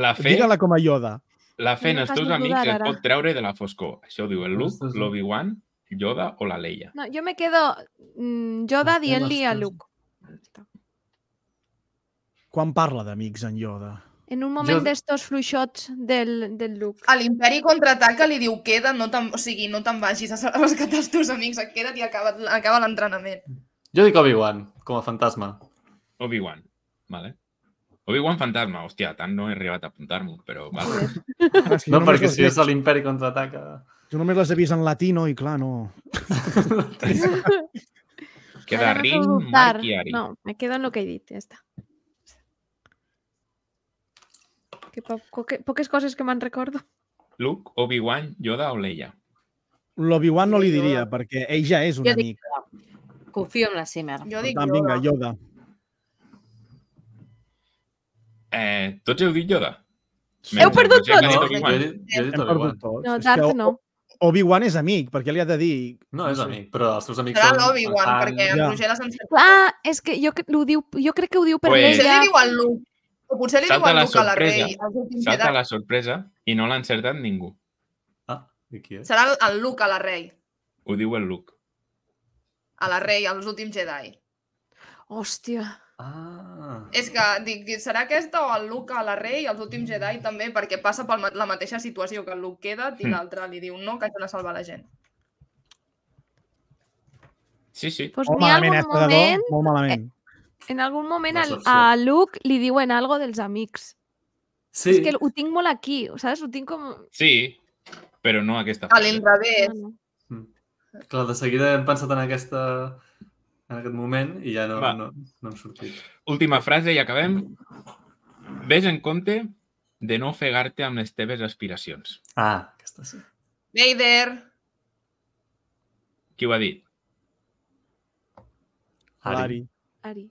S1: La fe,
S4: digue-la com a Yoda.
S1: la fe en
S7: No
S1: els
S7: fas
S1: teus
S7: dudar,
S1: amics et
S7: ara.
S1: pot treure de la foscor. Això ho diu el Luke,
S2: Ostres, no.
S1: l'Obi-Wan, Yoda o la Leia.
S7: No, jo me quedo mm, Yoda
S2: La fe
S7: dient-li a
S2: en els
S7: Luke.
S4: Quan parla d'amics en Yoda?
S7: En un moment
S2: Jo-
S7: d'estos fluixots del, del Luke.
S6: A l'Imperi contraataca li diu queda, no te'n... o sigui, no te'n vagis a rescatar els teus amics, et queda't i acaba, acaba l'entrenament.
S2: Jo dic Obi-Wan, com a fantasma.
S1: Obi-Wan, vale. Obi-Wan fantasma, hòstia, tant no he arribat a apuntar-m'ho, però vale.
S4: Ah, és que jo
S2: No,
S4: només
S2: perquè
S4: les
S2: si és
S4: veig-
S2: l'Imperi contraataca...
S4: Jo només les he vist en latino i clar, no.
S1: Queda
S7: Ara no
S1: Rin,
S7: puc dubtar.
S1: Marc i Ari.
S7: No, me quedo en lo que he dit, ja està. Que po poque, poques coses que me'n recordo.
S1: Luke, Obi-Wan, Yoda o Leia?
S4: L'Obi-Wan no li
S6: Yoda.
S4: diria, perquè ell ja és un
S3: Jo dic
S4: amic.
S3: Confio en la Simmer.
S6: Jo
S4: Per
S6: dic
S4: tant,
S6: Yoda.
S4: vinga, Yoda.
S1: Eh, tots heu dit Yoda?
S7: Heu perdut
S1: Roger, que ha
S2: No,
S1: dit
S2: jo
S1: Obi-Wan.
S2: he dit, jo he dit
S4: Hem perdut
S2: Obi-Wan.
S4: tots.
S7: No,
S4: És
S7: Darth
S4: que
S7: no.
S4: O- Obi-Wan és amic, perquè li ha de dir...
S2: No, és
S4: sé.
S2: amic, però els seus amics
S6: Serà
S2: són...
S6: l'Obi-Wan,
S2: Han,
S6: perquè en
S4: Ja.
S6: Roger l'ha sentit.
S7: Clar, és que jo, cre- ho diu, jo crec que ho diu per
S1: Pues-
S6: Potser
S7: l'ella.
S6: li diu al Luke. O potser li diu
S1: Salta
S6: al
S1: la
S6: Luke a la
S1: sorpresa.
S6: Rei. als últims
S1: Salta
S6: Jedi.
S1: la sorpresa i no l'ha encertat ningú.
S2: Ah, i qui és?
S6: Serà el- el Luke a la Rei.
S1: Ho diu el Luke.
S6: A la Rei, als últims Jedi.
S7: Hòstia.
S2: Ah.
S6: És que dic, serà aquesta o el Luke a la Rei i els últims Jedi també, perquè passa per la mateixa situació que el Luke queda i
S1: Mm.
S6: l'altre li diu no, que haig d'anar a salvar la gent.
S1: Sí, sí.
S7: Pues
S4: Molt
S7: n'hi ha
S4: malament,
S7: algun
S4: eh, Predador?
S7: moment,
S4: Molt malament.
S7: en algun moment
S2: Una
S7: al-
S2: excepció.
S7: a Luke li diuen algo dels amics.
S2: Sí,
S7: És que ho tinc molt aquí, saps? Ho tinc com...
S1: Sí, però no aquesta
S6: A
S1: frase.
S6: l'inrevés.
S7: No, no.
S2: clar, de seguida hem pensat en aquesta en aquest moment i ja no,
S1: Va.
S2: no, no hem sortit.
S1: Última frase i acabem. Ves en compte de no ofegar-te amb les teves aspiracions.
S2: Ah, aquesta sí.
S6: Vader.
S1: Qui ho ha dit?
S2: Ari.
S4: L'Ari.
S7: Ari.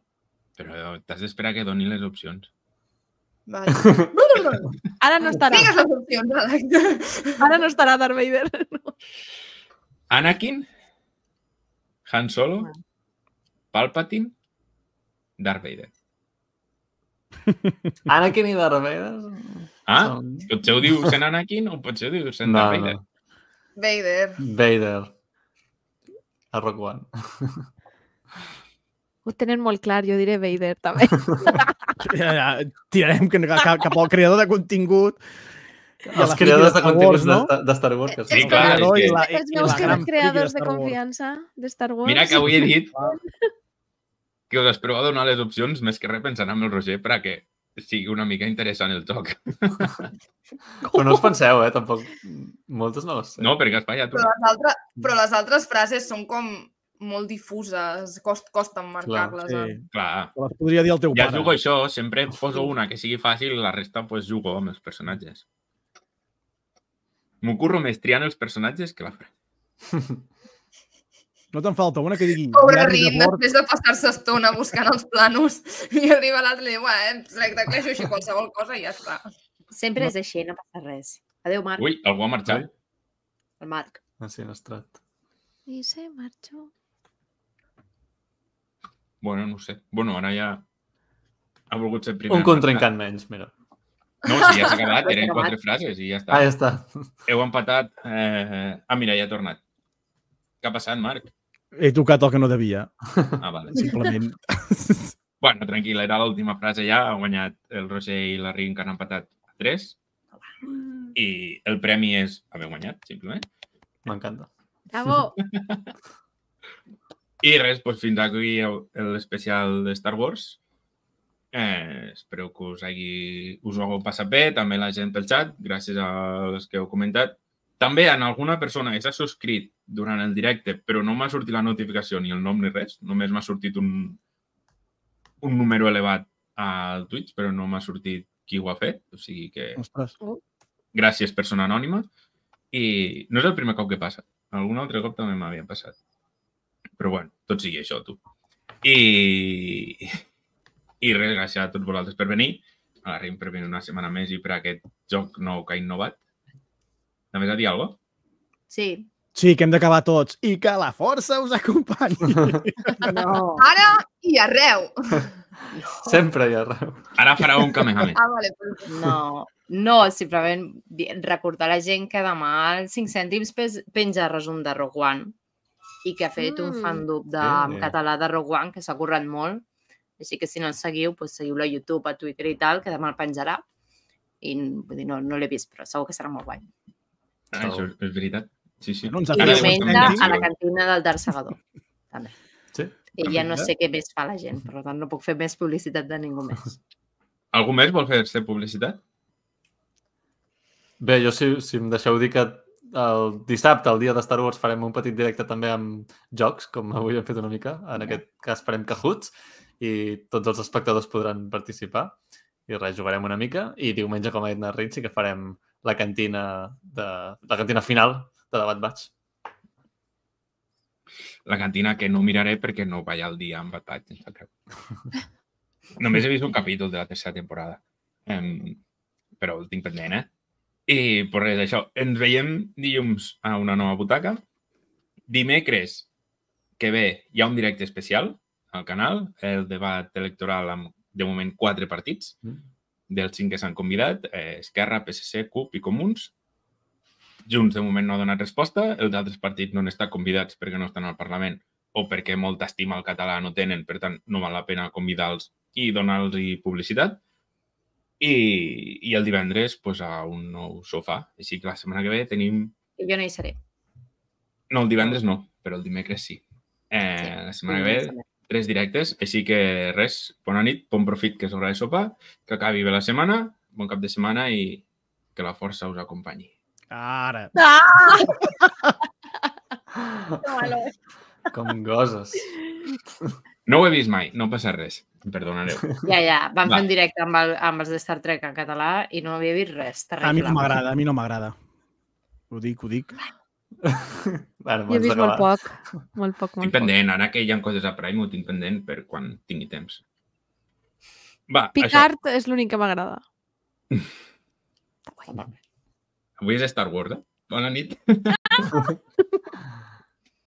S1: Però t'has d'esperar que doni les opcions.
S6: Vale.
S7: Ara no estarà.
S6: Digues les opcions, Àlex.
S7: Ara no estarà Darth Vader. No.
S1: Anakin, Han Solo, Palpatine, Darth Vader.
S2: Anakin i Darth Vader?
S1: Ah,
S2: Són-
S1: potser ho diu sent Anakin o potser ho diu sent
S2: No,
S1: Darth Vader.
S2: no.
S6: Vader.
S2: Vader. A Rock One.
S7: Ho tenen molt clar, jo diré Vader també.
S4: Ja, ja, tirarem cap, cap al creador de contingut. I a
S2: Els
S4: la
S2: creadors
S4: friki
S2: de
S4: Star
S2: continguts
S4: Wars, no?
S2: de, de Star Wars. Que
S1: Sí,
S2: són-
S1: clar, és
S4: creador
S1: que-
S4: i la, i,
S7: Els
S4: i
S7: meus
S4: la gran friki
S7: creadors de
S4: Star Wars.
S7: confiança de Star Wars.
S1: Mira que avui he dit que us espereu a donar les opcions més que res pensant amb el Roger perquè sigui una mica interessant el joc.
S2: Però no us penseu, eh? Tampoc. Moltes no les sé.
S1: No, perquè has fallat
S6: Però
S1: una.
S6: les, altres, però les altres frases són com molt difuses, cost, costa marcar-les.
S4: Sí.
S6: eh?
S1: Clar.
S4: Te les podria dir el teu
S1: Ja
S4: pare.
S1: jugo això, sempre poso una que sigui fàcil i la resta pues, jugo amb els personatges. M'ho curro més triant els personatges que la frase.
S4: No te'n falta una que digui...
S6: Pobre
S4: diari de
S6: Rin,
S4: bord.
S6: després de passar-se estona buscant els planos, i arriba l'altre i li diu, eh, tecleixo així qualsevol cosa i ja està.
S3: Sempre és així, no passa res. Adéu, Marc.
S1: Ui, algú ha marxat.
S3: El Marc.
S2: Ah, sí, Nostrat.
S7: I se marxó.
S1: Bueno, no ho sé. Bueno, ara ja ha volgut ser el primer.
S2: Un contrincant menys, mira.
S1: No, si ja s'ha acabat, eren quatre frases i ja està.
S2: Ah, ja està.
S1: Heu empatat. Eh... Ah, mira, ja ha tornat. Què ha passat, Marc?
S4: He tocat el que no devia,
S1: Ah, vale.
S4: simplement.
S1: Bueno, tranquil, era l'última frase ja. Ha guanyat el Roger i la Rin, que han empatat a tres. I el premi és haver guanyat, simplement.
S2: M'encanta.
S7: Bravo!
S1: I res, doncs fins aquí l'especial de Star Wars. Eh, espero que us, hagi, us ho hagueu passat bé, també la gent pel xat, gràcies als que heu comentat. També en alguna persona que s'ha subscrit durant el directe, però no m'ha sortit la notificació ni el nom ni res, només m'ha sortit un, un número elevat al Twitch, però no m'ha sortit qui ho ha fet, o sigui que
S4: Ostres.
S1: gràcies, persona anònima. I no és el primer cop que passa. Algun altre cop també m'havia passat. Però bueno, tot sigui això, tu. I, i res, gràcies a tots vosaltres per venir. A la Rin per venir una setmana més i per aquest joc nou que ha innovat. També has de dir alguna cosa?
S3: Sí.
S4: Sí, que hem d'acabar tots. I que la força us acompanyi.
S3: No.
S6: Ara i arreu.
S2: Sempre hi ha arreu.
S1: Ara farà un Kamehameha.
S6: Ah, vale. Però...
S3: No, no, simplement di- recordar a la gent que demà als cinc cèntims pes- penja resum de Rogue One i que ha fet un
S7: Mm.
S3: fandub de,
S2: Sí.
S3: en català de Rogue One que s'ha currat molt. Així que si no el seguiu, doncs seguiu-lo a YouTube, a Twitter i tal, que demà el penjarà. I vull dir, no, no l'he vist, però segur que serà molt guai.
S1: Ah, això és, és veritat. Sí, sí.
S4: No ens ha
S3: I
S1: Ara
S4: fet
S3: diumenge
S1: justament
S3: a la
S1: sí.
S3: cantina del Darth Segador. També.
S2: Sí?
S3: I ja no
S4: Perfecte.
S3: sé què més fa la gent, per tant no puc fer més publicitat de ningú més.
S1: Algú més vol fer-se publicitat?
S2: Bé, jo si, si em deixeu dir que el dissabte, el dia de Star Wars, farem un petit directe també amb jocs, com avui hem fet una mica. En aquest cas farem Cahoots i tots els espectadors podran participar. I res, jugarem una mica. I diumenge, com ha dit na Rin, sí que farem la cantina, de, la cantina final de Debat Batch.
S1: La cantina que no miraré perquè no vaig al dia amb Bad Batch. em sap greu. Només he vist un capítol de la tercera temporada. Um, però el tinc pendent, eh? I, per res, això. Ens veiem dilluns a una nova butaca. Dimecres que ve hi ha un directe especial al canal, el debat electoral amb, de moment, quatre partits.
S2: Mm.
S1: Dels cinc que s'han convidat, eh, Esquerra, P S C, CUP i Comuns. Junts, de moment, no ha donat resposta. Els altres partits no han estat convidats perquè no estan al Parlament o perquè molta estima al català no tenen, per tant, no val la pena convidar-los i donar-los publicitat. I, i el divendres pues, a un nou sofà. Així que la setmana que ve tenim...
S3: I jo no hi seré.
S1: No, el divendres no, però el dimecres sí. Eh, la setmana que ve, tres directes. Així que res, bona nit, bon profit, que és hora de sopar, que acabi bé la setmana, bon cap de setmana i que la força us acompanyi.
S4: Ara.
S2: Com goses.
S1: No ho he vist mai, no passa res. Em perdonareu.
S3: Ja, ja, vam
S1: Va.
S3: fer un directe amb, el, amb els de Star Trek en català i no havia vist res. Terrible.
S4: A mi no m'agrada, a mi no m'agrada. Ho dic, ho dic.
S2: Bueno,
S7: Jo he
S2: abans
S7: vist molt
S2: d'acabar.
S7: poc. Molt poc,
S1: Estic
S7: molt poc.
S1: pendent, ara que hi ha coses a Prime, ho tinc pendent per quan tingui temps. Va, això.
S7: Picard és l'únic que m'agrada.
S1: Avui és Star Wars, eh? Bona nit.